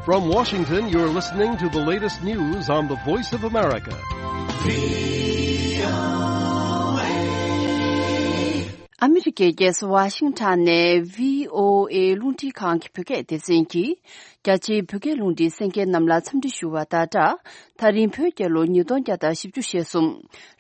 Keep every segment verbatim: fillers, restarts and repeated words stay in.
From Washington, you're listening to the latest news on the Voice of America. ཨ་མི་རི་ཀའི་རྒྱལ་ས་ཝ་ཤིང་ཊོན་ནས་བྷི་ཨོ་ཨེ་རླུང་འཕྲིན་ཁང་གི་བོད་སྐད་སྡེ་ཚན་གྱིས། རྒྱ་ཆེའི་བོད་སྐད་རླུང་འཕྲིན་གསན་མཁན་རྣམས་ལ་འཚམས་འདྲི་ཞུ་བ་དང་སྦྲགས། ད་རིང་བོད་རྒྱལ་ལོ་ཉིས་སྟོང་བརྒྱ་དང་བཞི་བཅུ་ཞེ་གསུམ།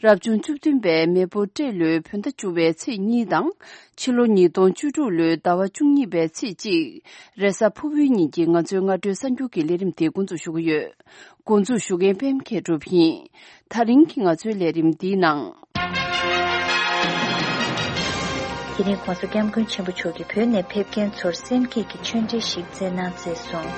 རབ་བྱུང་བཅུ་བདུན་པའི་མེ་ཕོ་སྤྲེལ་ལོའི་བོད་ཟླ་བཅུ་པའི་ཚེས་གཉིས་དང་། ཕྱི་ལོ་ཉིས་སྟོང་བཅུ་དྲུག་ལོའི་ཟླ་བ་བཅུ་གཉིས་པའི་ཚེས་གཅིག། རེས་གཟའ་ཕུར་བུའི་ཉིན་གྱི་ང་ཚོའི་སྔ་དྲོའི་གསར་འགྱུར་གྱི་ལས་རིམ་དེ་འགོ་འཛུགས་ཞུ་གི་ཡོད། འགོ་འཛུགས་ཞུ་མཁན་པད་མ་མཁས་གྲུབ་ཡིན། ད་རིང་གི་ང་ཚོའི་ལས་རིམ་འདིའི་ནང་། དེ་རིང་༸གོང་ས་༸སྐྱབས་མགོན་ཆེན་པོ་མཆོག་གིས་བོད་ནས་ཕེབས་མཁན་ཚོར་སེམས་བསྐྱེད་ཀྱི་ཆོས་འབྲེལ་ཞིག་བསྩལ་གནང་མཛད་སོང་།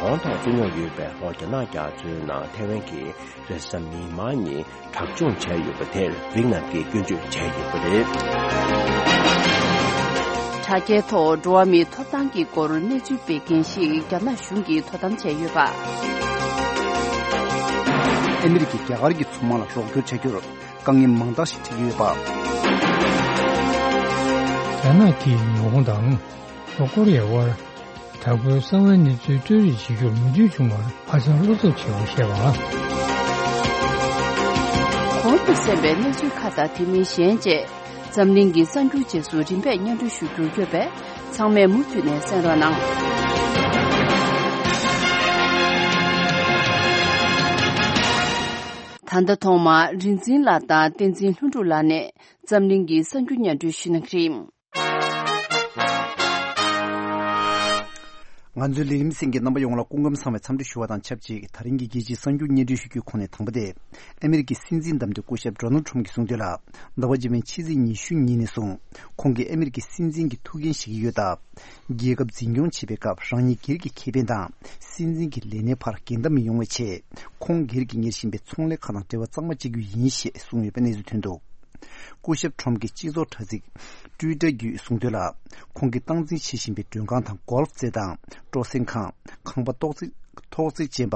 བདག་དབང་ཐོག་རྩོད་རྙོག་ཡོད་པའི་ལྷོ་རྒྱ་ནག་རྒྱ་མཚོའི་ནང་ཐེ་ཝན་གྱིས་རེས་གཟའ་མིག་དམར་ཉིན་དྲག་སྦྱོང་བྱས་ཡོད་པ་དེར་ཝིག་ནམ་གྱིས་སྐྱོན་བརྗོད་བྱས་ཡོད་པ་རེད། དྲ་རྒྱའི་ཐོག་འགྲོ་བ་མིའི་ཐོབ་ཐང་གི་སྐོར་གནས་ཚུལ་སྤེལ་མཁན་ཞིག་རྒྱ་ནག་གཞུང་གིས་དོ་དམ་བྱས་ཡོད་པ། ཨ་མི་རི་ཀས་རྒྱ་གར་གྱི་མཚོ་དམག་ལ་རོགས་སྐྱོར་བྱ་རྒྱུར་དཀའ་ངལ་མང་དག་ཞིག་འཕྲད་ཀྱི་ཡོད་པ། རྒྱ་ནག་གིས་ཉི་ཧོང་དང་ལྷོ་ཀོ་རི་ཡའི་དབར། དྲག་པོའི་གསང་བའི་གནས་ཚུལ་སྤྲོད་རེས་བྱེད་རྒྱུར་མོས་མཐུན་བྱུང་བར་ཧ་ཅང་བློ་འཚབ་ཆེ་བ་བཤད་པ། གོང་དུ་གསན་པའི་གནས་ཚུལ་ཁག་དང་དེ་མིན་གཞན་བཅས་འཛམ་གླིང་གི་གསར་འགྱུར་རྗེས་སུ་རིམ་པས་སྙན་སྒྲོན་ཞུ་རྒྱུར་ཡོད་པས་ཚང་མས་མུ་མཐུད་ནས་གསན་རོགས་གནང་། ད་ལྟ་ཐོག་མར་རིག་འཛིན་ལགས་དང་བསྟན་འཛིན་ལྷུན་གྲུབ་ལགས་ནས་འཛམ་གླིང་གི་གསར་འགྱུར་སྙན་སྒྲོན་ཞུ་གནང་གི་རེད། ང་ཚོའི་ལས་རིམ་གསན་མཁན་རྣམ་པ་ཡོངས་ལ་སྐུ་ཁམས་བཟང་བའི་འཚམས་འདྲི་ཞུ་བ་དང་ཆབས་ཅིག་ད་རིང་གི་རྒྱལ་སྤྱིའི་གསར་འགྱུར་སྙན་སྒྲོན་ཞུ་རྒྱུའི་ཁོངས་ནས་དང་པོ་དེ། ཨ་མི་རི་ཀའི་སྲིད་འཛིན་བདམས་ཐོན་སྐུ་ཞབས་ཌོ་ནལ་ཊམ་གྱིས་གསུངས་དོན་ལ། ཟླ་བ་འཇིག་པའི་ཕྱི་ཚེས་ཉི་ཤུ་ཉིན་ནས་བཟུང་ཁོང་གིས་ཨ་མི་རི་ཀའི་སྲིད་འཛིན་གྱི་ཐུགས་འགན་བཞེས་ཀྱི་ཡོད་སྟབས། རྒྱལ་ཁབ་འཛིན་སྐྱོང་བྱེད་པའི་སྐབས་རང་ཉིད་སྒེར་གྱི་ཁེ་ཕན་དང་སྲིད་འཛིན་གྱི་ལས་གནས་བར་འགལ་ཟླ་མི་ཡོང་བའི་ཆེད། ཁོང་སྒེར་གྱིས་གཉེར་བཞིན་པའི་ཚོང་ལས་ཁང་དང་འབྲེལ་བ་གཙང་མ་བྱེད་རྒྱུ་ཡིན་ཞེས་གསུངས་ཡོད་པའི་གནས་ཚུལ་ཐོན་འདུག་སྐུ་ཞབས་ཊམ་གྱིས་སྤྱི་ཚོགས་དྲ་ཚིགས་ཊུའི་ཊར་བརྒྱུད་གསུངས་དོན་ལ། ཁོང་གིས་སྟངས་འཛིན་བྱེད་བཞིན་པའི་མགྲོན་ཁང་དང་གོལ་ཕ་རྩེད་ཐང་། སྤྲོ་གསེང་ཁང་། ཁང་པ་ཐོག་བརྩེགས་ཐོག་བརྩེགས་ཅན་པ།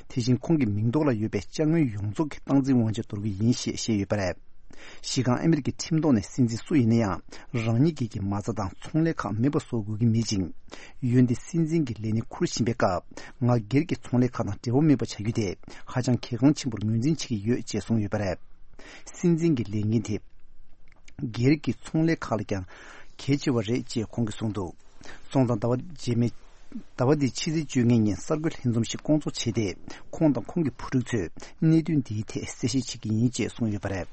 དེ་བཞིན་ཁོང་གི་མིང་ཐོག་ལ་ཡོད་པའི་ཅ་དངོས་ཡོངས་རྫོགས་ཀྱི་སྟངས་འཛིན་དབང་ཆ་འདོར་གྱི་ཡིན་ཞེས་བཤད་ཡོད་པ་རེད། གཞི་རྐང་ཨ་མི་རི་ཀའི་ཁྲིམས་ཐོག་ནས་སྲིད་འཛིན་སུ་ཡིན་ན་ཡང་རང་ཉིད་སྒེར་གྱི་མ་རྩ་དང་ཚོང་ལས་ཁག་མེད་པ་བཟོ་དགོས་ཀྱི་མེད་ཅིང་། འོན་ཏེ་སྲིད་འཛིན་གྱི་ལས་གནས་འཁུར་བཞིན་པའི་སྐབས་ང་སྒེར་གྱི་ཚོང་ལས་ཁག་དང་འབྲེལ་བ་མེད་པ་བྱ་རྒྱུ་དེ་ཧ་ཅང་གལ་འགངས་ཆེན་པོར་ངོས་འཛིན་བྱེད་ཀྱི་ཡོད་ཅེས་གསུངས་ཡོད་པ་རེད། སྲིད་འཛིན་གྱི་ལས་འགན་དེ་སྒེར་གྱི་ཚོང་ལས་ཁག་ལས་ཀྱང་གལ་ཆེ་བ་རེད་ཅེས་ཁོང་གིས་གསུངས་འདུག་སོང་ཙང་ཟླ་བ་རྗེས་མའི། ཟླ་བ་འདིའི་ཕྱི་ཚེས་བཅོ་ལྔའི་ཉིན་གསར་འགོད་ལྷན་འཛོམས་ཤིག་བསྐོང་ཚོགས་བྱས་ཏེ། ཁོང་དང་ཁོང་གི་བུ་ཕྲུག་ཚོས་གནད་དོན་འདིའི་ཐད་གསལ་བཤད་བྱེད་ཀྱི་ཡིན་ཅེས་གསུངས་ཡོད་པ་རེད།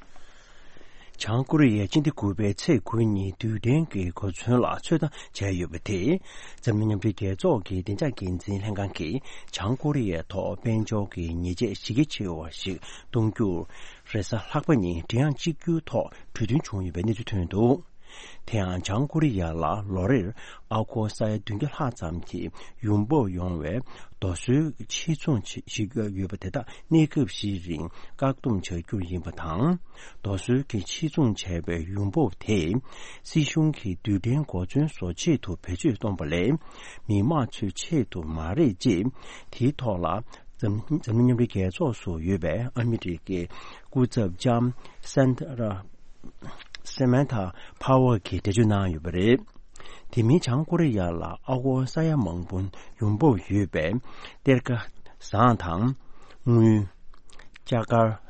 བྱང་ཀོ་རི་ཡས་སྤྱི་ཟླ་དགུ་པའི་ཚེས་དགུ་ཉིན་རྡུལ་ཕྲན་གྱི་གོ་མཚོན་ལ་ཚོད་ལྟ་བྱས་ཡོད་པ་དེས། འཛམ་གླིང་མཉམ་འབྲེལ་རྒྱལ་ཚོགས་ཀྱི་བདེ་འཇགས་འགན་འཛིན་ལྷན་ཁང་གིས་བྱང་ཀོ་རི་ཡའི་ཐོག་དཔལ་འབྱོར་གྱི་ཉེས་ཆད་གཞི་རྒྱ་ཆེ་བ་ཞིག་གཏོང་རྒྱུར། རེས་གཟའ་ལྷག་པ་ཉིན་མགྲིན་དབྱངས་གཅིག་གྱུར་ཐོག་གྲོས་མཐུན་བྱུང་ཡོད་པའི་གནས་ཚུལ་ཐོན་འདུག་དེ་ཡང་བྱང་ཀོ་རི་ཡ་ལ་ལོ་རེར་ཨ་སྒོར་ས་ཡ་བདུན་བརྒྱ་ལྷག་ཙམ་གྱི་ཡོང་འབབ་ཡོང་བའི་རྡོ་སོལ་ཕྱིར་ཚོང་བྱེད་བཞིན་ཡོད་པ་དེ་དག་གནས་སྐབས་ཤིག་རིང་བཀག་སྡོམ་བྱ་རྒྱུ་ཡིན་པ་དང་། རྡོ་སོལ་གྱི་ཕྱིར་ཚོང་བྱས་པའི་ཡོང་འབབ་དེ་སྲིད་གཞུང་གིས་རྡུལ་ཕྲན་གོ་མཚོན་བཟོ་ཆེད་དུ་བེད་སྤྱོད་གཏོང་པ་ལས་མི་དམངས་ཚོའི་ཆེད་དུ་མ་རེད་ཅེས་དེའི་ཐོག་ལ། འཛམ་འཛམ་གླིང་མཉམ་འབྲེལ་རྒྱལ་ཚོགས་སུ་ཡོད་པའི་ཨ་མི་རི་ཀའི་སྐུ་ཚབ་ལྕམ་སན་ད་ར། Samantha Power གྱིས་འགྲེལ་བརྗོད་གནང་ཡོད་པ་རེད། དེ་མིན་བྱང་ཀོ་རི་ཡ་ལ་ཨ་སྒོར་ས་ཡ་མང་པོ་ཡོང་འབབ་ཡོད་པའི་གཏེར་ཁ་ཟངས་དང་། དངུལ། ལྕགས་མཁར།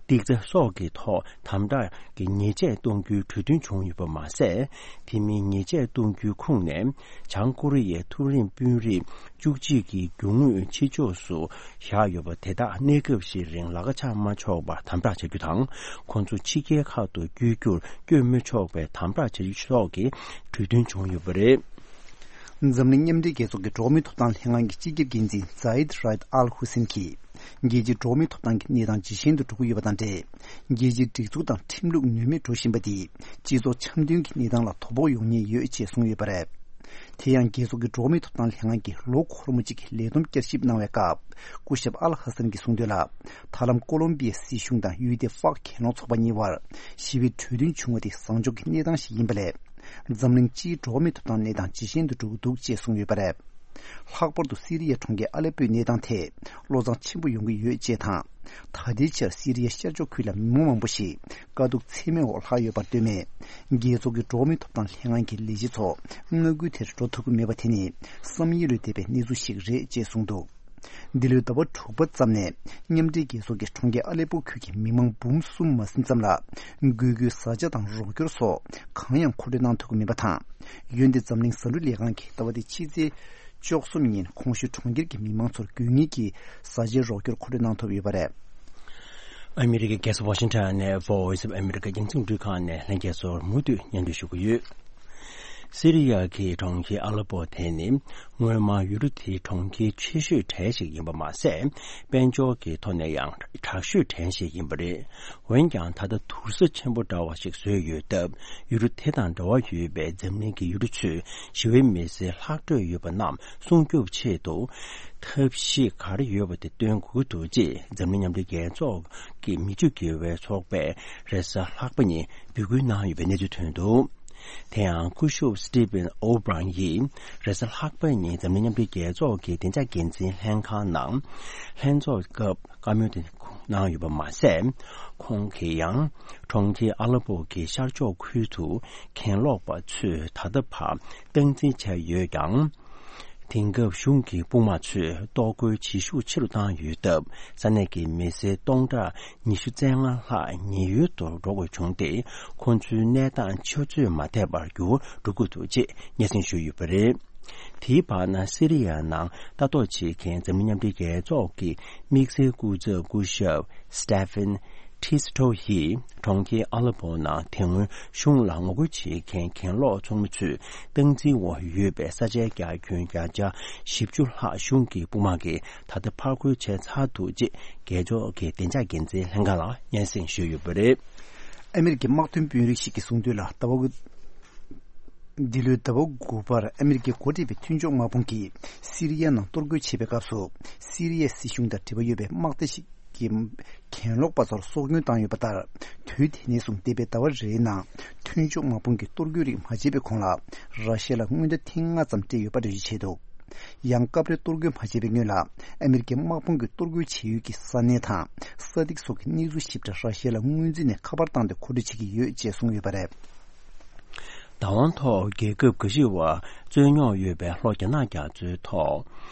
ཏིག་ཙེ་སོགས་ཀྱི་ཐོག་དམ་དྲག་གི་ཉེས་ཆད་གཏོང་རྒྱུའི་གྲོས་མཐུན་བྱུང་ཡོད་པ་མ་ཟད། དེ་མིན་ཉེས་ཆད་གཏོང་རྒྱུའི་ཁོངས་ནས། བྱང་ཀོ་རི་ཡའི་མཐོ་རིམ་དཔོན་རིགས་བཅུ་གཅིག་གི་རྒྱུ་དངོས་ཕྱི་ཕྱོགས་སུ་བཞག་ཡོད་པ་དེ་དག་གནས་སྐབས་ཤིག་རིང་ལག་ཆ་མ་འཁྱོག་པར་དམ་དྲག་བྱ་རྒྱུ་དང་། ཁོང་ཚོ་ཕྱི་རྒྱལ་ཁག་ཏུ་བསྐྱོད་རྒྱུར་བསྐྱོད་མི་ཆོག་པའི་དམ་དྲག་བྱ་རྒྱུ་སོགས་ཀྱི་གྲོས་མཐུན་བྱུང་ཡོད་པ་རེད། འཛམ་གླིང་མཉམ་འབྲེལ་རྒྱལ་ཚོགས་ཀྱི་འགྲོ་བ་མིའི་ཐོབ་ཐང་ལྷན་ཁང་གི་སྤྱི་ཁྱབ་འགན་འཛིན་Zeid Ra'ad Al Hussein གྱིས། རྒྱལ་སྤྱིའི་འགྲོ་བ་མིའི་ཐོབ་ཐང་གི་གནས་སྟངས་ཇེ་ཞན་དུ་འགྲོ་གི་ཡོད་པ་དང་འབྲེལ། རྒྱལ་སྤྱིའི་སྒྲིག་འཛུགས་དང་ཁྲིམས་ལུགས་ནུས་མེད་འགྲོ་བཞིན་པ་དེས་སྤྱི་ཚོགས་འཆམ་མཐུན་གྱི་གནས་སྟངས་ལ་དོ་ཕོག་ཡོང་ཉེན་ཡོད་ཅེས་གསུངས་ཡོད་པ་རེད། དེ་ཡང་རྒྱལ་ཚོགས་ཀྱི་འགྲོ་བ་མིའི་ཐོབ་ཐང་ལྷན་ཁང་གིས་ལོ་འཁོར་མོ་གཅིག་གི་ལས་བསྡོམས་བསྐྱར་ཞིབ་གནང་བའི་སྐབས། སྐུ་ཞབས་ཨལ་ཧ་སན་གྱིས་གསུངས་དོན་ལ། ད་ལམ་ཀོ་ལོམ་པི་ཡའི་སྲིད་གཞུང་དང་ཡུལ་དེའི་ཝག་གྱེན་ལོག་ཚོགས་པ་གཉིས་བར་ཞི་བའི་གྲོས་མཐུན་བྱུང་བ་དེ་བཟང་ཕྱོགས་ཀྱི་གནས་སྟངས་ཤིག་ཡིན་པ་ལས། འཛམ་གླིང་སྤྱིའི་འགྲོ་བ་མིའི་ཐོབ་ཐང་གནས་སྟངས་ཇེ་ཞན་དུ་འགྲོ་གི་འདུག་ཅེས་གསུངས་ཡོད་པ་རེད། ལྷག་པར་དུ་སི་རི་ཡའི་གྲོང་ཁྱེར་ཨ་ལེ་པོའི་གནས་སྟངས་ཐད་བློ་བཟང་ཆེན་པོ་ཡོང་གི་ཡོད་ཅེས་དང་། ད་ལྟའི་ཆར་སི་རི་ཡའི་ཤར་ཕྱོགས་ཁུལ་ལ་མི་མང་མང་པོ་ཞིག་དཀའ་སྡུག་ཚད་མེད་འོག་ལྷག་ཡོད་པར་ལྟོས་མེད། རྒྱལ་ཚོགས་ཀྱི་འགྲོ་བ་མིའི་ཐོབ་ཐང་ལྷན་ཁང་གི་ལས་བྱེད་ཚོ་མངའ་ཁུལ་དེར་འགྲོ་ཐུབ་ཀྱི་མེད་པ་དེ་ནི་བསམ་ཡུལ་ལས་འདས་པའི་གནས་ཚུལ་ཞིག་རེད་ཅེས་གསུངས་འདུག་འདི་ལོའི་ཟླ་བ་དྲུག་པ་ཙམ་ནས་མཉམ་འབྲེལ་རྒྱལ་ཚོགས་ཀྱི་གྲོང་ཁྱེར་ཨ་ལེ་པོ་ཁུལ་གྱི་མི་མང་འབུམ་གསུམ་མ་ཟིན་ཙམ་ལ་འགུལ་སྐྱོད་བཟའ་བཅའ་དང་རོགས་སྐྱོར་སོགས་གང་ཡང་མཁོ་སྤྲོད་གནང་ཐུབ་ཀྱི་མེད་པ་དང་། འོན་ཏེ་འཛམ་གླིང་བཟའ་འབྲུ་ལས་ཁང་གིས་ཟླ་བ་འདིའི་ཕྱི་ཚེས་བཅུ་གསུམ་ཉིན་གོང་ཞུས་གྲོང་ཁྱེར་གྱི་མི་མང་ཚོར་དགོས་ངེས་ཀྱི་བཟའ་བཅའི་རོགས་སྐྱོར་མཁོ་སྤྲོད་གནང་ཐུབ་ཡོད་པ་རེད། ཨ་མི་རི་ཀའི་རྒྱལ་ས་ཝ་ཤིང་ཊོན་ནས་Voice of America་རྒྱང་སྲིང་འཕྲིན་ཁང་ནས་ལྷན་རྒྱས་ཚོར་མུ་མཐུད་སྙན་སྒྲོན་ཞུ་གི་ཡོད། སི་རི་ཡ་གི་གྲོང་ཁྱེར་ཨ་ལེ་པོ་དེ་ནི་སྔོན་མ་ཡུལ་གྲུ་དེའི་གྲོང་ཁྱེར་ཆེ་ཤོས་གྲས་ཤིག་ཡིན་པ་མ་ཟད། དཔལ་འབྱོར་གྱི་ཐོག་ནས་ཡང་དྲག་ཤོས་གྲས་ཤིག་ཡིན་པ་རེད། འོན་ཀྱང་ད་ལྟ་དུར་ས་ཆེན་པོ་འདྲ་བ་ཞིག་བཟོས་ཡོད་སྟབས། ཡུལ་གྲུ་དེ་དང་འབྲེལ་བ་ཡོད་པའི་འཛམ་གླིང་གི་ཡུལ་གྲུ་ཚོས་ཞི་བའི་མི་སེར་ལྷག་འཕྲོས་ཡོད་པ་རྣམས་སྲུང་སྐྱོབ་ཆེད་དུ་ཐབས་ཤེས་ག་རེ་ཡོད་པ་དེ་སྟོན་དགོས་འདུག་ཅེས་འཛམ་གླིང་མཉམ་འབྲེལ་རྒྱལ་ཚོགས་ཀྱི་མི་སྤྱོད་དགེ་བའི་ཚོགས་པས་རེས་གཟའ་ལྷག་པ་ཉིན་འབོད་སྐུལ་གནང་ཡོད་པའི་གནས་ཚུལ་ཐོན་འདུག་དེ་ཡང་སྐུ་ཞབས་Stephen O'Brien་ཡིས་རེས་གཟའ་ལྷག་པའི་ཉིན་འཛམ་གླིང་མཉམ་འབྲེལ་རྒྱལ་ཚོགས་ཀྱི་བདེ་འཇགས་འགན་འཛིན་ལྷན་ཁང་ནང་ལྷན་ཚོགས་སྐབས་བཀའ་མོལ་དེ་གནང་ཡོད་པ་མ་ཟད། ཁོང་གིས་ཡང་གྲོང་ཁྱེར་ཨ་ལེ་པོ་གི་ཤར་ཕྱོགས་ཁུལ་དུ་གྱེན་ལོག་པ་ཚོས་ད་ལྟ་བར་སྟངས་འཛིན་བྱས་ཡོད་ཀྱང་། དེང་སྐབས་གཞུང་གི་དཔུང་དམག་ཚོས་གཏོར་རྒོལ་བྱེད་ཤུགས་ཆེ་རུ་བཏང་ཡོད་སྟབས། ས་གནས་ཀྱི་མི་སེར་སྟོང་ཕྲག་ཉི་ཤུ་རྩ་ལྔ་ལྷག་ཉེན་གཡོལ་དུ་འགྲོ་དགོས་བྱུང་སྟེ། ཁོང་ཚོའི་གནས་སྟངས་ཆུ་ཚོད་མ་འདས་པར་འགྱུར་བ་འགྲོ་གི་འདུག་ཅེས་སྙན་སེང་ཞུས་ཡོད་པ་རེད། དེའི་བར་ན་སི་རི་ཡ་ནང་ལྟ་རྟོག་བྱེད་མཁན་འཛམ་གླིང་མཉམ་འབྲེལ་རྒྱལ་ཚོགས་ཀྱི་དམིགས་བསལ་སྐུ་ཚབ་སྐུ་ཞབས་Stephen Tisto་ཡིས་གྲོང་ཁྱེར་ཨ་ལེ་པོ་ནང་དེ་སྔོན་གཞུང་ལ་ངོ་རྒོལ་བྱེད་མཁན་གྱེན་ལོག་ཚོགས་མི་ཚོས་སྟངས་འཛིན་འོག་ཡོད་པའི་ས་ཆའི་རྒྱ་ཁྱོན་བརྒྱ་ཆ་བཞི་བཅུ་ལྷག་གཞུང་གི་དཔུང་དམག་གིས་ད་ལྟ་ཕར་རྒོལ་བྱས་ཚར་འདུག་ཅེས་རྒྱལ་ཚོགས་ཀྱི་བདེ་འཇགས་འགན་འཛིན་ལྷན་ཁང་ལ་སྙན་སེང་ཞུས་ཡོད་པ་རེད། ཨ་མི་རི་ཀའི་དམག་དོན་དཔོན་རིགས་ཤིག་གིས་གསུངས་དོན་ལ། ཟླ་བ་འདི་ལོའི་ཟླ་བ་དགུ་པར་ཨ་མི་རི་ཀས་འགོ་ཁྲིད་པའི་མཐུན་ཕྱོགས་དམག་དཔུང་གིས་སི་རི་ཡ་ནང་གཏོར་རྒོལ་བྱེད་པའི་སྐབས་སུ། སི་རི་ཡའི་སྲིད་གཞུང་དང་འབྲེལ་བ་ཡོད་པའི་དམག་སྡེ་ཞིག་གིས་གྱེན་ལོག་པ་ཚོར་སྲོག་སྐྱོན་བཏང་ཡོད་པ་ལྟར། དུས་དེ་ནས་བཟུང་འདས་པའི་ཟླ་བ་རེའི་ནང་མཐུན་ཕྱོགས་དམག་དཔུང་གིས་གཏོར་རྒོལ་རིགས་མ་བྱས་པའི་གོང་ལ། ར་ཤི་ཡ་ལ་རྔུལ་ནག་ཐེངས་ལྔ་ཙམ་སྤྲད་ཡོད་པ་འགྲེལ་བརྗོད་བྱས་འདུག་ཡང་སྐབས་རེ་གཏོར་རྒོལ་མ་བྱས་པའི་སྔོན་ལ། ཨ་མི་རི་ཀའི་དམག་དཔུང་གིས་གཏོར་རྒོལ་བྱེད་ཡུལ་གྱི་ས་གནས་དང་ས་ཐིག་སོགས་ཀྱི་གནས་ཚུལ་ཞིབ་ཕྲ་ར་ཤི་ཡ་ལ་སྔོན་རྩིས་ནས་ཁ་པར་བཏང་སྟེ་མཁོ་སྤྲོད་བྱེད་ཀྱི་ཡོད་ཅེས་གསུངས་ཡོད་པ་རེད། བདག་དབང་ཐོག་རྒྱལ་ཁབ་འགའ་ཞིག་བར་རྩོད་རྙོག་ཡོད་པའི་ལྷོ་རྒྱ་ནག་རྒྱ་མཚོའི་ཐོག་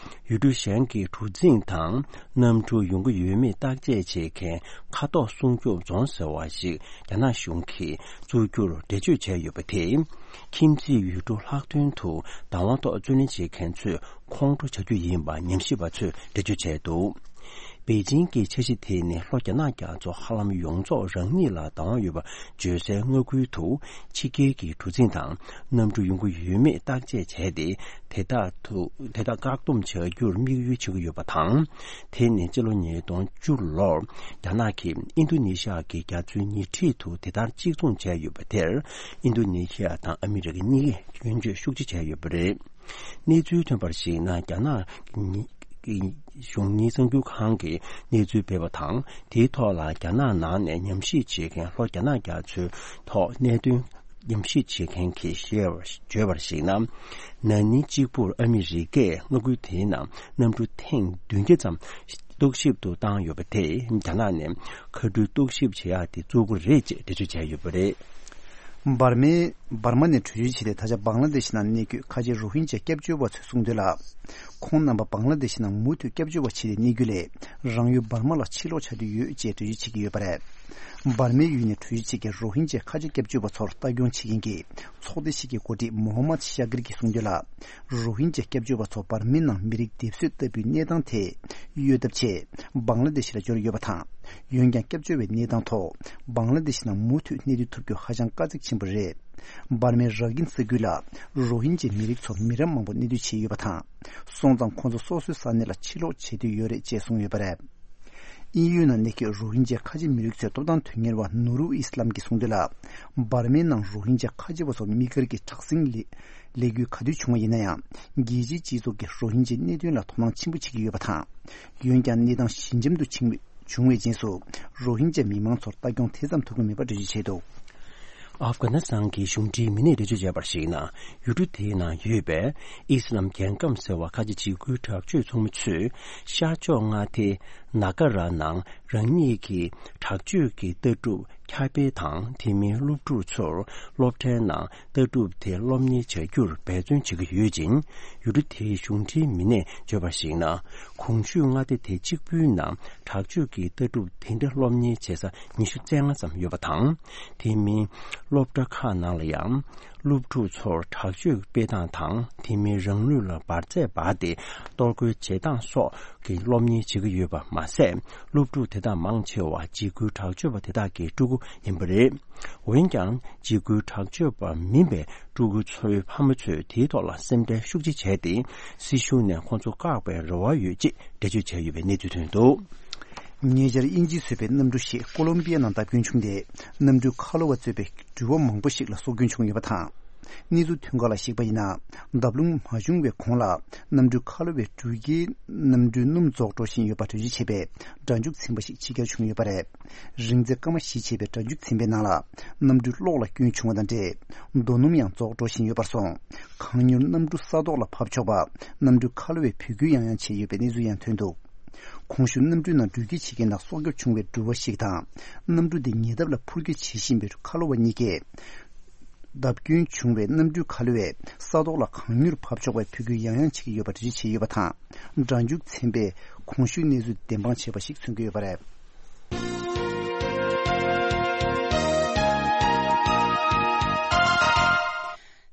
ཡུལ་གྲུ་གཞན་གྱི་གྲུ་གཟིངས་དང་གནམ་གྲུ་ཡོང་གི་ཡོད་མེད་བརྟག་དཔྱད་བྱེད་མཁན་མཁའ་ཐོག་སྲུང་སྐྱོབ་རྫོང་ཟེར་བ་ཞིག་རྒྱ་ནག་གཞུང་གིས་བཙུགས་རྒྱུར་འགྲེལ་བརྗོད་བྱས་ཡོད་པ་དེས། ཁྱིམ་མཚེས་ཡུལ་གྲུ་ལྷག་དོན་དུ་བདག་དབང་ཐོག་རྩོད་ལེན་བྱེད་མཁན་ཚོས་ཁོང་ཁྲོ་བྱ་རྒྱུ་ཡིན་པ་ཉམས་ཞིབ་པ་ཚོས་འགྲེལ་བརྗོད་བྱས་འདུག་པེ་ཅིང་གི་འཆར་གཞི་དེ་ནི་ལྷོ་རྒྱ་ནག་རྒྱ་མཚོ་ཧ་ལམ་ཡོངས་རྫོགས་རང་ཉིད་ལ་བདག་དབང་ཡོད་པ་བརྗོད་སའི་མངའ་ཁུལ་དུ་ཕྱི་རྒྱལ་གྱི་གྲུ་གཟིངས་དང་གནམ་གྲུ་ཡོང་གི་ཡོད་མེད་བརྟག་དཔྱད་བྱས་ཏེ། དེ་དག་ཐུ་དེ་དག་བཀག་སྡོམ་བྱ་རྒྱུར་དམིགས་ཡུལ་བྱེད་ཀྱི་ཡོད་པ་དང་། དེ་ནི་སྤྱི་ལོ་ཉིས་སྟོང་བཅུ་ལོར་རྒྱ་ནག་གིས་ཨིན་རྡུ་ནི་ཤ་གི་རྒྱ་མཚོའི་ཉེ་འཁྲིས་དུ་དེ་ལྟར་གཅིག་མཚུངས་བྱས་ཡོད་པ་དེར། ཨིན་རྡུ་ནི་ཤ་དང་ཨ་མི་རི་ཀ་གཉིས་ཀས་སྐྱོན་བརྗོད་ཤུགས་ཆེ་བྱས་ཡོད་པ་རེད། གནས་ཚུལ་ཐོན་པར་གཞིགས་ན། རྒྱ་ནག་གི་གཞུང་གཉིས་གསར་འགྱུར་ཁང་གིས་གནས་ཚུལ་སྤེལ་བ་དང་། དེའི་ཐོག་ལ་རྒྱ་ནག་ནང་ནས་ཉམས་ཞིབ་བྱེད་མཁན་ལྷོ་རྒྱ་ནག་རྒྱ་མཚོའི་ཐོག་གནད་དོན་ཉམས་ཞིབ་བྱེད་མཁན་གྱིས་བཤད་པར་བརྗོད་པར་གཞིགས་ན། ན་ནིང་གཅིག་པུར་ཨ་མི་རི་ཀས་མངའ་ཁུལ་དེའི་ནང་གནམ་གྲུ་ཐེངས་བདུན་བརྒྱ་ཙམ་རྟོག་ཞིབ་ཏུ་བཏང་ཡོད་པ་དེས་རྒྱ་ནག་ནས་མཁའ་འགྲུལ་རྟོག་ཞིབ་བྱེད་ཡག་དེ་བཙུགས་པ་རེད་ཅེས་འགྲེལ་བརྗོད་བྱས་ཡོད་པ་རེད། འབར་མའི་འབར་མ་ནས་བྲོས་བྱོལ་བྱས་ཏེ། ད་ཆ་བང་ལ་དེ་ཤི་ནང་གནས་འཁོད་ཁ་ཆེ་རོ་ཧིན་ཇཱ་སྐྱབས་བཅོལ་བ་ཚོས་གསུངས་དོན་ལ། ཁོང་རྣམ་པ་བང་ལ་དེ་ཤི་ནང་མུ་མཐུད་སྐྱབས་བཅོལ་བ་བྱས་ཏེ་གནས་རྒྱུ་ལས། རང་ཡུལ་འབར་མ་ལ་ཕྱིར་ལོག་བྱ་འདོད་ཡོད་ཅེས་འགྲེལ་བརྗོད་བྱེད་ཀྱི་ཡོད་པ་རེད། འབར་མའི་ཡུལ་ནས་བྲོས་བྱོལ་བྱེད་མཁན་རོ་ཧིན་ཇཱ་ཁ་ཆེ་སྐྱབས་བཅོལ་བ་ཚོར་ལྟ་སྐྱོང་བྱེད་མཁན་གྱི་ཚོགས་སྡེ་ཞིག་གི་འགོ་ཁྲིད་མོ་ཧམ་མད་ཤ་ཀིར་གྱིས་གསུངས་དོན་ལ། རོ་ཧིན་ཇཱ་སྐྱབས་བཅོལ་བ་ཚོ་འབར་མའི་ནང་མི་རིགས་སྡེབ་གསོད་ལྟ་བུའི་གནས་སྟངས་དེ་གཡོལ་ཐབས་ཆེད་བང་ལ་དེ་ཤི་ལ་འབྱོར་ཡོད་པ་དང་། འོན་ཀྱང་སྐྱབས་བཅོལ་བའི་གནས་སྟངས་ཐོག་བང་ལ་དེ་ཤི་ནང་མུ་མཐུད་གནས་སྡོད་ཐུབ་རྒྱུ་ཧ་ཅང་དཀའ་ཚེགས་ཆེན་པོ་རེད། འབར་མའི་ར་གིན་ས་ཁུལ་ལ་རོ་ཧིན་ཇཱ་མི་རིགས་ཚོ་མི་རབས་མང་པོ་གནས་སྡོད་བྱས་ཡོད་པ་དང་། སོང་ཙང་ཁོང་ཚོ་སོ་སོའི་ས་གནས་ལ་ཕྱིར་ལོག་བྱེད་འདོད་ཡོད་རེད་ཅེས་གསུངས་ཡོད་པ་རེད། དབྱིན་ཡུལ་ནང་གནས་འཁོད་རོ་ཧིན་ཇཱ་ཁ་ཆེ་མི་རིགས་ཚོའི་སྟོབས་དང་དོན་གཉེར་བ་ནུ་རུ་ཨི་སི་ལམ་གྱིས་གསུངས་དོན་ལ། འབར་མའི་ནང་རོ་ཧིན་ཇཱ་ཁ་ཆེ་བ་ཚོ་དམིགས་བཀར་གྱི་དྲག་ཟིང་ལས་ལས་འགུལ་ག་དུས་བྱུང་བ་ཡིན་ན་ཡང་། རྒྱལ་སྤྱིའི་སྤྱི་ཚོགས་ཀྱིས་རོ་ཧིན་ཇཱའི་གནད་དོན་ལ་དོ་སྣང་ཆེན་པོ་བྱེད་ཀྱི་ཡོད་པ་དང་། འོན་ཀྱང་གནས་སྟངས་ཞི་འཇམ་དུ་ཕྱིན་བྱུང་བའི་རྗེས་སུ། རོ་ཧིན་ཇཱ་མི་མང་ཚོར་ལྟ་སྐྱོང་དེ་ཙམ་ཐུབ་ཀྱི་མེད་པ་འགྲེལ་བརྗོད་བྱས་འདུག་ཨབ་གྷ་ནི་སི་ཐན་གྱི་གཞུང་འབྲེལ་མི་སྣས་འགྲེལ་བརྗོད་བྱས་པར་གཞིགས་ན། ཡུལ་གྲུ་དེའི་ནང་ཡོད་པའི་ཨི་སི་ལམ་རྒྱལ་ཁམས་ཟེར་བ་ཁ་ཆེ་འཇིགས་སྐུལ་དྲག་སྤྱོད་ཚོགས་མི་ཚོས་ཤར་ཕྱོགས་མངའ་སྡེ་ ནཱ་ག་ར་ནང་རང་ཉིད་ཀྱི་དྲག་སྤྱོད་ཀྱི་ལྟ་གྲུབ་ཁྱབ་སྤེལ་དང་། དེ་མིན་སློབ་ཕྲུག་ཚོར་སློབ་གྲྭའི་ནང་ལྟ་གྲུབ་དེ་སློབ་གཉེར་བྱ་རྒྱུར་འབད་བརྩོན་བྱེད་ཀྱི་ཡོད་ཅིང་། ཡུལ་གྲུ་དེའི་གཞུང་འབྲེལ་མི་སྣས་བརྗོད་པར་གཞིགས་ན། གོང་ཞུས་མངའ་སྡེ་དེ་གཅིག་པུའི་ནང་དྲག་སྤྱོད་ཀྱི་ལྟ་གྲུབ་དེ་འདྲ་སློབ་གཉེར་བྱེད་ས་ཉི་ཤུ་རྩ་ལྔ་ཙམ་ཡོད་པ་དང་། དེ་མིན་སློབ་གྲྭ་ཁག་ནང་ལ་ཡང་། སློབ་ཕྲུག་ཚོར་དྲག་སྤྱོད་སྤེལ་སྟངས་དང་། དེ་མིན་རང་ལུས་ལ་འབར་རྫས་སྦར་ཏེ་གཏོར་རྒོལ་བྱེད་སྟངས་སོགས་ཀྱི་སློབ་གཉེར་བྱེད་ཀྱི་ཡོད་པ་མ་ཟད། སློབ་ཕྲུག་དེ་དག་མང་ཆེ་བ་འཇིགས་སྐུལ་དྲག་སྤྱོད་པ་དེ་དག་གི་ཕྲུ་གུ་ཡིན་པ་རེད། འོན་ཀྱང་། འཇིགས་སྐུལ་དྲག་སྤྱོད་པ་མིན་པའི་ཕྲུ་གུ་ཚོའི་ཕ་མ་ཚོས་དེའི་ཐོག་ལ་སེམས་ཁྲལ་ཤུགས་ཆེ་བྱས་ཏེ། སྲིད་གཞུང་ནས་ཁོང་ཚོ་བཀག་པའི་རེ་བ་ཡོད་ཅེས་འགྲེལ་བརྗོད་བྱས་ཡོད་པའི་གནས་ཚུལ་ཐོན་འདུག། ཉེ་ཆར་དབྱིན་ཇིས་བཟོས་པའི་གནམ་གྲུ་ཞིག་ཀོ་ལོམ་པི་ཡ་ནང་བརྡབ་སྐྱོན་བྱུང་སྟེ། གནམ་གྲུའི་ཁ་ལོ་བ་གཙོས་པའི་འགྲུལ་བ་མང་པོ་ཞིག་ལ་སྲོག་སྐྱོན་བྱུང་ཡོད་པ་དང་། གནས་ཚུལ་ཐོན་ཁག་ལ་གཞིགས་པ་ཡིན་ན། བརྡབ་ལྷུང་མ་བྱུང་བའི་གོང་ལ། གནམ་གྲུའི་ཁ་ལོ་བའི་འགྲུལ་སྐྱེལ་གནམ་གྲུའི་སྣུམ་རྫོགས་འགྲོ་བཞིན་ཡོད་པ་འགྲེལ་བརྗོད་བྱས་པའི་སྒྲ་འཇུག་ཚན་པ་ཞིག་ཕྱི་གྱར་བྱུང་ཡོད་པ་རེད། རིང་ཚད་སྐར་མ་བཞི་བྱས་པའི་སྒྲ་འཇུག་ཚན་པའི་ནང་ལ། གནམ་གྲུའི་གློག་ལ་སྐྱོན་བྱུང་བ་དང་འབྲེལ། རྡོ་སྣུམ་ཡང་རྫོགས་འགྲོ་བཞིན་ཡོད་པར་སོང་། གང་མྱུར་གནམ་གྲུ་ས་ཐོག་ལ་ཕབ་ཆོག་པ། གནམ་གྲུའི་ཁ་ལོ་བས་འབོད་སྐུལ་ཡང་ཡང་བྱས་ཡོད་པའི་གནས་ཚུལ་ཡང་ཐོན་འདུག། གོང་ཞུས་གནམ་གྲུའི་ནང་འགྲུལ་སྐྱེལ་བྱེད་མཁན་དང་སྲོག་སྐྱོབ་བྱུང་བའི་འགྲུལ་བ་ཞིག་དང་། གནམ་གྲུ་དེ་ཉེ་འདབས་ལ་འཕུར་སྐྱོད་བྱེད་བཞིན་པའི་ཁ་ལོ་བ་གཉིས་ཀས། བརྡབ་སྐྱོན་བྱུང་བའི་གནམ་གྲུའི་ཁ་ལོ་བས་ས་ཐོག་ལ་གང་མྱུར་བབས་ཆོག་པའི་འབོད་སྐུལ་ཡང་ཡང་བྱེད་ཀྱི་ཡོད་པ་འགྲེལ་བརྗོད་བྱས་ཡོད་པ་དང་། སྒྲ་འཇུག་ཚན་པས་གོང་ཞུས་གནས་ཚུལ་བདེན་དཔང་བྱས་པ་ཞིག་མཚོན་གྱི་ཡོད་པ་རེད།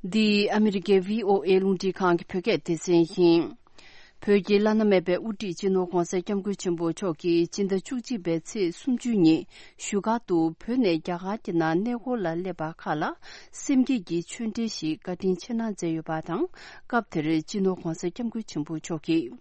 འདི་ཨ་མི་རི་ཀའི་བྷི་ཨོ་ཨེ་རླུང་འཕྲིན་ཁང་གི་བོད་སྐད་སྡེ་ཚན་ཡིན། བོད་ཀྱི་བླ་ན་མེད་པའི་དབུ་ཁྲིད་སྤྱི་ནོར་༧གོང་ས་༧སྐྱབས་མགོན་ཆེན་པོ་མཆོག་གིས་སྤྱི་ཟླ་བཅུ་གཅིག་པའི་ཚེས་སུམ་ཅུ་ཉིན་བཞུགས་སྒར་དུ་བོད་ནས་རྒྱ་གར་གྱི་ནང་གནས་སྐོར་ལ་སླེབས་པ་ཁག་ལ་སེམས་བསྐྱེད་ཀྱི་ཆོས་འབྲེལ་ཞིག་བཀའ་དྲིན་ཆེ་གནང་མཛད་ཡོད་པ་དང་། སྐབས་དེར་སྤྱི་ནོར་༧གོང་ས་༧སྐྱབས་མགོན་ཆེན་པོ་མཆོག་གིས།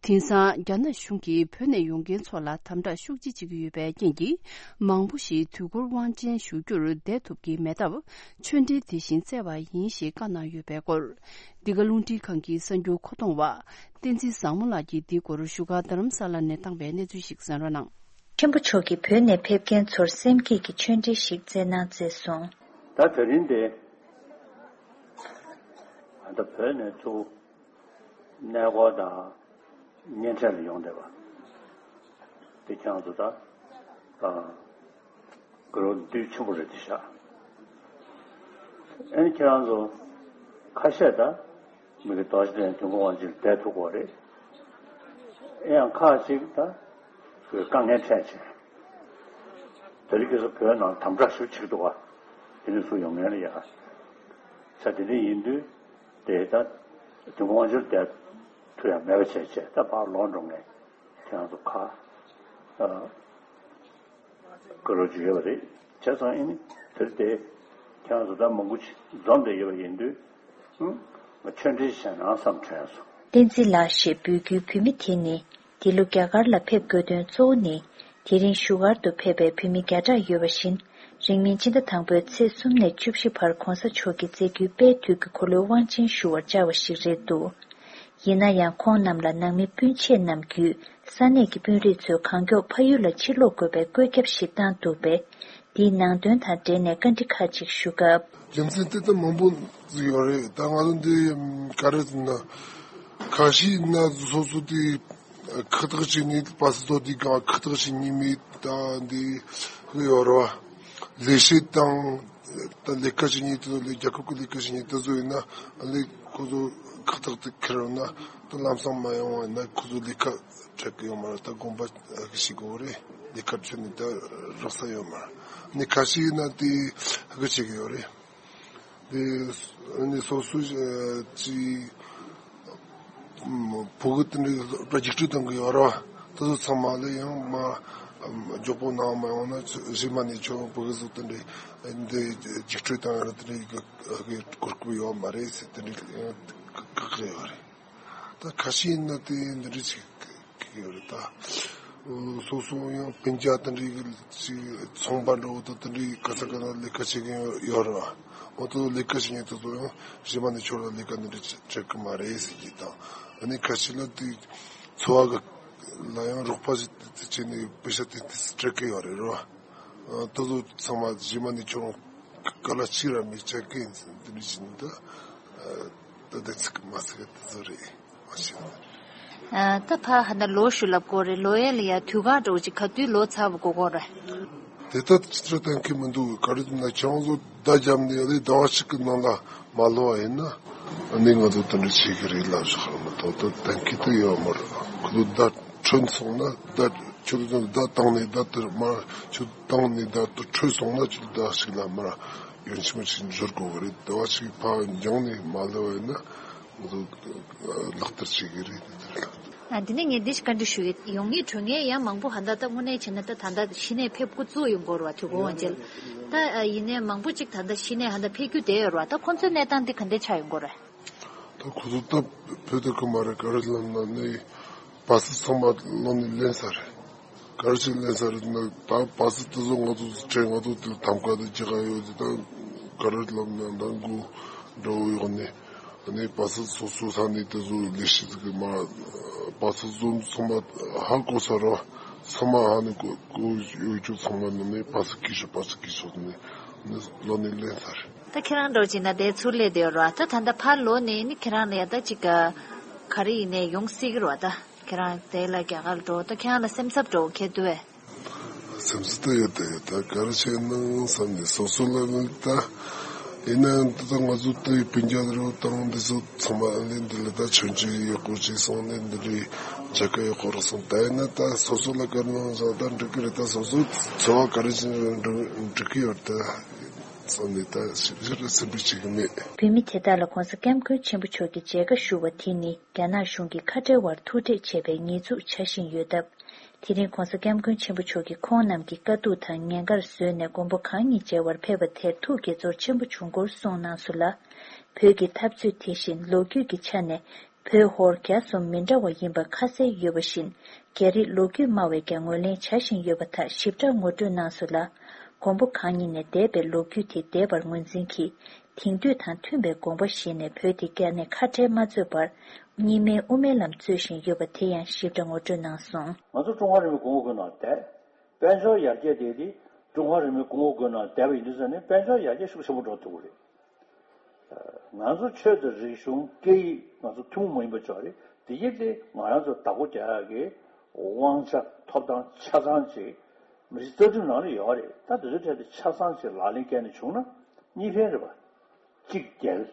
དེང་སང་རྒྱ་ནག་གཞུང་གིས་བོད་ནས་ཡོང་མཁན་ཚོ་ལ་དམ་དྲག་ཤུགས་ཆེ་བྱེད་ཀྱི་ཡོད་པའི་རྐྱེན་གྱིས། མང་པོ་ཞིག་དུས་འཁོར་དབང་ཆེན་ཞུ་རྒྱུར་བསྡད་ཐུབ་ཀྱི་མེད་སྟབས། ཆོས་འབྲེལ་དེ་བཞིན་བསྩལ་བ་ཡིན་ཞེས་བཀའ་གནང་ཡོད་པའི་སྐོར། འདི་ག་རླུང་འཕྲིན་ཁང་གི་གསར་འགྱུར་མཁོ་གཏོང་བ། བསྟན་འཛིན་བཟང་མོ་ལགས་ཀྱིས་འདིའི་སྐོར་བཞུགས་སྒར་རྡ་རམ་ས་ལ་ནས་བཏང་བའི་གནས་ཚུལ་ཞིག་གསན་རོགས་གནང་། ཆེན་པོ་མཆོག་གིས་བོད་ནས་ཕེབས་མཁན་ཚོར་སེམས་བསྐྱེད་ཀྱི་ཆོས་འབྲེལ་ཞིག་བསྩལ་གནང་མཛད་སོང་། ད་དེ་རིང་འདི་ད་བོད་ནས་ཚུར་གནས་སྐོར་དང་གཉེན་འཕྲད་ལ་ཡོང་བསྡད་པ་དེ་ཁྱེད་རང་ཚོ་ད་ཨ་དགའ་རབ་འདུས་ཆེན་པོ་རེད་དེ་ཤག། ཨ་ནི་ཁྱེད་རང་ཚོ་ཁ་ཤས་ད་མི་གི་རྡོ་རྗེ་གདན་དུས་འཁོར་དབང་ཆེན་ལ་བསྡད་ཐུབ་ཀྱི་རེད། ཨེ་ཡང་ཁག་ཅིག་ད་དཀའ་ངལ་འཕྲད་བྱས། དེ་རིང་ཁ་སང་བོད་ནང་དམ་དྲག་ཞེ་པོ་བྱེད་ཀྱི་འདུག་ག། དེ་ནས་ཚུར་ཡོང་མཁན་ལ་ཡ། ས་དེ་འདྲ་ཡིན་དུས་དེ་ད་དུས་འཁོར་དབང་ཆེན་ལ་བསྡད་ཐུབ་ཡ་མེད་པ་བྱས་བྱས་ད་ཕར་ལོག་འགྲོ་མཁན་ཁྱེད་རང་ཚོ་ཁ་ཨ་དགའ་རབ་ཅིག་ཡོད་པ་རེད། བྱས་ཙང་ཨེ་ནི་དེར་དེ་ཁྱེད་རང་ཚོ་ད་མང་པོ་ཅིག་འཛོམས་བསྡད་ཡོད་པ་ཡིན་དུས། ཨུ། ང་ཆོས་འབྲེལ་བྱས་ན་བསམ་དྲན་སོང་། བསྟན་འཛིན་ལགས་ཞེས་འབོད་སྐུལ་བོད་མི་དེ་ནི། འདི་ལོ་རྒྱ་གར་ལ་ཕེབས་དགོས་དོན་གཙོ་བོ་ནི། དེ་རིང་བཞུགས་སྒར་དུ་ཕེབས་པའི་བོད་མི་བརྒྱ་ཕྲག་ཡོད་པ་བཞིན། རིང་མིན་ཕྱི་ཟླ་དང་པོའི་ཚེས་གསུམ་ནས་བཅུ་བཞི་བར་༧གོང་ས་མཆོག་གིས་མཛད་རྒྱུའི་དཔལ་དུས་ཀྱི་འཁོར་ལོའི་དབང་ཆེན་ཞུ་བར་བཅར་བ་ཞིག་རེད་འདུག། ཡིན་ན་ཡང་ཁོང་རྣམས་ལ་ནང་མི་སྤུན་མཆེད་རྣམས་བརྒྱུད་ས་གནས་ཀྱི་དཔོན་རིགས་ཚོས་གང་མགྱོགས་ཕ་ཡུལ་ལ་ཕྱིར་ལོག་དགོས་པའི་བཀོད་ཁྱབ་ཞིག་བཏང་འདུག་པས། འདིའི་ནང་དོན་དང་འབྲེལ་ནས་བཀའ་འདྲི་ཁག་ཅིག་ཞུ་སྐབས། རྒྱུ་མཚན་དེ་ལྟར་མང་པོ་ཡོད་རེད། ད་ང་ཚོ་འདི་ག་རེ་ཟེར་ན། ཁ་ཤས་ན་སོ་སོ་དེ་ཁག་ཐེག་བྱེད་ནས་པ་སི་ཏོ་དེ་གང་ཁག་ཐེག་བྱེད་ཉེས་མེད་ད་འདི་ཡོད་རེད་བ། ལས་བྱེད་དང་ད་ལས་ཀ་བྱེད་ཉེས་དེ་ཚོ་ལས་རྒྱལ་ཁབ་ཀྱི་ལས་ཀ་བྱེད་ཉེས་དེ་ཚོ་ཡིན་ན་ལས་ཁོ་ཚོ་ཁག་ཐེག་དེ་ཁེལ་ཡོང་ན་ད་ལམ་སང་མ་ཡོང་བ་ཡིན་ན་ཁོ་ཚོ་ལས་ཀ་སྤྲད་གི་ཡོད་མ་རེད། ད་དགོངས་པ་ཞིག་དགོས་རེད། ལས་ཀ་བྱེད་ནས་ད་རག་ས་ཡོད་མ་རེད། ནི་ཁ་ཤས་ཡིན་ན་དེ་ཧ་གོ་བྱེད་གི་ཡོད་རེད། དེ་ནི་སོ་སོ་ཅི་ཕྲུ་གུ་དེ་འདྲའི་རྒྱུགས་སྤྲོད་གཏོང་གི་ཡོད་རེད་བ། དེ་ཚོ་ཚང་མ་ལ་ཡང་མ་མགྱོགས་པོ་གནང་མ་ཡོང་ན་རྗེས་མ་ནས་ཁྱོད་ཕྲུ་གུ་ཚོ་དེ་འདྲའི་འདི་རྒྱུགས་སྤྲོད་གཏོང་ཡ་ལ་དེ་འདྲའི་གོ་སྐབས་ཡོད་མ་རེད་ཟེར་དེ་འདྲའི་ཡང་བཀག་གི་ཡོད་རེད། ད་ཁ་ཤས་ཡིན་ན་དེ་འདི་འདྲ་ཅིག་ཡོད་རེད་ད། སོ་སོ་ཡང་སྤུན་ཀྱག་དེ་འདྲའི་ཅིག་ཚོང་པ་འདྲ་བོ་དང་དེ་འདྲའི་ག་ས་ག་ན་ལས་ཀ་བྱེད་མཁན་ཡོད་རེད་བ། འོ་དེ་ཚོ་ལས་ཀ་བྱེད་མཁན་དེ་ཚོ་ཡང་གཞན་པ་ནས་ཁྱོད་ལ་ལས་ཀ་འདི་འདྲ་སྤྲད་གི་མ་རེད་ཟེར་གྱི་དང་། ཨ་ནི་ཁ་ཤས་ལ་དེ་འཚོ་བ་གི་ལ་ཡང་རོགས་པ་ཞིག་བྱས་ནས་པེ་ཤ་དེ་དེ་སྤྲད་གི་ཡོད་རེད་རེད་བ། དེ་ཚོ་ཚང་མ་གཞན་པ་ནས་ཁྱོད་ག་ལ་གཅིག་ར་མི་བྱེད་མཁན་འདི་འདྲ་ཞིག་འདི་ད་དེ་ཚིག་མ་ཚིག་དེ་ཚོ་རེད། མ་ཤེས་ན། ཨ། ད་ཕ་ཧ་ན་ལོ་ཞུ་ལབ་དགོས་རེད། ལོ་ཡས་ལ་ཡ་དུས་གང་འདྲ་བོ་ཅིག་ག་དུས་ལོ་ཚར་བ་དགོས་དགོས་རེད། དེ་ལྟར་ཅི་ལྟར་གཏན་འཁེལ་མི་འདུག་ག་རེ་ཟེར་ན་ཁྱེད་རང་ཚོ་བརྡ་བརྒྱབ་ནས་ཡ་ལས་ཟླ་བ་གཅིག་གི་ནང་ལ་མ་ལོ་བ་ཡིན་ན། ཨ་ནི་ང་ཚོ་དེ་འདྲ་བྱེད་ཀྱི་རེད་ལབ་བཞག་ར་མ་གཏོགས་ད་གཏན་འཁེལ་དུ་ཡོད་མ་རེད། ཁོ་ཚོ་བརྡ་འཕྲོད་སོང་ན་བརྡ་ཁྱོད་ཚོ་བརྡ་བཏང་ནས་བརྡ་དེར་མར་ཁྱོད་བཏང་ནས་བརྡ་དེ་འཕྲོད་སོང་ན་ཁྱོད་བརྡ་ཞིག་ལ་མར་ཡོན་ཆེན་མོ་ཞིག་འབྱོར་དགོས་གི་རེད། ཟླ་བ་གཅིག་ཕར་འགྱངས་ནས་མ་ལོ་བ་ཡིན་ན། ང་ཚོ་ལག་བསྟར་བྱེད་ཀྱི་རེད། དེ་དེ་རེད། ཨ། འདི་ནས་ངས་འདི་ཞིག་བཀའ་འདྲི་ཞུ་ཡི། ཡོང་ངེས་འགྲོ་ངེས་ཡང་མང་པོ་ཧ་ད་ལྟ་དངོས་གནས་བྱས་ན་ད་ད་ལྟ་གཞི་ནས་ཕེབས་འགོ་བཙུགས་ཡོང་གི་ཡོད་རེད་བ། དུས་འཁོར་དབང་ཆེན་ལ། ད་ཨ་ཡིན་ནའི་མང་པོ་ཅིག་ད་ལྟ་གཞི་ནས་ཧ་ད་ཕེབས་རྒྱུ་བསྡད་ཡོད་རེད་བ། ད་ཁོང་ཚོའི་གནས་སྟངས་འདི་ག་འདྲས་ཆགས་ཡོང་གི་ཡོད་རེད། ད་ཁོ་ཚོ་སྟབས་བོད་དུ་ཁོ་མ་རེད། ག་རེ་ལབ་ན་ནི་བ་སི་ཚང་མ་ལོ་ནས་ལེན་ས་རེད། ག་རེ་ཞིག་ལེན་ས་རེད་ན། ད་བ་སི་དེ་ཚོ་ང་ཚོ་དྲན། ང་ཚོ་དེ་ཐམ་ཀ་དེ་ཅི་ག་ཡོད་དེ། ད་ག་རེ་ལབ་ན་ད་མགོ་འགྲོ་ཡོང་ནས། ཨ་ནི་བ་སི་སོ་སོ་ས་ནས་དེ་ཚོ་ལས་བྱེད་ཀྱི་མ། བ་སི་བཟོ་ཚང་མ་ཧ་གོ་ས་རེད། ཚང་མ་ཧ་ནི་གོ་གོ་ཡོད་རྒྱུ་ཚང་མ་ནི་ནི་བ་སི་སྐྱིད་ཤོག་བ་སི་སྐྱིད་ཤོག་ནི་ནི་ལོ་ནས་ལེན་ས་རེད། ད་ཁྱེད་རང་འདྲ་ཅིག་ན་དེ་ཚུར་སླེབས་བསྡད་ཡོད་རེད་བ། ད་ད་ལྟ་ཕར་ལོག་ནས་ནི་ཁྱེད་རང་ལ་ཡ་ད་ཅིག་ག་ག་རེ་ཡིན་ནའི་ཡོང་སྲིད་ཀྱི་རེད་བ། ད་ཁྱེད་རང་དེ་ལ་རྒྱ་གར་འགྲོ། ད་ཁྱེད་རང་ལ་སེམས་འཚབ་འདྲ་བོ་འཁྱེར་འདུག་བས། སེམས་སུ་ལྟ་ཡོད་དེ། ད་ག་རེ་བྱས་ན་བསམ་ནས་སོ་སོ་ལ་ནི་ད། ཡིན་ནའང་ད་ང་ཚོ་ལྟ་ཡི་སྤུན་ཀྱག་རེ་བ་དང་འདི་ཚོ་ཚང་མ་ཨ་ནི་འདི་ལ་ད་མཆོད་མཇལ་ཡག་པོ་ཅིག་སོང་ནས་འདི་རེད། མཇལ་ཁ་ཡག་པོ་རག་སོང་། ད་ཡིན་ན་ད་སོ་སོ་ལ་དཀའ་ངལ་བཟོ་ད་འགྲིག་གི་རེད། ད་སོ་སོ་འཚོ་བ་ག་རེ་བྱས་ན་འགྲིག་གི་ཡོད་ད་བསམ་ནས་ད་ཞིབ་ཞིབ་རེ་སེམས་པའི་བྱེད་གི་མེད། བོད་མི་དེ་དག་ལ་༧གོང་ས་༧སྐྱབས་མགོན་ཆེན་པོ་མཆོག་གིས་མཇལ་ཁ་ཞུ་བ་དེ་ནི་རྒྱ་ནག་གཞུང་གིས་ཁ་བྲལ་བར་ཐུག་འཕྲད་བྱས་པའི་ཉེས་འཛུགས་ཆགས་བཞིན་ཡོད་སྟབས། དེ་རིང་༧གོང་ས་༧སྐྱབས་མགོན་ཆེན་པོ་མཆོག་གིས་ཁོང་རྣམས་ཀྱི་དཀའ་སྡུག་དང་ཉེན་ཁར་བཟོས་ནས་མགོན་པོ་གང་ཉིད་མཇལ་བར་ཕེབས་པ་དེར་ཐུགས་དགྱེས་ཚོར་ཆེན་པོ་བྱུང་སྐོར་གསུངས་གནང་སོང་ལ། བོད་ཀྱི་འཐབ་རྩོད་དེ་བཞིན་ལོ་རྒྱུས་ཀྱི་ཆ་ནས་བོད་ཧོར་རྒྱ་གསུམ་མི་འདྲ་བ་ཡིན་པ་ཁ་གསལ་ཡོད་པ་བཞིན། རྒྱ་རིགས་ལོ་རྒྱུས་སྨྲ་བས་ཀྱང་ངོས་ལེན་བྱ་བཞིན་ཡོད་པ་དག་ཞིབ་ཕྲ་ངོ་སྤྲོད་གནང་སོང་ལ། མགོན་པོ་གང་ཉིད་ནས་འདས་པའི་ལོ་རྒྱུས་དེ་འདས་པར་ངོས་འཛིན་གྱིས། དེང་དུས་དང་མཐུན་པའི་དགོངས་པ་བཞེས་ནས་བོད་དེ་རྒྱ་ནས་ཁ་བྲལ་མ་བཟོས་པར། རྙིང་མའི་དབུ་མའི་ལམ་རྩོད་བཞིན་ཡོད་པ་དེ་ཡང་ཞིབ་ཕྲ་ངོ་སྤྲོད་གནང་སོང་། ང་ཚོ་ཀྲུང་ཧྭ་རེན་མོས་གོང་འོག་ཁུལ་ནང་བསྡད། དཔལ་འབྱོར་ཡར་རྒྱས་དེ་དེ་ཀྲུང་ཧྭ་རེན་མོས་གོང་འོག་ཁུལ་ནང་བསྡད་པ་ཡིན་དུས་ཙང་ནས་དཔལ་འབྱོར་ཡར་རྒྱས་ཤུགས་ཆེན་པོ་འགྲོ་ཐུབ་ཀྱི་རེད། ང་ཚོ་ཆོས་དང་རིག་གཞུང་སྐད་ཡིག་ང་ཚོ་ཐུན་མོང་མ་ཡིན་པ་ཅིག་རེད། དེ་ཡིན་ཏེ་ང་རང་ཚོ་བདག་པོ་རྒྱག་ཡག་གི་དབང་ཆ་ཐོབ་ཐང་ཆ་ཚང་ཅིག་མི་རིགས་རྩ་ཁྲིམས་ནང་ལ་ཡོད་རེད། ད་དེ་ཚོའི་གྲས་དེ་ཆ་ཚང་ཅིག་ལག་ལེན་བཀལ་ནས་བྱུང་ན་གཉིས་ཕན་རེད་པ། གཅིག་རྒྱལ།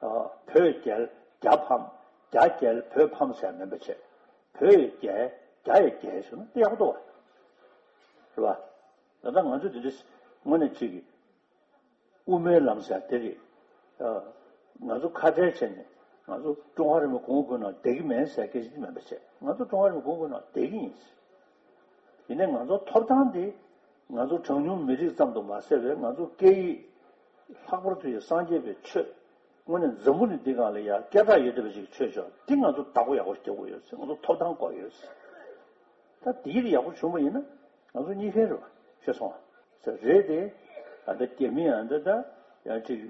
ཨ། བོད་རྒྱལ་རྒྱ་ཕམ། རྒྱ་རྒྱལ་བོད་ཕམ་ཟེར་མིན་པ་བྱས། བོད་ཡི་རྒྱལ་རྒྱ་ཡི་རྒྱལ་ཟེར་ན་དེ་ཡག་པོ་འདུག་བ། རེད་པ། ད་ལྟ་ང་ཚོ་དེ་འདྲ་དངོས་གནས་གཅིག་གི་དབུ་མའི་ལམ་ཟེར་དེ་རེད། ཨ། ང་ཚོ་ཁ་བྲལ་བྱས་ནས་ང་ཚོ་ཀྲུང་ཧྭ་རེན་མོའི་གོང་འོག་ཁུལ་ནང་བསྡད་ཀྱི་མེད་ཟེར་སྐད་ཆ་དེ་མིན་པ་བྱས། ང་ཚོ་ཀྲུང་ཧྭ་རེན་མོའི་གོང་འོག་ཁུལ་ནང་བསྡད་ཀྱི་ཡིན། ཡིན་ནའི་ང་ཚོ་ཐོབ་ཐང་དེ་ང་ཚོ་གྲངས་ཉུང་མི་རིགས་ཙམ་དུ་མ་ཟད་པའི་ང་ཚོ་སྐད་ཡིག་ལྷག་པར་དུ་ཡང་སངས་རྒྱས་པའི་ཆོས། དངོས་གནས་འཛམ་བུ་གླིང་འདི་སྒང་ལ་ཡང་སྐད་གྲགས་ཡོད་བསྡད་པ་ཞིག་གི་ཆོས་ཕྱོགས་འདི་ང་ཚོ་བདག་པོ་ཡག་པོ་རྒྱག་དགོས་ཡོད་ཟེར། ང་ཚོ་ཐོབ་ཐང་དགོས་ཡོད་ཟེར། ད་འདི་ཡིན་ཡག་པོ་བྱུང་བ་ཡིན་ན་ང་ཚོ་གཉིས་ཕན་རེད་པ། ཤེས་སོང་ཨ། ཟེར་རེད་དེ། ད་ལྟ་རྒྱ་མི་ཡང་འདི་ད་ཡང་ཅིག་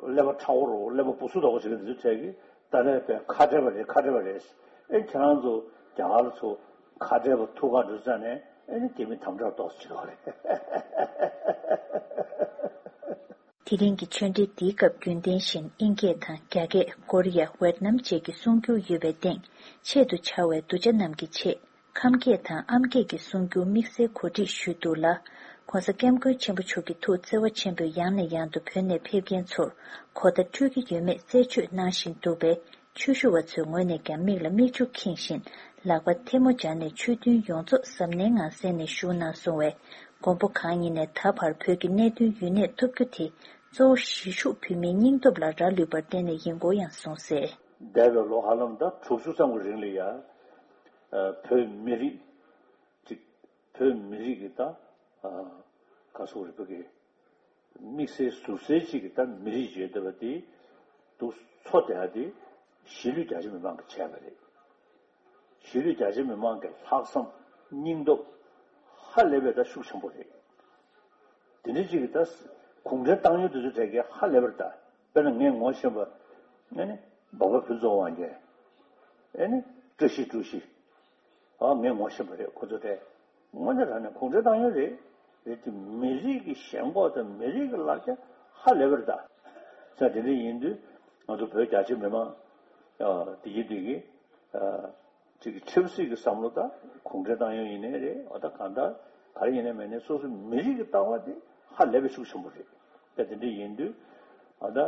ཀླད་པ་ཁྲ་བོ་རོ་ཀླད་པ་སྦུ་སུ་དོག་པོ་ཞིག་གི་འདི་ཚོའི་གྲས་ཀྱིས་ད་ལས་པའི་ཁ་བྲལ་བ་རེད། ཁ་བྲལ་བ་རེད། ཨེ་ཁྱེད་རང་ཚོ་རྒྱ་གར་ཚོ་ཁ་བྲལ་བ་ཐུག་ག་འགྲོ་ཙང་ནས་ཨེ་ནི་རྒྱ་མི་དམ་དྲག་ཏོག་ཙམ་བྱེད་རོགས་རེད། དེ་རིང་གི་ཆོས་འབྲེལ་འདིའི་སྐབས་རྒྱུན་ལྡན་བཞིན་དབྱིན་སྐད་དང་རྒྱ་སྐད། ཀོ་རི་ཡ། ཝེད་ནམ་བཅས་ཀྱི་གསུང་སྒྱུར་ཡོད་པའི་སྟེང་ཆེད་དུ་བཅར་བའི་གདུལ་བྱ་རྣམས་ཀྱི་ཆེད། ཁམས་སྐད་དང་ཨམ་སྐད་ཀྱི་གསུང་སྒྱུར་དམིགས་བསལ་གོ་སྒྲིག་ཞུས་འདུག་ལ། ༸གོང་ས་༸སྐྱབས་མགོན་ཆེན་པོ་མཆོག་གི་ཐུགས་བརྩེ་བ་ཆེན་པོས་ཡང་ནས་ཡང་དུ་བོད་ནས་ཕེབས་མཁན་ཚོར་གོ་བརྡ་འཕྲོད་ཀྱི་ཡོད་མེད་རྩད་གཅོད་གནང་བཞིན་འདུག་པས། ཆོས་ཞུ་བ་ཚོའི་ངོས་ནས་ཀྱང་མིག་ལ་མིག་ཆུ་འཁྱེར་བཞིན་ལག་པ་ཐལ་མོ་སྦྱར་ནས་ཆོས་མཐུན་ཡོངས་རྫོགས་གཟབ་ནན་ངང་གསན་ནས་བཞུགས་གནང་སོང་བས། མགོན་པོ་གང་ཉིད་ནས་ད་བར་བོད་ཀྱི་གནད་དོན་ཡུན་གནས་ཐུབ་རྒྱུ་དེ་གཙོ་བོ་གཞིས་བཞུགས་བོད་མིའི་སྙིང་སྟོབས་ལ་རག་ལུས་པར་བརྟེན་ནས་ཡིན་སྐོར་ཡང་གསུངས་གསལ། འདས་པའི་ལོ་ཧ་ལམ་ད་དྲུག་ཅུ་ཙམ་གྱི་རིང་ལ་ཡ། ཨ། བོད་མི་རིགས་ཅིག་བོད་མི་རིགས་ཀྱི་ད། ཨ། ག་སོག་རིག་པ་གི་དམིགས་བསལ་ཟུར་གསལ་ཅིག་གི་ད་མི་རིགས་ཡོད་བསྡད་པ་དེ་འདུག་འཚོ་བསྡད་ཡ་དེ་གཞིས་ལུས་རྒྱ་ཆེ་མི་མང་གིས་བྱས་པ་རེད། གཞིས་ལུས་རྒྱ་ཆེ་མི་མང་གི་ལྷག་བསམ་སྙིང་སྟོབས་ཧ་ལས་པའི་ད་ཤུགས་ཆེན་པོ་རེད། དེ་འདྲ་ཅིག་གི་ད་གུང་ཁྲན་ཏང་ཡོན་དེ་ཚོ་གྲས་ཀྱིས་ཧ་ལས་པར་ད་དཔེར་ན་ངས་ངོ་ཤེས་པ་ཨ་ནི་འབའ་པ་ཕུན་ཚོགས་དབང་རྒྱལ། ཨ་ནི་བཀྲ་ཤིས་བཀྲ་ཤིས། ཨ། ངས་ངོ་ཤེས་པ་རེད་ཁོ་ཚོ་གྲས། དངོས་གནས་དྲང་གནས་གུང་ཁྲན་ཏང་ཡོན་རེད། རེད་དེ་མི་རིགས་ཀྱི་ཞེན་ཁོག་དང་མི་རིགས་ཀྱི་ལག་ཆ་ཧ་ལས་པར་ད། ས་དེ་འདྲ་ཡིན་དུས་ང་ཚོ་བོད་རྒྱ་ཆེ་མི་མང་། ཨ། དེ་ཡིན་དུས་ཀྱི་ ཅིག་གི་ཆབ་སྲིད་ཀྱི་བསམ་བློ་དང་གུང་ཁྲན་ཏང་ཡོན་ཡིན་ནའི་རེད། འོ་ད་གང་ལྟར་ག་རེ་ཡིན་ནའི་མིན་ནའི་སོ་སོ་མི་རིགས་ཀྱི་ལྟ་བ་དེ་ཧ་ལས་པའི་ཤུགས་ཆེན་པོ་རེད། ད་དེ་འདྲ་ཡིན་དུས་འོ་ད།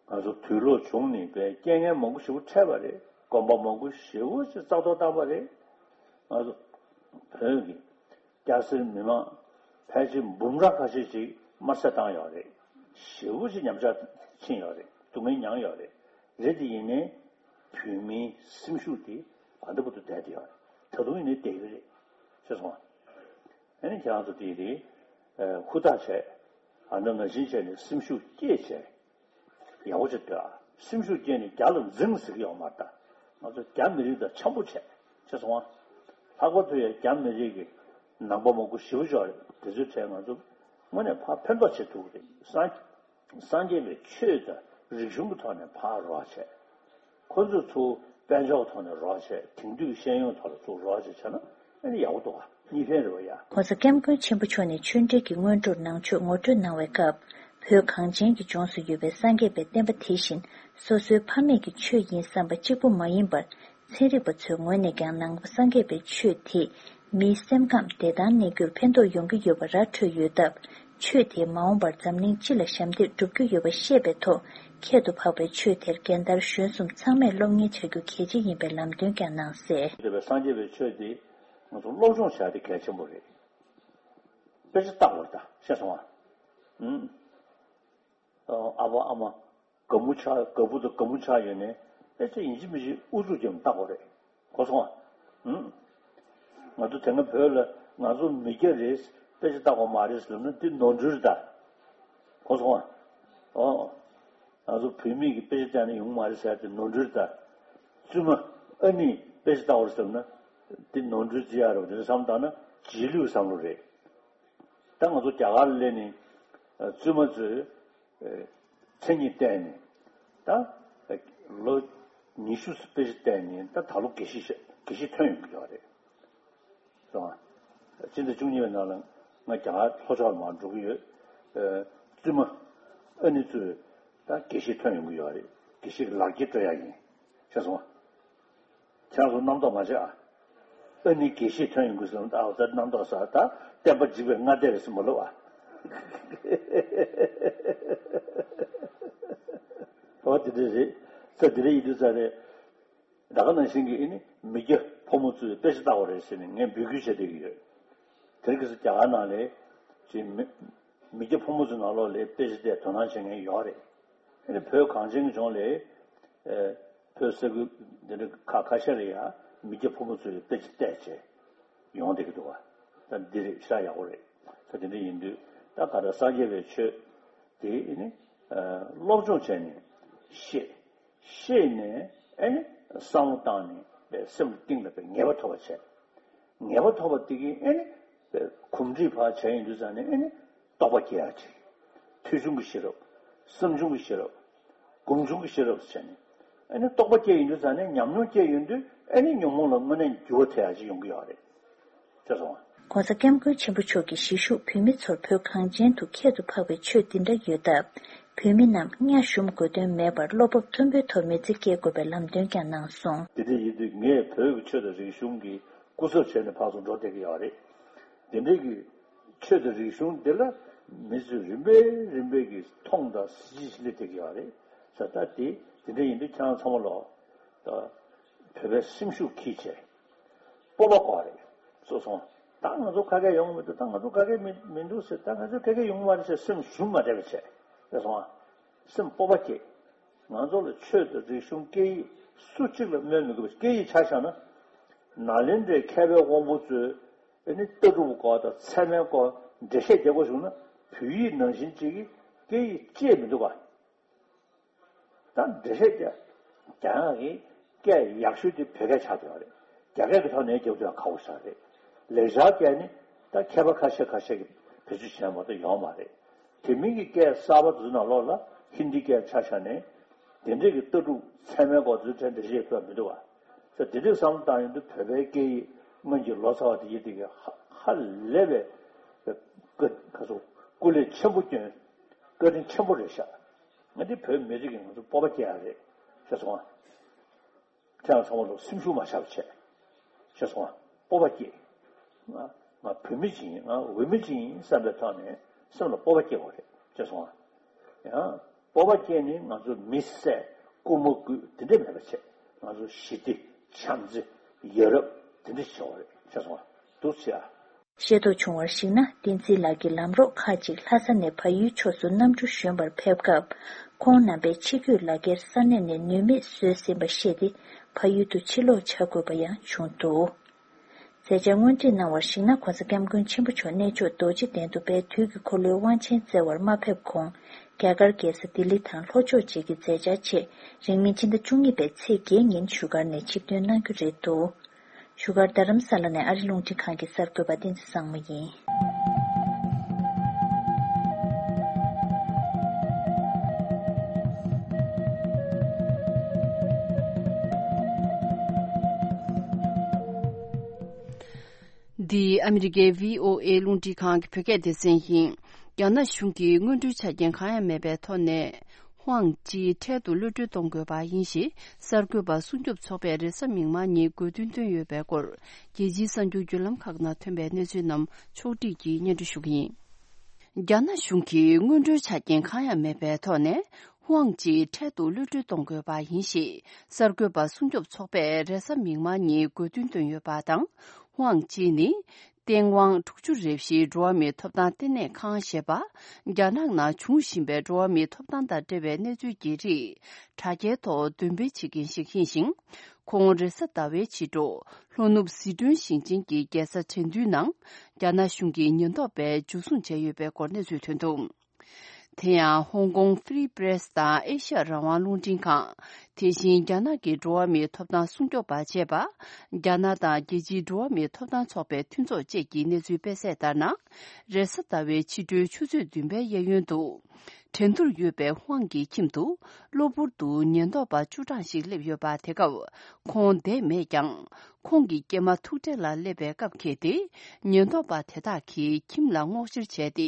ང་ཚོ་དུས་ལོག་བྱུང་ནས་པའི་རྐྱེན་ངན་མང་པོ་ཞེ་པོ་འཕྲད་པ་རེད། གོམ་པ་མང་པོ་ཞེ་པོ་ཞིག་རྩ་གཏོར་བཏང་པ་རེད། ང་ཚོ་བོད་ཀྱི་སྐྱ་སེར་མི་མང་ཕལ་ཆེར་འབུམ་ཕྲག་ཁ་ཤས་ཤིག་དམར་གསོད་བཏང་ཡོད་རེད། ཞེ་པོ་ཞིག་ཉམས་ཆག་ཕྱིན་ཡོད་རེད། སྡུག་བསྔལ་མྱངས་ཡོད་རེད། རེད་དེ་ཡིན་ནའི་བོད་མིའི་སེམས་ཤུགས་དེ་ད་ལྟ་བར་དུ་བསྡད་དེ་ཡོད་རེད། ད་དུང་ཡིན་ནའི་བསྡད་ཀྱི་རེད། ཤེས་སོང་ང་། ཨ་ནི་ཁྱེད་རང་ཚོ་དེ་རེད། ཧུར་ཐག་བྱས། ཨ་ནི་ང་བཞིན་བྱས་ནས་སེམས་ཤུགས་བསྐྱེད་བྱས། ཡག་པོ་བྱེད་འདོད་ཨ། སེམས་ཤུགས་བསྐྱེད་ནས་རྒྱ་ལ་འཛིང་ཟེར་གྱི་ཡོད་མ་རེད་ད། ང་ཚོ་རྒྱ་མི་རིགས་དང་འཆམ་པོ་བྱས། ཤེས་སོང་ང་། ལྷག་པར་དུ་ཡང་རྒྱ་མི་རིགས་ཀྱི་ནང་པ་མང་པོ་ཞེ་པོ་ཅིག་ཡོད་རེད། དེ་ཚོའི་གྲས་ང་ཚོ་དངོས་གནས་ཕར་ཕན་ཐོགས་བྱེད་ཐུབ་ཀྱི་རེད། སངས་སངས་རྒྱས་པའི་ཆོས་དང་རིག་གཞུང་གི་ཐོག་ནས་ཕར་རོགས་བྱས། ཁོ་ཚོ་ཚུར་དཔལ་འབྱོར་ཐོག་ནས་རོགས་བྱས། དེང་དུས་ཤེས་ཡོན་ཐོག་ལ་ཚུར་རོགས་བྱས་བྱས་ན་ཨ་ནི་ཡག་པོ་འདུག་ཨ། གཉིས་ཕན་རེད་བ་ཡ། ྋགོང་ས་ྋསྐྱབས་མགོན་ཆེན་པོ་མཆོག་ནས་ཆོས་འབྲེལ་གྱི་སྔོན་འགྲོར་ནང་ཆོས་ངོ་སྤྲོད་གནང་བའི་སྐབས། བོད་གངས་ཅན་གྱི་ལྗོངས་སུ་ཡོད་པའི་སངས་རྒྱས་པའི་བསྟན་པ་དེ་བཞིན་སོ་སོའི་ཕ་མེས་ཀྱི་ཆོས་ཡིན་བསམ་པ་གཅིག་པུ་མ་ཡིན་པར། ཚན་རིག་པ་ཚོའི་ངོས་ནས་ཀྱང་ནང་པ་སངས་རྒྱས་པའི་ཆོས་དེས་མིའི་སེམས་ཁམས་བདེ་ཐང་གནས་རྒྱུར་ཕན་ཐོགས་ཡོང་གི་ཡོད་པ་ར་འཕྲོད་ཡོད་སྟབས། ཆོས་དེས་མ་འོངས་པར་འཛམ་གླིང་སྤྱི་ལ་ཞབས་འདེགས་སྒྲུབ་རྒྱུ་ཡོད་པ་ཤེས་པའི་ཐོག་ཁྱད་དུ་འཕགས་པའི་ཆོས་དེར་རྒན་དར་གཞོན་གསུམ་ཚང་མས་སློབ་གཉེར་བྱ་རྒྱུ་གལ་ཆེ་ཡིན་པའི་ལམ་སྟོན་ཀྱང་གནང་གསལ། འདོད་པའི་སངས་རྒྱས་པའི་ཆོས་དེ་ང་ཚོ་སློབ་སྦྱོང་བྱ་དེ་གལ་ཆེན་པོ་རེད། དཔེ་ཆ་ལྟ་དགོས་རེད་ད། ཤེས་སོང་ང་། ཨུམ། ཨ་ཕ་ཨ་མ། དགའ་མོ་ཆགས། དགའ་བུ་དང་དགའ་མོ་ཆགས་ཡོད་ནའི་དཔེ་ཆ་ཡིན་གཅིག་མིན་གཅིག་ཨུ་ཚུགས་རྒྱབ་ནས་ལྟ་དགོས་རེད། གོ་སོང་ང་། ཨུམ། ང་ཚོ་དེ་སྔ་བོད་ལ་ང་ཚོ་མི་སྐྱ་རེད། དཔེ་ཆ་ལྟ་དགོས་མ་རེད་ཟེར་ན་འདི་ནོར་འཁྲུལ་རེད་ད། གོ་སོང་ང་། ཨོ། ང་ཚོ་བོད་མི་གིས་དཔེ་ཆ་བལྟས་ན་ཡོང་མ་རེད་ཟེར་དེ་ནོར་འཁྲུལ་རེད་ད། བཙུན་མ་ཨ་ནི་དཔེ་ཆ་ལྟ་དགོས་རེད་ཟེར་ན་འདི་ནོར་འཁྲུལ་རྩི་ཡག་རེད་པ། དེ་འདྲ་བསམ་བཏང་ན་རྗེས་ལུས་བསམ་བློ་རེད། ད་ང་ཚོ་རྒྱ་གར་ལ་སླེབས་ནས་བཙུན་མ་ཚོས་མཚན་ཉིད་བལྟས་ནས་ད་ལོ་ཉི་ཤུ་དཔེ་ཆ་བལྟས་ནས་ད་ད་ལོ་དགེ་བཤེས་དགེ་བཤེས་ཐོན་ཡོང་གི་ཡོད་རེད། སོང་ང་། སྤྱི་ཟླ་བཅུ་གཉིས་པའི་ནང་ལ་ང་རྒྱ་གར་ལྷོ་ཕྱོགས་ལ་མར་འགྲོ་གི་ཡོད། བཙུན་མ་ཨ་ནི་ཚོས་ད་དགེ་བཤེས་ཐོན་ཡོང་གི་ཡོད་རེད། དགེ་བཤེས་ཀྱི་ལག་འཁྱེར་སྤྲོད་ཡག་ཡིན། ཤེས་སོང་ང་། ཁྱེད་རང་ཚོ་རྣམ་རྟོག་མ་བྱེད་ཨ། ཨ་ནི་དགེ་བཤེས་ཐོན་ཡོང་གི་སོང་ད། ཨ་ད་རྣམ་རྟོག་ས་ད་བསྟན་པ་འཇིག་པའི་སྔ་ལྟས་རེད་ཟེར་མ་ལབ་ཨ། ཨོ་དེ་འདྲ་རེད། ས་དེ་འདྲ་ཡིན་དུས་ས་རེད། ད་ག་ནང་བཞིན་གྱི་ཨ་ནི་མི་སྐྱ་ཕོ་མོ་ཚོས་དཔེ་ཆ་ལྟ་བ་རེད་ཟེར་ནས་ངས་འབོད་སྐུལ་བྱེད་བསྡད་ཀྱི་ཡོད། དེ་རིང་ཁ་སང་རྒྱ་གར་ནང་ལ་ཅིག་མི་མི་སྐྱ་ཕོ་མོ་ཚོའི་ནང་ལོགས་ལ་དཔེ་ཆ་བལྟས་དོ་སྣང་བྱེད་མཁན་ཡོད་རེད། ཨ་ནི་བོད་གངས་ཅན་གྱི་ལྗོངས་ལ་ཨེ་བོད་ས་ཁུལ་འདི་འདྲ་ཁག་ཁ་ཤས་ལ་ཡང་མི་སྐྱ་ཕོ་མོ་ཚོས་དཔེ་ཆ་བལྟས་བྱས་ཡོང་བསྡད་ཀྱི་འདུག་བ། ད་འདི་རེད་ཤག་ཡག་པོ་རེད། ད་དེ་འདྲ་ཡིན་དུས་ད་ག་ད་སངས་རྒྱས་པའི་ཆོས་དེ་ཨ་ནི་སློབ་སྦྱོང་བྱས་ནས་ཤེས། ཤེས་ནས་ཨ་ནི་བསམ་བློ་བཏང་ནས་པའི་སེམས་གཏིང་ལ་པའི་ངེས་པ་ཐོབ་པ་བྱས། ངེས་པ་ཐོབ་པ་དེ་གིས་ཨ་ནི་པའི་གོམས་འདྲིས་ཕར་བྱས་ཡིན་དུས་ཙང་ནས་ཨ་ནི་རྟོགས་པ་སྐྱེ་ཡག་ཅིག་ཐོས་བྱུང་གི་ཤེས་རབ། བསམ་བྱུང་གི་ཤེས་རབ། སྒོམ་བྱུང་གི་ཤེས་རབ་ཟེར་བྱས་ནས་ཨ་ནི་རྟོགས་པ་སྐྱེ་ཡིན་དུས་ཙང་ནས་ཉམས་མྱོང་སྐྱེ་ཡོང་དུས་ཨ་ནི་ཉོན་མོངས་ལ་དངོས་གནས་འགྱུར་བ་ཐེབས་ཡག་ཅིག་ཡོང་གི་ཡོད་རེད། ཤེས་སོང་ང་། ྋགོང་ས་ྋསྐྱབས་མགོན་ཆེན་པོ་མཆོག་གིས་གཞིས་བཞུགས་བོད་མི་ཚོར་བོད་གངས་ཅན་དུ་ཁྱད་དུ་འཕགས་པའི་ཆོས་འདི་འདྲ་ཡོད་སྟབས། བོད་མི་རྣམས་གཉའ་ཞུམ་དགོས་དོན་མེད་པར་བློ་སྤོབས་མཐོན་པོའི་ཐོག་མི་ཚེ་སྐྱེལ་དགོས་པའི་ལམ་སྟོན་ཀྱང་གནང་སོང་། དེ་འདྲ་ཡིན་དུས་ངས་བོད་ཀྱི་ཆོས་དང་རིག་གཞུང་གི་སྐུ་ཚབ་བྱས་ནས་ཕར་ཚུར་འགྲོ་བསྡད་ཀྱི་ཡོད་རེད། དེ་འདྲའི་གི་ཆོས་དང་རིག་གཞུང་འདི་ལ་མི་ཚོས་རིམ་པས་རིམ་པས་ཀྱིས་མཐོང་དང་གཟི་བརྗིད་སླེབས་བསྡད་ཀྱི་ཡོད་རེད། ས་ད་དེ་དེ་འདྲ་ཡིན་དུས་ཁྱེད་རང་ཚང་མ་ལོག་ད་བོད་པའི་སེམས་ཤུགས་འཁྱེར་བྱས། སྤོབས་པ་དགོས་རེད། སོ་སོ། ད་ང་ཚོ་ཁ་སྐད་ཡོང་གི་མི་འདུག་ད་ང་ཚོ་ཁ་སྐད་མི་མི་འདུག་ཟེར། ད་ང་ཚོ་ཁ་སྐད་ཡོང་གི་མ་རེད་ཟེར་སེམས་ཞུམ་མ་བསྡད་པ་བྱས། རེད་སོང་ཨ། སེམས་སྤོབས་པ་སྐྱེ། ང་ཚོ་ལ་ཆོས་དང་རིག་གཞུང་སྐད་ཡིག་སུ་གཅིག་ལ་སྨོན་མི་དགོས་པ། སྐད་ཡིག་ཆ་བཞག་ན། ནཱ་ལེནྡྲའི་མཁས་པའི་དབང་པོ་ཚོས་ཨ་ནི་ལྟ་གྲུབ་སྐོར་དང་ཚད་མའི་སྐོར་འགྲེལ་བཤད་རྒྱག་དགོས་བྱུང་ན་བོད་ཡིག་ནང་བཞིན་གཅིག་གིས་སྐད་ཡིག་ཅེས་མི་འདུག་ག་ད་འགྲེལ་བཤད་རྒྱག་རྒྱག་ཡག་གི་སྐད་ཡག་ཤོས་དེ་བོད་སྐད་ཆགས་བསྡད་ཡོད་རེད། རྒྱ་སྐད་ཀྱི་ཐོག་ནས་རྒྱབ་དུས་ཡང་ཁག་པོ་ཆགས་རེད། ལེགས་སྦྱར་སྐད་ནི་ད་མཁས་པ་ཁ་ཤས་ཁ་ཤས་ཀྱིས་བེད་སྤྱོད་བྱས་མ་གཏོགས་ཡོད་མ་རེད། དེ་མིན་གྱི་སྐད་གསར་པ་དེ་ཚོ་ནང་ལོགས་ལ་ཧིན་དི་སྐད་ཆ་བཞག་ནས་དེ་འདྲས་ཀྱི་ལྟ་གྲུབ་ཚད་མའི་སྐོར་དེ་ཚོ་འགྲེལ་བཤད་ཕུལ་བ་མི་འདུག་བ། ད་དེ་འདྲས་བསམ་བློ་བཏང་ཡོང་དུས་བོད་པའི་སྐད་ཡིག་སྔོན་གྱི་ལོ་ཙཱ་བ་དེ་ཡིན་དེ་གི་ཧ་ཧ་ལས་པའི་ཀ་ཁ་སོ་སྐུ་ལས་ཆེན་པོ་བསྐྱོན། བཀའ་དྲིན་ཆེན་པོ་རེད་ཤག་ང་འདི་བོད་མི་རིགས་ཀྱི་ང་ཚོ་སྤོབས་པ་སྐྱེ་ཡག་རེད་ཤག་སོང་ཨ། ཁྱེད་རང་ཚང་མ་ལ་སེམས་ཤུགས་མ་ཆག་པ་བྱས། ཤེས་སོང་ང་། སྤོབས་པ་སྐྱེ། ང་ང་བོད་མི་ཅིག་ཡིན། ང་འོས་མི་ཅིག་ཡིན་བསམ་པའི་ཐོག་ནས་སེམས་ལ་སྤོབས་པ་སྐྱེ་དགོས་རེད། ཤེས་སོང་ང་། ཡང་སྤོབས་པ་སྐྱེས་ནས་ང་ཚོ་མི་བསད་རྐུ་མ་རྐུ་དེ་འདྲ་མེད་པ་བྱས། ང་ཚོ་ཞི་བདེ་བྱམས་བརྩེ་ཡ་རབས་དེ་འདྲ་བྱེད་དགོས་རེད། ཤེས་སོང་ང་། འདུག་བྱས་ཨ། ཤེས་རྟོགས་བྱུང་བར་གཞིགས་ན། བསྟན་འཛིན་ལགས་ཀྱི་ལམ་རོགས་ཁག་ཅིག་ལྷ་ས་ནས་བལ་ཡུལ་ཕྱོགས་སུ་གནམ་གྲུ་བཞོན་པར་ཕེབས་སྐབས། ཁོང་རྣམ་པས་ཕྱི་སྐྱོད་ལག་འཁྱེར་ས་གནས་ནས་ནུས་མེད་བཟོས་ཟིན་པ་ཤེས་ཏེ། བལ་ཡུལ་དུ་ཕྱིར་ལོག་བྱ་དགོས་པ་ཡང་བྱུང་འདུག་མཛད་འཆར་སྔོན་འགྲེལ་གནང་བར་གཞིགས་ན། ྋགོང་ས་ྋསྐྱབས་མགོན་ཆེན་པོ་མཆོག་གནས་མཆོག་རྡོ་རྗེ་གདན་དུ་དཔལ་དུས་ཀྱི་འཁོར་ལོའི་དབང་ཆེན་བསྩལ་བར་མ་ཕེབས་གོང་། རྒྱ་གར་རྒྱལ་ས་ལྡི་ལི་དང་ལྷོ་ཕྱོགས་བཅས་ཀྱི་མཛད་འཆར་ཆེད། རིང་མིན་ཕྱི་ཟླ་བཅུ་གཉིས་པའི་ཚེས་བརྒྱད་ཉིན་བཞུགས་སྒར་ནས་ཆིབས་ཐོན་གནང་རྒྱུ་རེད་འདུག་བཞུགས་སྒར་རྡ་རམ་ས་ལ་ནས་ཨ་རི་རླུང་འཕྲིན་ཁང་གི་གསར་འགོད་པ་བསྟན་འཛིན་བཟང་མོ་ཡིན། འདི་ཨ་མི་རི་ཀའི་བྷི་ཨོ་ཨེ་རླུང་འཕྲིན་ཁང་གི་བོད་སྐད་སྡེ་ཚན་ཡིན། རྒྱ་ནག་གཞུང་གིས་སྔོན་འགྲོའི་ཆ་རྐྱེན་གང་ཡང་མེད་པའི་ཐོག་ནས། ཧུའང་ཅི་འཕྲལ་དུ་གློད་གྲོལ་གཏོང་དགོས་པ་ཡིན་ཞེས་གསར་འགོད་པ་སྲུང་སྐྱོབ་ཚོགས་པས་རེས་གཟའ་མིག་དམར་ཉིན་དགོས་འདུན་བཏོན་ཡོད་པའི་སྐོར། རྒྱལ་སྤྱིའི་གསར་འགྱུར་བརྒྱུད་ལམ་ཁག་ནང་ཐོན་པའི་གནས་ཚུལ་རྣམས་ཕྱོགས་བསྒྲིགས་ཀྱིས་སྙན་སྒྲོན་ཞུ་གི་ཡིན། རྒྱ་ནག་གཞུང་གིས་སྔོན་འགྲོའི་ཆ་རྐྱེན་གང་ཡང་མེད་པའི་ཐོག་ནས། ཧུའང་ཅི་འཕྲལ་དུ་གློད་གྲོལ་གཏོང་དགོས་པ་ཡིན་ཞེས་གསར་འགོད་པ་སྲུང་སྐྱོབ་ཚོགས་པས་རེས་གཟའ་མིག་དམར་ཉིན་དགོས་འདུན་བཏོན་ཡོད་པ་དང་། ཧུའང་ཅི་ནི། ཏེང་ཝང་དྲུག་ཅུ་རེ་བཞིའི་འགྲོ་བ་མིའི་ཐོབ་ཐང་ལྟེ་གནས་ཁང་ཞེས་པ། རྒྱ་ནག་ནང་འབྱུང་བཞིན་པའི་འགྲོ་བ་མིའི་ཐོབ་ཐང་དང་འབྲེལ་བའི་གནས་ཚུལ་གྱི་རིགས། དྲ་རྒྱའི་ཐོག་འདོན་སྤེལ་བྱེད་མཁན་ཞིག་ཡིན་ཞིང་། ཁོང་རེས་གཟའ་ཟླ་བའི་ཕྱི་དྲོ། ལྷོ་ནུབ་ཟི་ཁྲོན་ཞིང་ཆེན་གྱི་རྒྱལ་ས་ཁྲེང་ཏུའུ་ནང་། རྒྱ་ནག་གཞུང་གི་ཉེན་རྟོག་པས་འཇུ་བཟུང་བྱས་ཡོད་པའི་སྐོར་གནས་ཚུལ་ཐོན་འདུག་དེ་ཡང་ཧོང་ཀོང་Free Press་དང་ཨེ་ཤ་ཡ་རང་དབང་རླུང་འཕྲིན་ཁང་། དེ་བཞིན་རྒྱ་ནག་གི་འགྲོ་བ་མིའི་ཐོབ་ཐང་སྲུང་སྐྱོབ་པ་བཅས་པ། རྒྱ་ནག་དང་རྒྱལ་སྤྱིའི་འགྲོ་བ་མིའི་ཐོབ་ཐང་ཚོགས་པའི་མཐུན་ཚོགས་བཅས་ཀྱི་གནས་ཚུལ་སྤེལ་གསལ་ལྟར་ན། རེས་གཟའ་ཟླ་བའི་ཕྱི་དྲོའི་ཆུ་ཚོད་བདུན་པའི་གཡས་གཡོན་དུ། འགྲན་བསྡུར་ཡོད་པའི་ཧུའང་གི་ཁྱིམ་དུ། གློ་བུར་དུ་ཉེན་རྟོག་པ་བཅུ་གྲངས་ཤིག་སླེབས་ཡོད་པ། དེ་སྐབས་ཁོང་བསྡད་མེད་ཀྱང་། ཁོང་གི་སྐྱེས་མ་ཐུག་འཕྲད་ལ་སླེབས་པའི་སྐབས་འཁེལ་ཏེ། ཉེན་རྟོག་པ་དེ་དག་གིས་ཁྱིམ་ལ་སྔོག་བཤེར་བྱས་ཏེ།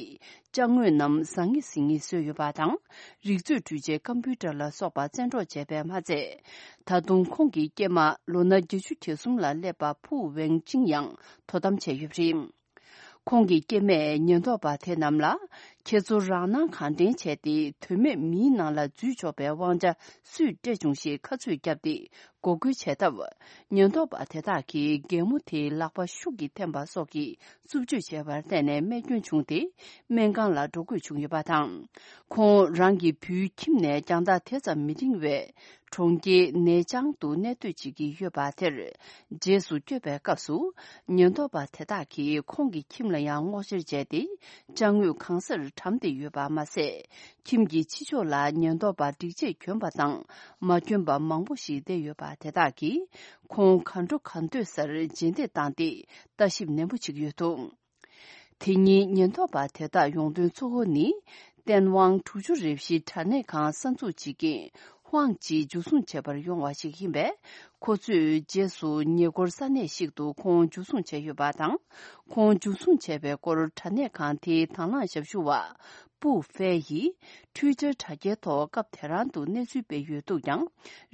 ཅ་དངོས་རྣམས་ཟང་ངེ་ཟིང་ངེ་བཟོས་ཡོད་པ་དང་། རིག་མཛོད་འཕྲུལ་ཆས་ཀམ་པུའུ་ཊར་ལ་སོགས་པ་བཙན་འཕྲོག་བྱས་པས་མ་ཚད། ད་དུང་ཁོང་གི་སྐྱེས་མ་ལོ་ན་བརྒྱད་ཅུ་གྱ་གསུམ་ལ་སླེབས་པ་ཕུའུ་ཝེང་ཅིང་ཡང་དོ་དམ་བྱས་ཡོད་པ་རེད། ཁོང་གི་སྐྱེས་མས་ཉེན་རྟོག་པ་དེ་རྣམས་ལ། ཁྱེད་ཚོ་རང་སྣང་གང་དྲན་བྱས་ཏེ། དོན་མེད་མིའི་ནང་ལ་འཛུལ་ཆོག་པའི་དབང་ཆ་སུས་སྤྲད་བྱུང་ཞེས་ཁ་ཚོད་བརྒྱབ་སྟེ། འགོག་རྒོལ་བྱས་སྟབས། ཉེན་རྟོག་པ་དེ་དག་གིས་རྒན་མོ་དེའི་ལག་པ་ཤུགས་ཀྱིས་འཐེན་པ་སོགས་ཀྱི་རྩུབ་སྤྱོད་བྱས་པར་བརྟེན་ནས་རྨས་སྐྱོན་བྱུང་སྟེ། སྨན་ཁང་ལ་འགྲོ་དགོས་བྱུང་ཡོད་པ་དང་། ཁོང་རང་གི་བུའི་ཁྱིམ་ནས་རྒྱང་ཐག་དེ་ཙམ་མི་འབྲིང་བའི་གྲོང་ཁྱེར་ནེ་ཅང་དུ་གནས་སྡོད་བྱེད་ཀྱི་ཡོད་པ་དེར། རྗེས་སུ་བསྐྱོད་པའི་སྐབས་སུ། ཉེན་རྟོག་པ་དེ་དག་གིས་ཁོང་གི་ཁྱིམ་ལ་ཡང་སྔོག་བཤེར་བྱས་ཏེ། ཅ་དངོས་གང་སར་གྲམ་སྟེ་ཡོད་པ་མ་ཟད། ཁྱིམ་གྱི་ཕྱི་ཕྱོགས་ལ་ཉེན་རྟོག་པ་སྒྲིག་ཆས་གྱོན་པ་དང་མ་གྱོན་པ་མང་པོ་ཞིག་བསྡད་ཡོད་པ་དེ་དག་གིས། ཁོང་ག་འགྲོ་ག་འདོད་སར་རྗེས་འདེད་བཏང་སྟེ། ལྟ་ཞིབ་ནན་པོ་བྱེད་ཀྱི་ཡོད་འདུག་དེ་ཉིན་ཉེན་རྟོག་པ་དེ་དག་ཡོང་དོན་གཙོ་བོ་ནི། ཏེན་ཝང་དྲུག་ཅུ་རེ་བཞི་དྲ་གནས་ཁང་གསར་འཛུགས་བྱེད་མཁན་ཧུའང་ཅི་འཇུ་བཟུང་བྱེད་པར་ཡོང་བ་ཞིག་ཡིན་པས། ཁོ་ཚོས་རྗེས་སུ་ཉེ་འཁོར་ས་གནས་ཤིག་ཏུ་ཁོང་འཇུ་བཟུང་བྱས་ཡོད་པ་དང་། ཁོང་འཇུ་བཟུང་བྱས་པའི་སྐོར་དྲ་གནས་ཁང་དེའི་དང་བླངས་ཞབས་ཞུ་བ། པུའུ་ཧྥེ་ཡིས་Twitter་དྲ་རྒྱའི་ཐོག་སྐབས་དེ་རང་དུ་གནས་ཚུལ་སྤེལ་ཡོད་འདུག་ཀྱང་།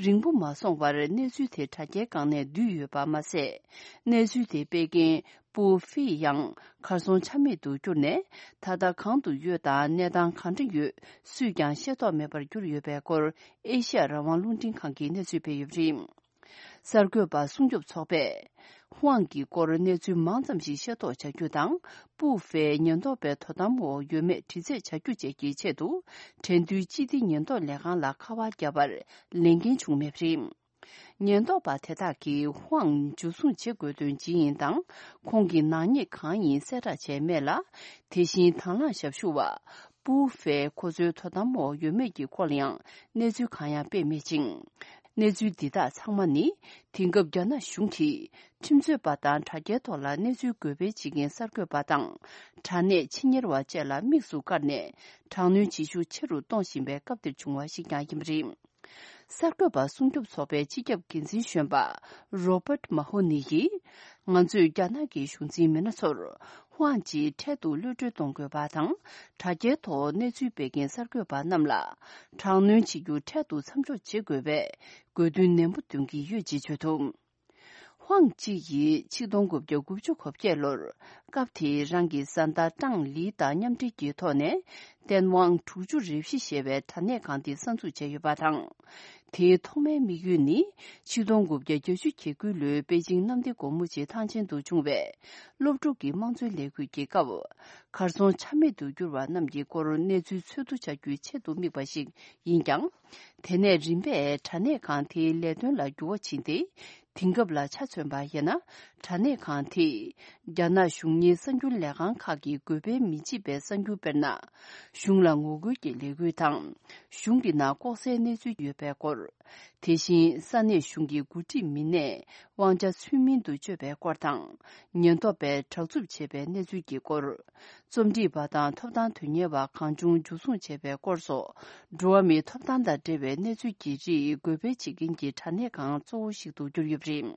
རིང་པོ་མ་སོང་བར་གནས་ཚུལ་དེ་དྲ་རྒྱའི་སྒང་ནས་བསྡུས་ཡོད་པ་མ་ཟད། གནས་ཚུལ་དེ་སྤེལ་མཁན་པུའུ་ཧྥེ་ཡང་གར་སོང་ཆ་མེད་དུ་གྱུར་ནས། ད་ལྟ་གང་དུ་ཡོད་དང་གནས་སྟངས་གང་འདྲ་ཡོད་སུས་ཀྱང་ཤེས་རྟོགས་མེད་པར་གྱུར་ཡོད་པའི་སྐོར་ཨེ་ཤ་ཡ་རང་དབང་རླུང་འཕྲིན་ཁང་གིས་གནས་ཚུལ་སྤེལ་ཡོད་པ་རེད། གསར་འགོད་པ་སྲུང་སྐྱོབ་ཚོགས་པས། ཧུའང་གི་སྐོར་གནས་ཚུལ་མང་ཙམ་ཞིག་ཤེས་རྟོགས་བྱ་རྒྱུ་དང་། པུའུ་ཧྥེ་ཉེན་རྟོག་པའི་དོ་དམ་འོག་ཡོད་མེད་དྲི་རྩད་བྱ་རྒྱུ་བཅས་ཀྱི་ཆེད་དུ། འགྲན་བསྡུར་སྤྱི་བདེ་ཉེན་རྟོག་ལས་ཁང་ལ་ཁ་པར་བརྒྱབ་པར་ལན་འགན་བྱུང་མེད་པ་རེད། ཉེན་རྟོག་པ་དེ་དག་གིས་ཧུའང་འཇུ་བཟུང་བྱེད་དགོས་དོན་ཇི་ཡིན་དང་། ཁོང་གི་ནག་ཉེས་གང་ཡིན་གསལ་བསྒྲགས་བྱས་མེད་ལ། དེ་བཞིན་དང་བླངས་ཞབས་ཞུ་བ། པུའུ་ཧྥེ་ཁོ་ཚོའི་དོ་དམ་འོག་ཡོད་མེད་ཀྱི་སྐོར་ལ་ཡང་གནས་ཚུལ་གང་ཡང་སྤེལ་མེད་ཅིང་། གནས་ཚུལ་འདི་དག་ཚང་མ་ནི། དེང་སྐབས་རྒྱ་ནག་གཞུང་གིས་ཁྲིམས་རྩོད་པ་དང་དྲ་རྒྱའི་ཐོག་ལ་གནས་ཚུལ་འགོད་སྤེལ་བྱེད་མཁན་གསར་འགོད་པ་དང་། དྲ་གནས་ཕྱི་གཉེར་བ་བཅས་ལ་དམིགས་སུ་བཀར་ནས། དྲག་གནོན་བྱེད་ཤུགས་ཆེ་རུ་གཏོང་བཞིན་པའི་སྐབས་འདིར་བྱུང་བ་ཞིག་ཀྱང་ཡིན་པ་རེད། གསར་འགོད་པ་སྲུང་སྐྱོབ་ཚོགས་པའི་སྤྱི་ཁྱབ་འགན་འཛིན་གཞོན་པ་Robert Mahoney་ཡིས། ང་ཚོས་རྒྱ་ནག་གི་གཞུང་འཛིན་མི་སྣ་ཚོར། དབང་ཅིས་འཕྲལ་དུ་གློད་གྲོལ་གཏོང་དགོས་པ་དང་། དྲ་རྒྱའི་ཐོག་གནས་ཚུལ་སྤེལ་མཁན་གསར་འགོད་པ་རྣམས་ལ་དྲག་གནོན་བྱེད་རྒྱུ་འཕྲལ་དུ་མཚམས་འཇོག་བྱེད་དགོས་པའི་དགོས་འདུན་ནན་པོ་འདོན་གྱི་ཡོད་ཅེས་བརྗོད་འདུག། ཧུའང་ཅི་ཡིས་ཆིག་སྟོང་དགུ་བརྒྱ་དགུ་བཅུ་གོ་བརྒྱད་ལོར་སྐབས་དེའི་རང་གི་བཟའ་ཟླ་ཀྲང་ལི་དང་མཉམ་འབྲེལ་གྱི་ཐོག་ནས་ཏན་ཝང་དྲུག་ཅུ་རེ་བཞི་ཞེས་པའི་དྲ་གནས་ཁང་དེ་གསར་འཛུགས་བྱས་ཡོད་པ་དང་། དེའི་ཐོག་མའི་དམིགས་ཡུལ་ནི་ཆིག་སྟོང་དགུ་བརྒྱ་གྱ་དགུ་ལོའི་པེ་ཅིང་གནམ་བདེ་སྒོ་མོ་ཆེའི་ཐང་ཆེན་དུ་བྱུང་བའི་སློབ་ཕྲུག་གི་དམངས་གཙོའི་ལས་འགུལ་གྱི་སྐབས་གར་སོང་ཆ་མེད་དུ་གྱུར་བ་རྣམས་ཀྱི་སྐོར་གནས་ཚུལ་འཚོལ་བསྡུ་བྱ་རྒྱུའི་ཆེད་དུ་དམིགས་པ་ཞིག་ཡིན་ཀྱང་། དེ་ནས་རིམ་པས་དྲ་གནས་ཁང་དེའི་ལས་དོན་ལ་འགྱུར་བ་ཕྱིན་ཏེ། དེང་སྐབས་ལ་ཆ་མཚོན་པ་ཡིན་ན། དྲ་གནས་ཁང་དེས་རྒྱ་ནག་གཞུང་གཉེར་གསར་འགྱུར་ལས་ཁང་ཁག་གི་དགོས་ཕན་མི་བྱེད་པའི་གསར་འགྱུར་དཔེར་ན། གཞུང་ལ་ངོ་རྒོལ་གྱི་ལས་འགུལ་དང་། གཞུང་གི་ནང་ལྐོག་ཟའི་གནས་ཚུལ་ཡོད་པའི་སྐོར། དེ་བཞིན་ས་གནས་གཞུང་གི་འགོ་ཁྲིད་མི་སྣས་དབང་ཆ་ཚུལ་མིན་དུ་སྤྱོད་པའི་སྐོར་དང་། ཉེན་རྟོག་པས་དྲག་རྩུབ་བྱས་པའི་གནས་ཚུལ་གྱི་སྐོར། རྩོམ་སྒྲིག་པ་དང་ཐོབ་ཐང་དོན་གཉེར་བ་གང་བྱུང་འཇུ་བཟུང་བྱས་པའི་སྐོར་སོགས། འགྲོ་བ་མིའི་ཐོབ་ཐང་དང་འབྲེལ་བའི་གནས་ཚུལ་གྱི་རིགས་འགོད་སྤེལ་བྱེད་མཁན་གྱི་དྲ་གནས་ཁང་གཙོ་བོ་ཞིག་ཏུ་གྱུར་ཡོད་པ་རེད།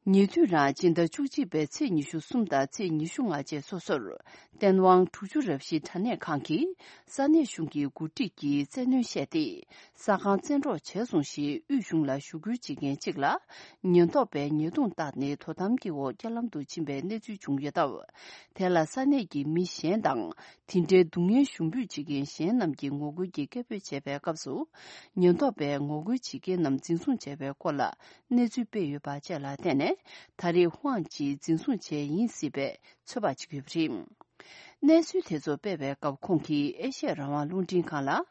ཉེ་དུས་རང་སྤྱི་ཟླ་བཅུ་གཅིག་པའི་ཚེས་ཉི་ཤུ་གསུམ་དང་ཚེས་ཉི་ཤུ་ལྔ་བཅས་སོ་སོར། ཏན་ཝང་དྲུག་ཅུ་རེ་བཞི་དྲ་གནས་ཁང་གིས་ས་གནས་གཞུང་གི་འགོ་ཁྲིད་ཀྱིས་བཙན་གནོན་བྱས་ཏེ། ས་ཁང་བཙན་འཕྲོག་བྱས་སོང་ཞེས་དབུས་གཞུང་ལ་ཞུ་སྐུལ་བྱེད་མཁན་གཅིག་ལ། ཉེན་རྟོག་པས་ཉེས་རྡུང་བཏགས་ནས་དོ་དམ་གྱི་འོག་རྐྱེན་ལམ་དུ་ཕྱིན་པའི་གནས་ཚུལ་བྱུང་ཡོད་སྟབས། དེ་ལ་ས་གནས་ཀྱི་མི་གཞན་དང་། དེ་འདྲའི་སྡུག་བསྔལ་ཞུགས་འབུད་བྱེད་མཁན་གཞན་རྣམས་ཀྱིས་ངོ་རྒོལ་གྱི་སྐད་འབོད་བྱས་པའི་སྐབས་སུ། ཉེན་རྟོག་པས་ངོ་རྒོལ་བྱེད་མཁན་རྣམས་འཛིན་བཟུང་བྱས་པའི་སྐོར་ལ། གནས་ཚུལ་སྤེལ་ཡོད་པ་བཅས་ལ་བརྟེན་ནས། ད་རེས་ཧུའང་ཅི་འཛིན་བཟུང་བྱས་ཡིན་སྲིད་པའི་ཚོད་དཔག་བྱེད་ཀྱི་ཡོད་པ་རེད། གནས་ཚུལ་དེ་ཚོ་སྤེལ་བའི་སྐབས། ཁོང་གིས་ཨེ་ཤེ་ཡ་རང་དབང་རླུང་འཕྲིན་ཁང་ལ།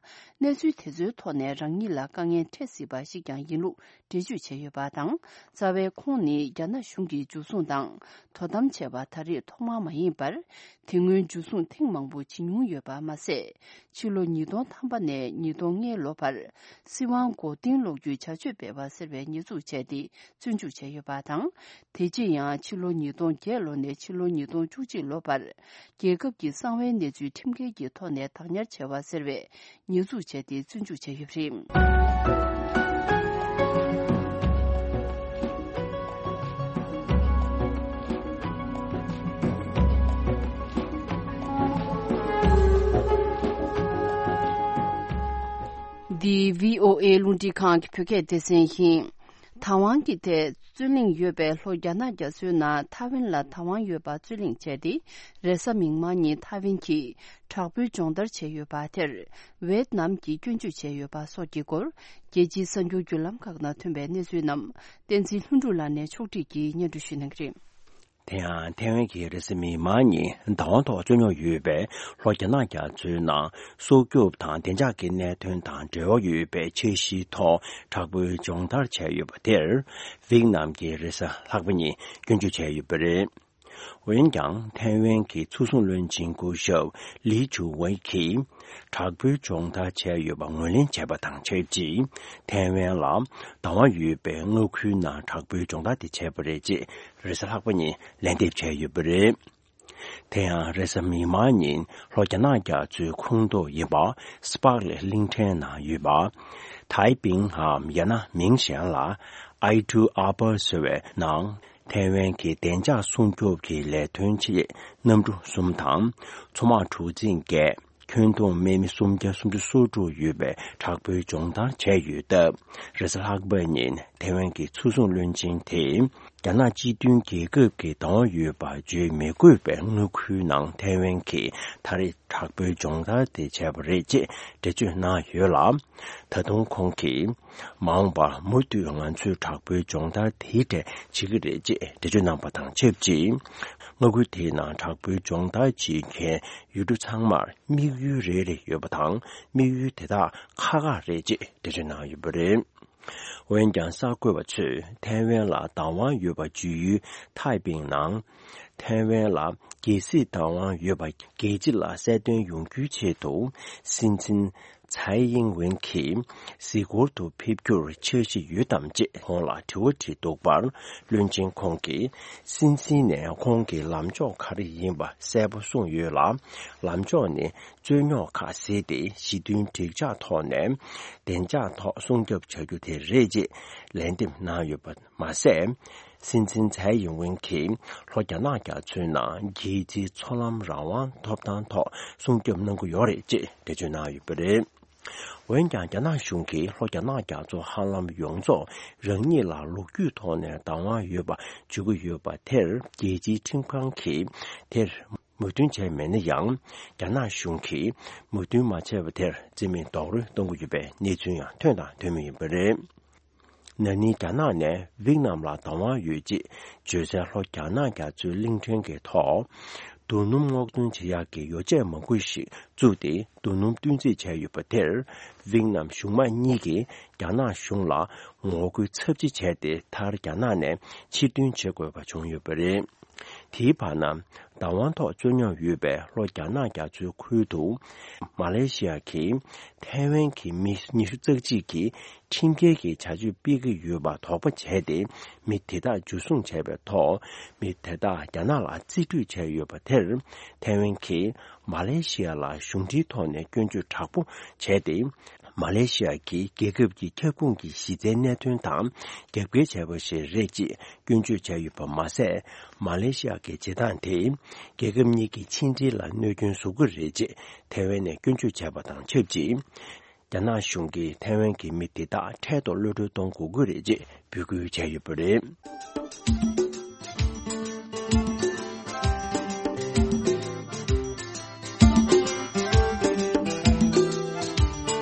གནས་ཚུལ་དེ་ཚོའི་ཐོག་ནས་རང་ཉིད་ལ་དཀའ་ངལ་འཕྲད་སྲིད་པ་ཞིག་ཀྱང་ཡིན་ལུགས་འགྲེལ་བརྗོད་བྱས་ཡོད་པ་དང་། རྩ་བའི་ཁོང་ནི་རྒྱ་ནག་གཞུང་གིས་འཇུ་བཟུང་དང་དོ་དམ་བྱས་པ་ད་རེས་ཐོག་མ་མ་ཡིན་པར། དེ་སྔོན་འཇུ་བཟུང་ཐེངས་མང་པོ་བྱེད་མྱོང་ཡོད་པ་མ་ཟད། ཕྱི་ལོ་ཉིས་སྟོང་ཐམ་པ་ནས་ཉིས་སྟོང་ལྔའི་ལོ་བར། སྲིད་དབང་མགོ་རྟིང་སློག་རྒྱུའི་བྱ་སྤྱོད་སྤེལ་བ་ཟེར་བའི་ཉེས་འཛུགས་བྱས་ཏེ། བཙོན་འཇུག་བྱས་ཡོད་པ་དང་། དེ་རྗེས་ཡང་ཕྱི་ལོ་ཉིས་སྟོང་བརྒྱད་ལོ་ནས་ཕྱི་ལོ་ཉིས་སྟོང་བཅུ་གཅིག་ལོ་བར། རྒྱལ་ཁབ་ཀྱི་གསང་བའི་གནས་ཚུལ་ཁྲིམས་འགལ་གྱི་ཐོག་ནས་བདག་ཉར་བྱས་པ་ཟེར་བའི་ཉེས་འཛུགས་བྱས་ཏེ་བཙོན་འཇུག་བྱས་ཡོད་པ་རེད། འདི་བྷི་ཨོ་ཨེ་རླུང་འཕྲིན་ཁང་གི་བོད་སྐད་སྡེ་ཚན་ཡིན། དང་ཝང་གི་ཐད་རྩོད་གླེང་ཡོད་པའི་ལྷོ་རྒྱ་ནག་རྒྱ་མཚོའི་ནང་ཐའེ་ཝན་ལ་དང་ཝང་ཡོད་པ་རྩོད་གླེང་བྱས་ཏེ། རེས་གཟའ་མིག་དམར་ཉིན་ཐའེ་ཝན་གྱིས་དྲག་པོའི་སྦྱོང་བརྡར་བྱས་ཡོད་པ་དེར། ཝེད་ནམ་གྱིས་སྐྱོན་བརྗོད་བྱས་ཡོད་པ་སོགས་ཀྱི་སྐོར། རྒྱལ་སྤྱིའི་གསར་འགྱུར་བརྒྱུད་ལམ་ཁག་ནང་ཐོན་པའི་གནས་ཚུལ་རྣམས། བསྟན་འཛིན་ལྷུན་གྲུབ་ལགས་ནས་ཕྱོགས་སྒྲིག་གིས་སྙན་སྒྲོན་ཞུ་གནང་གི་རེད། དེ་ཡང་ཐའེ་ཝན་གྱིས་རེས་གཟའ་མིག་དམར་ཉིན་བདག་དབང་ཐོག་རྩོད་རྙོག་ཡོད་པའི་ལྷོ་རྒྱ་ནག་རྒྱ་མཚོའི་ནང་སྲོག་སྐྱོབ་དང་བདེ་འཇགས་ཀྱི་གནད་དོན་དང་འབྲེལ་བ་ཡོད་པའི་འཆར་གཞིའི་ཐོག་དྲག་པོའི་སྦྱོང་བརྡར་བྱས་ཡོད་པ་དེར། ཝེད་ནམ་གྱིས་རེས་གཟའ་ལྷག་པ་ཉིན་སྐྱོན་བརྗོད་བྱས་ཡོད་པ་རེད། འོན་ཀྱང་། ཐའེ་ཝན་གྱི་ཚོགས་ཟུང་བློན་ཆེན་སྐུ་ཞབས་ལི་ཆུ་ཝེ་གིས། དྲག་པོའི་སྦྱོང་བརྡར་བྱས་ཡོད་པ་ངོས་ལེན་བྱས་པ་དང་ཆབས་ཅིག་ཐའེ་ཝན་ལ་བདག་དབང་ཡོད་པའི་མངའ་ཁུལ་ནང་དྲག་པོའི་སྦྱོང་བརྡར་དེ་བྱས་པ་རེད་ཅེས་རེས་གཟའ་ལྷག་པ་ཉིན་ལན་འདེབས་བྱས་ཡོད་པ་རེད། དེ་ཡང་རེས་གཟའ་མིག་དམར་ཉིན་ལྷོ་རྒྱ་ནག་རྒྱ་མཚོའི་ཁོངས་གཏོགས་ཡིན་པ་སི་པག་ལེ་གླིང་ཕྲན་ནང་ཡོད་པ། ཐའེ་པིང་ངམ་ཡང་ན་མིང་གཞན་ལ་ཨའི་ཊུ་ཨ་པར་ཟེར་བའི་ནང་། ཐའེ་ཝན་གྱི་བདེ་འཇགས་སྲུང་སྐྱོབ་ཀྱི་ལས་དོན་ཆེད་གནམ་གྲུ་གསུམ་དང་། མཚོ་དམག་གྲུ་གཟིངས་བརྒྱད། ཁྱོན་བསྡོམས་དམག་མི་སུམ་བརྒྱ་སུམ་ཅུ་སོ་དྲུག་ཡོད་པའི་དྲག་པོའི་སྦྱོང་བརྡར་བྱས་ཡོད་སྟབས། རེས་གཟའ་ལྷག་པ་ཉིན་ཐའེ་ཝན་གྱི་ཚོགས་ཟུང་བློན་ཆེན་དེས། རྒྱ་ནག་སྤྱི་མཐུན་རྒྱལ་ཁབ་ཀྱི་བདག་དབང་ཡོད་པ་བརྗོད་མི་དགོས་པའི་མངའ་ཁུལ་ནང་ཐའེ་ཝན་གྱིས་ད་རེས་དྲག་པོའི་སྦྱོང་བརྡར་དེ་བྱས་པ་རེད་ཅེས་འགྲེལ་བརྗོད་གནང་ཡོད་ལ། ད་དུང་ཁོང་གིས། མ་འོངས་པར་མུ་མཐུད་ང་ཚོས་དྲག་པོའི་སྦྱོང་བརྡར་དེའི་གྲས་བྱེད་ཀྱི་རེད་ཅེས་འགྲེལ་བརྗོད་གནང་པ་དང་ཆབས་ཅིག་མངའ་ཁུལ་དེའི་ནང་དྲག་པོའི་སྦྱོང་བརྡར་བྱེད་མཁན་ཡུལ་གྲུ་ཚང་མར་དམིགས་ཡུལ་རེ་རེ་ཡོད་པ་དང་། དམིགས་ཡུལ་དེ་དག་ཁག་ཁག་རེད་ཅེས་འགྲེལ་བརྗོད་གནང་ཡོད་པ་རེད། འོན་ཀྱང་། གསར་འགོད་པ་ཚོས་ཐའེ་ཝན་ལ་བདག་དབང་ཡོད་པ་བརྗོད་ཡུལ་ཐའེ་པིང་ནང་། ཐའེ་ཝན་ལ་རྒྱལ་སྲིད་བདག་དབང་ཡོད་པ་རྒྱལ་སྤྱི་ལ་གསལ་སྟོན་ཡོང་རྒྱུའི་ཆེད་དུ། སྲིད་འཛིན་ཚའེ་ཡིང་ཝེན་གྱིས་གཟིགས་སྐོར་དུ་ཕེབས་རྒྱུར་འཆར་གཞི་ཡོད་དམ་ཅེས་ཁོང་ལ་དྲི་བ་དྲིས་འདུག་པར། བློན་ཆེན་ཁོང་གིས་སྲིད་འཛིན་ནས་ཁོང་གི་ལམ་ཕྱོགས་ག་རེ་ཡིན་པ་གསལ་པོ་གསུངས་ ཡོད་ལ། ལམ་ཕྱོགས་ནི། རྩོད་རྙོག་ཁག་ཟིན་ཏེ་ཞི་མཐུན་འགྲིག་འཇགས་ཐོག་ནས་བདེ་འཇགས་ཐོག་སྲུང་སྐྱོབ་བྱ་རྒྱུ་དེ་རེད་ཅེས་ལན་འདེབས་གནང་ཡོད་པ་མ་ཟད། སྲིད་འཛིན་ཚའེ་ཡིན་ཝེན་གྱིས་ལྷོ་རྒྱ་ནག་རྒྱ་མཚོའི་ནང་རྒྱལ་སྤྱིའི་མཚོ་ལམ་རང་དབང་ཐོབ་ཐང་ཐོག་སྲུང་སྐྱོབ་གནང་གི་ཡོད་རེད་ཅེས་འགྲེལ་བརྗོད་གནང་ཡོད་པ་རེད། འོན་ཀྱང་རྒྱ་ནག་གཞུང་གིས་ལྷོ་རྒྱ་ནག་རྒྱ་མཚོ་ཧ་ལམ་ཡོངས་རྫོགས་རང་ཉིད་ལ་ལོ་རྒྱུས་ཐོག་ནས་བདག་དབང་ཡོད་པ་བརྗོད་ཀྱི་ཡོད་པ་དེར་རྒྱལ་སྤྱིའི་ཁྲིམས་ཁང་གིས་དེར་མོས་མཐུན་བྱས་མེད་ན་ཡང་། རྒྱ་ནག་གཞུང་གིས་མོས་མཐུན་མ་བྱས་པ་དེར་རྩིས་མེད་རྡོག་རོལ་གཏོང་གི་ཡོད་པའི་གནས་ཚུལ་ཡང་ཐོན་དང་ཐོན་མུས་ཡིན་པ་རེད། ན་ནིང་རྒྱ་ནག་ནས་ཝེད་ནམ་ལ་བདག་དབང་ཡོད་ཅེས་བརྗོད་སའི་ལྷོ་རྒྱ་ནག་རྒྱ་མཚོའི་གླིང་ཕྲན་གྱི་ཐོག་རྡོ་སྣུམ་སྔོག་འདོན་བྱེད་ཡག་གི་ཡོ་བྱད་མང་པོ་ཞིག་བཙུགས་ཏེ་རྡོ་སྣུམ་སྟོན་རྩིས་བྱས་ཡོད་པ་དེར། ཝེད་ནམ་གཞུང་མང་གཉིས་ཀྱིས་རྒྱ་ནག་གཞུང་ལ་ངོ་རྒོལ་ཚབས་ཆེ་བྱས་ཏེ། མཐར་རྒྱ་ནག་ནས་ཕྱིར་འདོན་བྱེད་དགོས་པ་བྱུང་ཡོད་པ་རེད། དེའི་བར་ན། བདག་དབང་ཐོག་རྩོད་རྙོག་ཡོད་པའི་ལྷོ་རྒྱ་ནག་རྒྱ་མཚོའི་ཁུལ་དུ། མ་ལེ་ཤི་ཡ་གིས་ཐའེ་ཝན་གྱི་མི་ཉི་ཤུ་རྩ་གཅིག་གིས་ཁྲིམས་འགལ་གྱི་བྱ་སྤྱོད་སྤེལ་གྱི་ཡོད་པ་དོགས་པ་བྱས་ཏེ། མི་དེ་དག་འཇུ་བཟུང་བྱས་པའི་ཐོག་མི་དེ་དག་རྒྱ་ནག་ལ་རྩིས་སྤྲོད་བྱས་ཡོད་པ་དེར། ཐའེ་ཝན་གྱིས་མ་ལེ་ཤི་ཡ་ལ་གཞུང་འབྲེལ་ཐོག་ནས་སྐྱོན་བརྗོད་དྲག་པོ་བྱས་ཏེ། མ་ལེ་ཤི་ཡ་གིས་རྒྱལ་ཁབ་ཀྱི་ཁྱབ་ཁོངས་ཀྱི་གཞི་རྩའི་གནད་དོན་དང་རྒྱབ་འགལ་བྱས་པ་ཞིག་རེད་ཅེས་སྐྱོན་བརྗོད་བྱས་ཡོད་པ་མ་ཟད། མ་ལེ་ཤི་ཡ་གི་བྱེད་སྟངས་དེས་རྒྱལ་ཁབ་གཉིས་ཀྱི་ཕྱི་འབྲེལ་ལ་གནོད་སྐྱོན་བཟོ་གི་རེད་ཅེས་ཐའེ་ཝན་ནས་སྐྱོན་བརྗོད་བྱས་པ་དང་ཆབས་ཅིག་རྒྱ་ནག་གཞུང་གིས་ཐའེ་ཝན་གྱི་མི་དེ་དག་འཕྲལ་དུ་གློད་གྲོལ་གཏོང་དགོས་ཀྱི་རེད་ཅེས་འབོད་སྐུལ་བྱས་ཡོད་པ་རེད།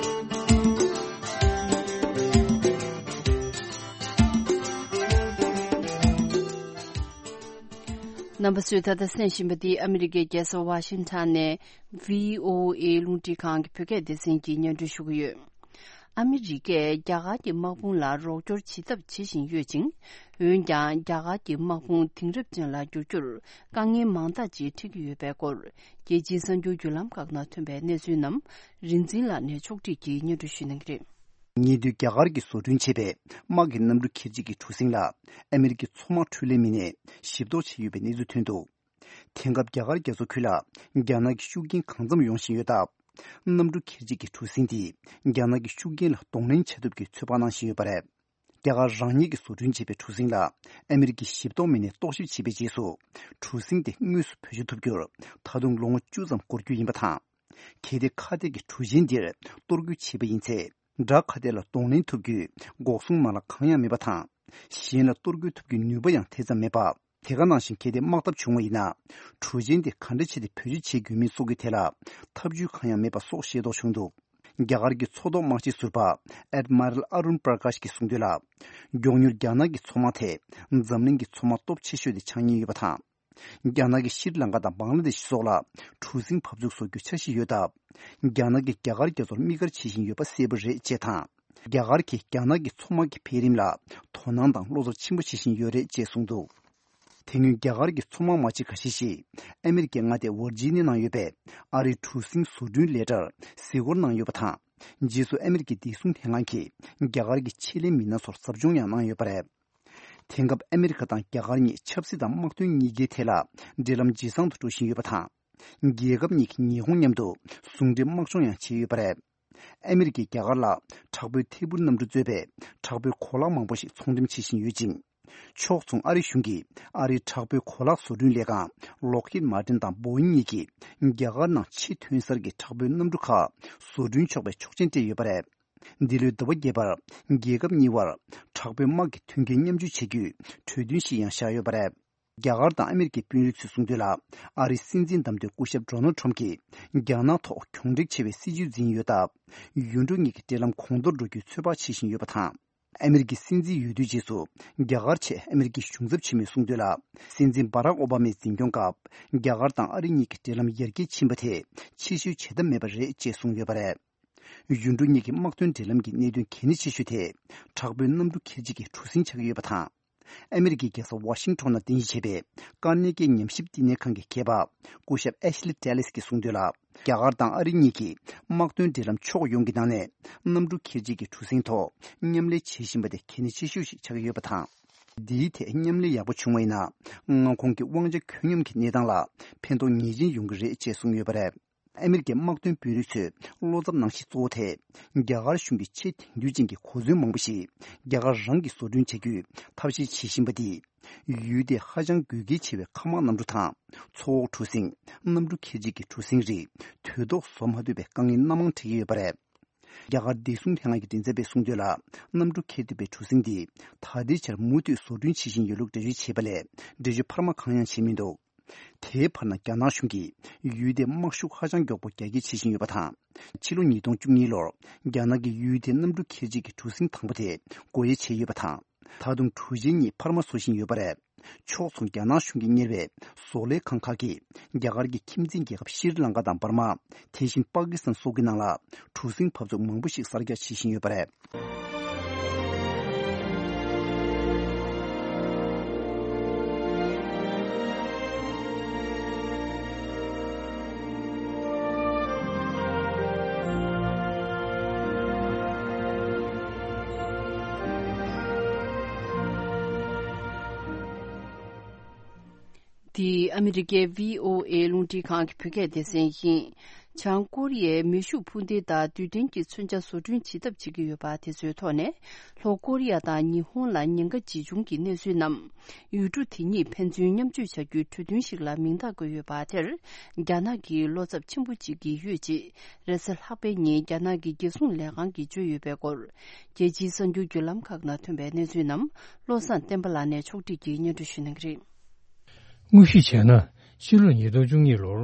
རྣམ་པ་ཚོས་ད་ལྟ་གསན་བཞིན་པ་འདི་ཨ་མི་རི་ཀའི་རྒྱལ་ས་ཝ་ཤིང་ཊོན་ནས་བྷི་ཨོ་ཨེ་རླུང་འཕྲིན་ཁང་གི་བོད་སྐད་སྡེ་ཚན་གྱིས་སྙན་སྒྲོན་ཞུ་གི་ཡོད། ཨ་མི་རི་ཀས་རྒྱ་གར་གྱི་དམག་དཔུང་ལ་རོགས་སྐྱོར་བྱེད་ཐབས་བྱེད་བཞིན་ཡོད་ཅིང་། འོན་ཀྱང་རྒྱ་གར་གྱི་དམག་དཔུང་དེང་རབས་ཅན་ལ་བསྒྱུར་རྒྱུར་དཀའ་ངལ་མང་དག་ཅིག་འཕྲད་ཀྱི་ཡོད་པའི་སྐོར། རྒྱལ་སྤྱིའི་གསར་འགྱུར་བརྒྱུད་ལམ་ཁག་ནང་ཐོན་པའི་གནས་ཚུལ་རྣམས་རིག་འཛིན་ལགས་ནས་ཕྱོགས་སྒྲིག་གིས་སྙན་སྒྲོན་ཞུ་གནང་གི་རེད། ཉེ་དུས་རྒྱ་གར་གྱིས་བཟོ་སྐྲུན་བྱས་པའི་དམག་གི་གནམ་གྲུ་འཁྱེར་བྱེད་ཀྱི་གྲུ་གཟིངས་ལ་ཨ་མི་རི་ཀའི་མཚོ་དམག་འཕྲུལ་ལས་མི་སྣས་ཞིབ་རྟོག་བྱས་ཡོད་པའི་གནས་ཚུལ་ཐོན་འདུག་དེང་སྐབས་རྒྱ་གར་རྒྱ་མཚོ་ཁུལ་ལ་རྒྱ་ནག་གི་ཤུགས་རྐྱེན་གང་འཚམ་ཡོང་བཞིན་ཡོད་སྟབས། གནམ་གྲུ་འཁྱེར་བྱེད་ཀྱི་གྲུ་གཟིངས་དེས་རྒྱ་ནག་གི་ཤུགས་རྐྱེན་ལ་གདོང་ལེན་བྱ་ཐབས་ཀྱི་ཚོད་དཔག་གནང་བཞིན་ཡོད་པ་རེད། རྒྱ་གར་རང་ཉིད་ཀྱིས་བཟོ་སྐྲུན་བྱས་པའི་གྲུ་གཟིངས་ལ་ཨ་མི་རི་ཀའི་ཞིབ་རྟོག་མི་སྣས་རྟོག་ཞིབ་བྱས་པའི་རྗེས་སུ། གྲུ་གཟིངས་དེ་དངོས་སུ་བེད་སྤྱོད་ཐུབ་རྒྱུར་ད་དུང་ལོ་ངོ་བཅུ་ཙམ་འགོར་རྒྱུ་ཡིན་པ་དང་། གལ་ཏེ་ཁ་གཏད་ཀྱི་གྲུ་ཆེན་འདིར་གཏོར་རྒོལ་བྱས་པ་ཡིན་ཚེ། དགྲ་ཁ་གཏད་ལ་གདོང་ལེན་ཐུབ་རྒྱུའི་འགོག་སྲུང་མ་ལག་གང་ཡང་མེད་པ་དང་། གཞན་ལ་གཏོར་རྒོལ་ཐུབ་རྒྱུའི་ནུས་པ་ཡང་དེ་ཙམ་མེད་པ། དེ་ག་ནང་བཞིན་གལ་ཏེ་དམག་འཐབ་བྱུང་བ་ཡིན་ན། གྲུ་ཆེན་དེ་ག་འདྲ་བྱས་ཏེ་བེད་སྤྱོད་བྱེད་དགོས་མིན་སོགས་ཀྱི་ཐད་ལ་ཐབས་ཇུས་གང་ཡང་མེད་པ་སོགས་ཤེས་རྟོགས་བྱུང་འདུག་རྒྱ་གར་གྱི་མཚོ་ཐོག་དམག་སྤྱི་ཟུར་པ་Admiral Arun Prakash གིས་གསུངས་དོན་ལ། མགྱོགས་མྱུར་རྒྱ་ནག་གི་མཚོ་དམག་དེ་འཛམ་གླིང་གི་མཚོ་དམག་སྟོབས་ཆེ་ཤོས་དེ་ཆགས་ཉེན་ཡོད་པ་དང་། རྒྱ་ནག་གིས་ཤྲི་ལང་ཀ་དང་བང་ལ་དེ་ཤི་སོགས་ལ་གྲུ་གཟིངས་འབབ་ཚུགས་བཟོ་རྒྱུའི་འཆར་གཞི་ཡོད་སྟབས། རྒྱ་ནག་གིས་རྒྱ་གར་རྒྱ་མཚོར་དམིགས་བཀར་བྱེད་བཞིན་ཡོད་པ་གསལ་པོ་རེད་ཅེས་དང་། རྒྱ་གར་གྱིས་རྒྱ་ནག་གི་མཚོ་དམག་གི་འཕེལ་རིམ་ལ་དོ་སྣང་དང་བློ་འཚབ་ཆེན་པོ་བྱེད་བཞིན་ཡོད་རེད་ཅེས་གསུངས་འདུག་དེ་སྔོན་རྒྱ་གར་གྱི་མཚོ་དམག་དམག་སྤྱི་འགའ་ཤས་ཤིག་ཨ་མི་རི་ཀའི་མངའ་སྡེ་ཝར་ཇི་ནི་ཡ་ནང་ཡོད་པའི་ཨ་རིའི་གྲུ་གཟིངས་བཟོ་སྐྲུན་ལས་གྲྭར་གཟིགས་སྐོར་གནང་ཡོད་པ་དང་། རྗེས་སུ་ཨ་མི་རི་ཀའི་བདེ་སྲུང་ལྷན་ཁང་གིས་རྒྱ་གར་གྱི་ཆེད་ལས་མི་སྣ་ཚོར་ཟབ་སྦྱོང་ཡང་གནང་ཡོད་པ་རེད། དེང་སྐབས་ཨ་མི་རི་ཀ་དང་རྒྱ་གར་གཉིས་ཆབ་སྲིད་དང་དམག་དོན་གཉིས་ཀའི་ཐད་ལ་འབྲེལ་ལམ་ཇེ་བཟང་དུ་འགྲོ་བཞིན་ཡོད་པ་དང་། རྒྱལ་ཁབ་གཉིས་ཀྱིས་ཉི་ཧོང་མཉམ་དུ་ཟུང་འབྲེལ་དམག་སྦྱོང་ཡང་བྱས་ཡོད་པ་རེད། ཨ་མི་རི་ཀས་རྒྱ་གར་ལ་དྲག་པོའི་ཐད་འཕུར་གནམ་གྲུ་གཙོས་པའི་དྲག་པོའི་གོ་ལག་མང་པོ་ཞིག་ཚོང་འགྲེམས་བྱེད་བཞིན་ཡོད་ཅིང་། ཕྱོགས་མཚུངས་ཨ་རི་གཞུང་གིས་ཨ་རིའི་དྲག་པོའི་གོ་ལག་བཟོ་སྐྲུན་ལས་ཁང་Lockheed Martin དང་Boeing གཉིས་ཀྱིས་རྒྱ་གར་ནང་ཕྱི་ཐོན་གསར་གྱི་དྲག་པོའི་གནམ་གྲུ་ཁག་བཟོ་སྐྲུན་ཆོག་པའི་ཆོག་མཆན་སྤྲད་ཡོད་པ་རེད། འདི་ལོའི་ཟླ་བ་བརྒྱད་པར་རྒྱལ་ཁབ་གཉིས་བར་དྲག་པོའི་དམག་གི་མཐུན་རྐྱེན་མཉམ་སྤྱོད་བྱེད་རྒྱུའི་གྲོས་མཐུན་ཞིག་ཡང་བཞག་ཡོད་པ་རེད། རྒྱ་གར་དང་ཨ་མི་རི་ཀའི་དཔོན་རིགས་ཚོས་གསུངས་དོན་ལ། ཨ་རིའི་སྲིད་འཛིན་བདམས་ཐོན་སྐུ་ཞབས་Donald Trump གྱིས་རྒྱ་ནག་ཐོག་གྱོང་འབྲེལ་ཆེ་བའི་སྲིད་ཇུས་འཛིན་ཡོད་སྟབས། ཡུལ་གྲུ་གཉིས་ཀྱི་འབྲེལ་ལམ་གོང་མཐོར་འགྲོ་རྒྱུའི་ཚོད་དཔག་བྱེད་བཞིན་ཡོད་པ་དང་། ཨ་མི་རི་ཀའི་སྲིད་འཛིན་འོས་བསྡུའི་རྗེས་སུ་རྒྱ་གར་ཆེད་ཨ་མི་རི་ཀའི་གཞུང་ཚབ་ཆེན་མོས་གསུངས་དོན་ལ། སྲིད་འཛིན་Barack Obama ཡི་འཛིན་སྐྱོང་སྐབས་རྒྱ་གར་དང་ཨ་རི་གཉིས་ཀྱི་འབྲེལ་ལམ་ཡར་རྒྱས་ཕྱིན་པ་དེ་ཕྱིར་བཤོལ་བྱེད་ཐབས་མེད་པ་རེད་ཅེས་གསུངས་ཡོད་པ་རེད། ཡུལ་གྲུ་གཉིས་ཀྱི་དམག་དོན་འབྲེལ་ལམ་གྱི་གནད་དོན་གལ་གནད་ཆེ་ཤོས་དེ་དྲག་པོའི་གནམ་གྲུ་འཁྱེར་བྱེད་ཀྱི་གྲུ་གཟིངས་ཆགས་ཀྱི་ཡོད་པ་དང་། ཨ་མི་རི་ཀའི་རྒྱལ་ས་ཝ་ཤིང་ཊོན་ནང་རྟེན་གཞི་བྱས་པའི་ཀར་ནེ་ཀི་ཉམས་ཞིབ་བསྟི་གནས་ཁང་གི་མཁས་པ་སྐུ་ཞབས་Ashley Tellis གྱིས་གསུངས་དོན་ལ། རྒྱ་གར་དང་ཨ་རི་གཉིས་ཀྱིས་དམག་དོན་འབྲེལ་ལམ་ཕྱོགས་ཡོངས་ཀྱི་ནང་ནས་གནམ་གྲུ་འཁྱེར་བྱེད་ཀྱི་གྲུ་གཟིངས་ཐོག་མཉམ་ལས་བྱེད་བཞིན་པ་དེ་གལ་གནད་ཆེ་ཤོས་ཤིག་ཆགས་ཀྱི་ཡོད་པ་དང་། འདིའི་ཐད་མཉམ་ལས་ཡག་པོ་བྱུང་བ་ཡིན་ན། མངའ་ཁོངས་ཀྱི་དབང་ཆ་ཁྱོན་སྙོམས་ཀྱི་གནས་སྟངས་ལ་ཕན་ཐོགས་ངེས་ཅན་ཡོང་གི་རེད་ཅེས་གསུངས་ཡོད་པ་རེད། ཨ་མེ་རི་ཀའི་དམག་དོན་དཔོན་རིགས་ཚོས་བློ་འཚབ་གནང་གཞི་གཙོ་བོ་དེ། རྒྱ་གར་གཞུང་གིས་ཆེས་དེང་དུས་ཅན་གྱི་གོ་མཚོན་མང་པོ་ཞིག་རྒྱ་གར་རང་གིས་བཟོ་སྐྲུན་བྱ་རྒྱུའི་ཐབས་ཤེས་བྱེད་བཞིན་པ་འདིས། ཡུལ་དེའི་ཧ་ཅང་དགོས་གལ་ཆེ་བའི་མཁའ་དམག་གནམ་གྲུ་དང་། མཚོ་འོག་གྲུ་གཟིངས། གནམ་གྲུ་ཁལ་གཅིག་གི་གྲུ་གཟིངས་རིགས་དུས་ཐོག་བཟོ་མ་ཐུབ་པའི་དཀའ་ངལ་སྣ་མང་འཕྲད་ཀྱི་ཡོད་པ་རེད། རྒྱ་གར་བདེ་སྲུང་ལྷན་ཁང་གི་མགྲིན་ཚབ་པས་གསུངས་དོན་ལ། གནམ་གྲུ་ཁྱེར་ཐུབ་པའི་གྲུ་གཟིངས་འདི་ད་ལྟའི་ཆར་མུ་མཐུད་བཟོ་སྐྲུན་བྱེད་བཞིན་ཡོད་ལུགས་འགྲེལ་བརྗོད་བྱས་པ་ལས། འགྲེལ་བརྗོད་འཕར་མ་གང་ཡང་བྱས་མི་འདུག་དེའི་བར་ན། རྒྱ་ནག་གཞུང་གིས་ཡུལ་དེའི་དམག་ཤུགས་ཧ་ཅང་མགྱོགས་པོ་རྒྱ་སྐྱེད་བྱེད་བཞིན་ཡོད་པ་དང་། ཕྱི་ལོ་ཉིས་སྟོང་བཅུ་གཉིས་ལོར་རྒྱ་ནག་གིས་ཡུལ་དེའི་གནམ་གྲུ་ཁལ་གཅིག་གི་གྲུ་གཟིངས་དང་པོ་དེ་སྒོ་དབྱེ་བྱས་ཡོད་པ་དང་། ད་དུང་གྲུ་ཆེན་གཉིས་འཕར་མ་བཟོ་བཞིན་ཡོད་པ་རེད། ཕྱོགས་མཚུངས། རྒྱ་ནག་གཞུང་གིས་གཉེར་བའི་བཟོ་ལས་ཁང་ཁག་གིས་རྒྱ་གར་གྱི་ཁྱིམ་མཚེས་རྒྱལ་ཁབ་ཤྲི་ལང་ཀ་དང་འབར་མ། དེ་བཞིན་པ་ཀི་སི་ཐན་སོགས་ཀྱི་ནང་ལ་གྲུ་གཟིངས་འབབ་ཚུགས་མང་པོ་ཞིག་གསར་རྒྱག་བྱེད་བཞིན་ཡོད་པ་རེད། འདི་ཨ་མི་རི་ཀའི་བྷི་ཨོ་ཨེ་རླུང་འཕྲིན་ཁང་གི་བོད་སྐད་སྡེ་ཚན་ཡིན། བྱང་ཀོ་རི་ཡས་མེ་ཤུགས་འཕུར་མདེལ་དང་རྡུལ་ཕྲན་གྱི་མཚོན་ཆ་བཟོ་སྐྲུན་བྱེད་ཐབས་བྱེད་ཀྱི་ཡོད་པ་དེ་ཚོའི་ཐོག་ནས། ལྷོ་ཀོ་རི་ཡ་དང་ཉི་ཧོང་ལ་ཉེན་ཁ་ཇི་བྱུང་གི་གནས་ཚུལ་རྣམས། ཡུལ་གྲུ་དེ་གཉིས་ཕན་ཚུན་མཉམ་སྤྱོད་བྱ་རྒྱུའི་གྲོས་མཐུན་ཞིག་ལ་མིང་རྟགས་བཀོད་ཡོད་པ་དེར། རྒྱ་ནག་གིས་བློ་འཚབ་ཆེན་པོ་བྱེད་ཀྱི་ཡོད་ཅེས། རེས་གཟའ་ལྷག་པའི་ཉིན་རྒྱ་ནག་གི་རྒྱལ་སྲུང་ལས་ཁང་གིས་བརྗོད་ཡོད་པའི་སྐོར། རྒྱལ་སྤྱིའི་གསར་འགྱུར་བརྒྱུད་ལམ་ཁག་ནང་ཐོན་པའི་གནས་ཚུལ་རྣམས། བློ་བཟང་བསྟན་པ་ལགས་ནས་ཕྱོགས་སྒྲིག་གིས་སྙན་སྒྲོན་ཞུ་གནང་གི་རེད། དངོས་གཞི་བྱས་ན། ཕྱི་ལོ་ཉིས་སྟོང་བཅུ་གཉིས་ལོར།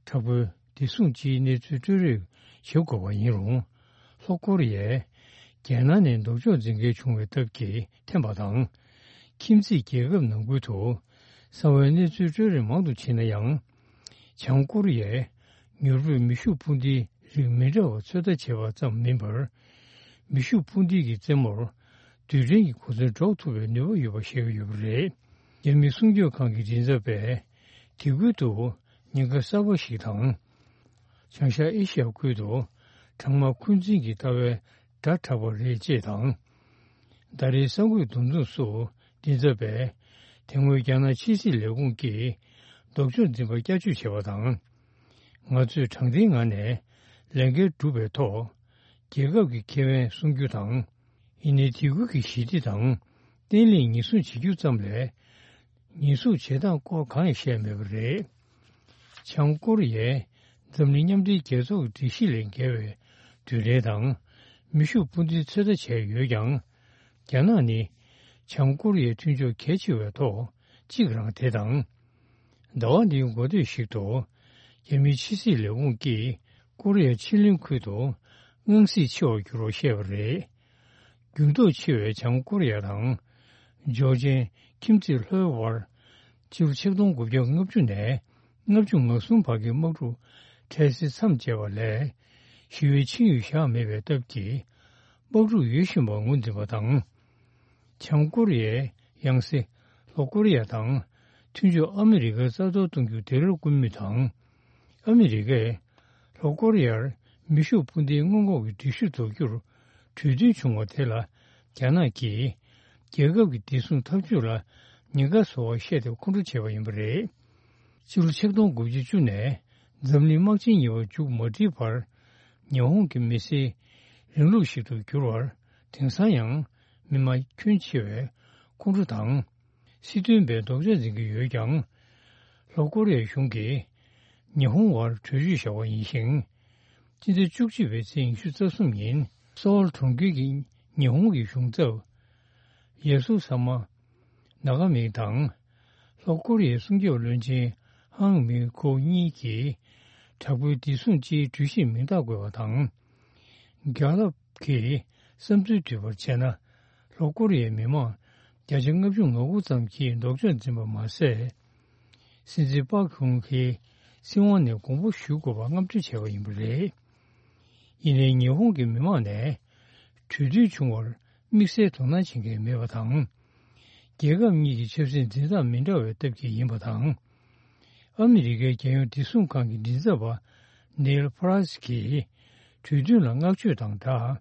དྲག་པོའི་བདེ་སྲུང་སྤྱིའི་གནས་ཚུལ་སྤྲོད་རེས་བྱེད་དགོས་པ་ཡིན་རུང་། ལྷོ་ཀོ་རི་ཡས་རྒྱལ་ནང་ནས་ལྡོག་ཕྱོགས་འཛིན་མཁན་བྱུང་བའི་སྟབས་ཀྱིས་འཐེན་པ་དང་། ཁྱིམ་མཚེས་རྒྱལ་ཁབ་ནང་ཁུལ་དུ་གསང་བའི་གནས་ཚུལ་སྤྲོད་རེས་མང་དུ་བྱས་ན་ཡང་། བྱང་ཀོ་རི་ཡས་མྱུར་པོས་མེ་ཤུགས་འཕུར་མདེལ་རིགས་མི་འདྲ་བ་ཚོད་ལྟ་བྱས་པ་ཙམ་མིན་པར། མེ་ཤུགས་འཕུར་མདེལ་གྱི་རྩེ་མོར་རྡུལ་ཕྲན་གྱི་གོ་མཚོན་སྒྲོག་ཐུབ་པའི་ནུས་པ་ཡོད་པ་བཤད་ཀྱི་ཡོད་པ་རེད། རྒྱ་མི་སྲུང་སྐྱོབ་ཁང་གི་མགྲིན་ཚབ་པས། དེ་ཁུལ་དུ་ཉེན་ཁ་གསར་པ་ཞིག་དང་། བྱང་ཤར་ཨེ་ཤི་ཡ་ཁུལ་དུ་གྲང་དམག་འཁོན་འཛིན་གྱི་ལྟ་བའི་སྒྲ་གྲགས་པ་རེད་ཅེས་དང་། ད་རེས་གསར་འགོད་འདུ་འཛོམས་སུ་མགྲིན་ཚབ་པས། དེ་སྔོན་རྒྱ་ནག་ཕྱི་སྲིད་ལས་ཁུངས་ཀྱིས་ལྡོག་ཕྱོགས་འཛིན་པ་བསྐྱར་བཅོས་བྱས་པ་དང་། ང་ཚོས་དྲང་བདེན་ངང་ནས་ལས་འགན་བསྒྲུབས་པའི་ཐོག་རྒྱལ་ཁབ་ཀྱི་ཁེ་ཕན་སྲུང་རྒྱུ་དང་། ཡིན་ནའི་དེ་ཁུལ་གྱི་ཞི་བདེ་དང་བརྟན་ལྷིང་ཉེན་སྲུང་བྱེད་རྒྱུ་ཙམ་ལས། ཉེན་སྲུང་བྱེད་སྟངས་སྐོར་གང་ཡང་བཤད་མེད་པ་རེད། བྱང་ཀོ་རི་ཡས་འཛམ་གླིང་མཉམ་འབྲེལ་རྒྱལ་ཚོགས་ཀྱི་སྒྲིག་གཞི་ལས་འགལ་བའི་རྡུལ་ཕྲན་དང་མེ་ཤུགས་འཕུར་མདེལ་ཚོད་ལྟ་བྱས་ཡོད་ཀྱང་། རྒྱ་ནག་ནི་བྱང་ཀོ་རི་ཡའི་མཐུན་ཕྱོགས་གལ་ཆེ་བའི་ཐོག་གཅིག་རང་དེ་དང་། ཟླ་བ་འདིའི་འགོ་སྟོད་ཞིག་ཏུ། རྒྱ་མིའི་ཕྱི་སྲིད་ལས་ཁུངས་ཀྱིས་ཀོ་རི་ཡ་ཕྱེད་གླིང་ཁུལ་དུ་དངངས་སྲིད་ཆེ་བར་གྱུར་བར་བཤད་པ་རེད། འགྱུར་ལྡོག་ཆེ་བའི་བྱང་ཀོ་རི་ཡ་དང་། ཇོ་ཅན་ཁྱིམ་མཚེས་ལྷོའི་དབར། ཕྱི་ལོ་ཆིག་སྟོང་དགུ་བརྒྱ་ལྔ་བཅུ་ནས་ལྔ་བཅུ་ང་གསུམ་བར་གྱི་དམག་འཁྲུག་འཕྲལ་སེལ་མཚམས་བཅད་པ་ལས། ཞི་བའི་ཆིངས་ཡིག་བཞག་མེད་པའི་སྟབས་ཀྱིས། དམག་འཁྲུག་ཡོད་བཞིན་པ་ངོས་འཛིན་པ་དང་། བྱང་ཀོ་རི་ཡས་ཡང་སེ་ལྷོ་ཀོ་རི་ཡ་དང་མཐུན་ཕྱོགས་ཨ་མི་རི་ཀར་རྩ་གཏོར་གཏོང་རྒྱུ་དེ་ལ་སྐུལ་མུས་དང་། ཨ་མི་རི་ཀས་ལྷོ་ཀོ་རི་ཡར་མེ་ཤུགས་འཕུར་མདེལ་སྔོན་འགོག་གི་སྒྲིག་གཞི་འཛུགས་རྒྱུར་གྲོས་མཐུན་བྱུང་བ་དེ་ལ་རྒྱ་ནག་གིས་རྒྱལ་ཁབ་ཀྱི་བདེ་སྲུང་འཐབ་ཇུས་ལ་ཉེན་ཁ་བཟོ་བར་བཤད་དེ་ཁོང་ཁྲོ་བྱས་པ་ཡིན་པ་རེད། ཕྱི་ལོ་ཆིག་སྟོང་དགུ་བརྒྱ་བཅུ་ནས་འཛམ་གླིང་དམག་ཆེན་གཉིས་པ་མཇུག་མ་སྒྲིལ་བར། ཉི་ཧོང་གི་མི་སེར་རིང་ལུགས་ཤིག་ཏུ་གྱུར་བར། དེང་སང་ཡང་མི་མང་ཁྱོན་ཆེ་བས་ཁོང་ཁྲོ་དང་། སྲིད་དོན་པས་ལྡོག་ཕྱོགས་འཛིན་གྱི་ཡོད་ཀྱང་། ལྷོ་ཀོ་རི་ཡའི་གཞུང་གིས་ཉི་ཧོང་བར་གྲོས་ཆོད་བཞག་པ་ཡིན་ཞིང་། སྤྱི་ཟླ་བཅུ་གཅིག་པའི་ཚེས་ཉི་ཤུ་རྩ་གསུམ་ཉིན་སོའོལ་གྲོང་ཁྱེར་གྱི་ཉི་ཧོང་གི་གཞུང་ཚབ་ཡ་སུ་ས་མ་ནཱ་ག་མི་དང་། ལྷོ་ཀོ་རི་ཡའི་སྲུང་སྐྱོབ་བློན་ཆེན་ཧང་མི་ཁོ་གཉིས་ཀྱིས་དྲག་པོའི་བདེ་སྲུང་སྤྱིའི་གྲོས་གཞིར་མིང་རྟགས་བཀོད་པ་དང་། རྒྱལ་ཁབ་ཀྱི་བསམ་ཚུལ་བསྡུས་པར་བྱས་ན། ལྷོ་ཀོ་རི་ཡའི་མི་མང་བརྒྱ་ཆ་ལྔ་བཅུ་ང་དགུ་ཙམ་གྱིས་ལྡོག་ཕྱོགས་འཛིན་པ་མ་ཟད། སྲིད་འཛིན་པག་ཧུང་ཧེ་སྲིད་དབང་ནས་དགོངས་པ་ཞུ་དགོས་པ་རྔམ་སྟོན་བྱས་པ་ཡིན་པ་རེད། ཡིན་ནའི་ཉི་ཧོང་གི་མི་མང་ནས་གྲོས་མཐུན་བྱུང་བར་དམིགས་བསལ་དོ་སྣང་བྱེད་མཁན་མེད་པ་དང་། རྒྱལ་ཁབ་གཉིས་ཀྱི་ཆབ་སྲིད་འཛིན་སྟངས་མི་འདྲ་བའི་སྟབས་ཀྱིས་ཡིན་པ་དང་། ཨ་མི་རི་ཀའི་རྒྱལ་ཡོངས་བདེ་སྲུང་ཁང་གི་མགྲིན་ཚབ་པ་ནེལ་ཕ་ར་སི་གིས་གྲོས་མཐུན་ལ་བསྔགས་བརྗོད་དང་སྦྲགས།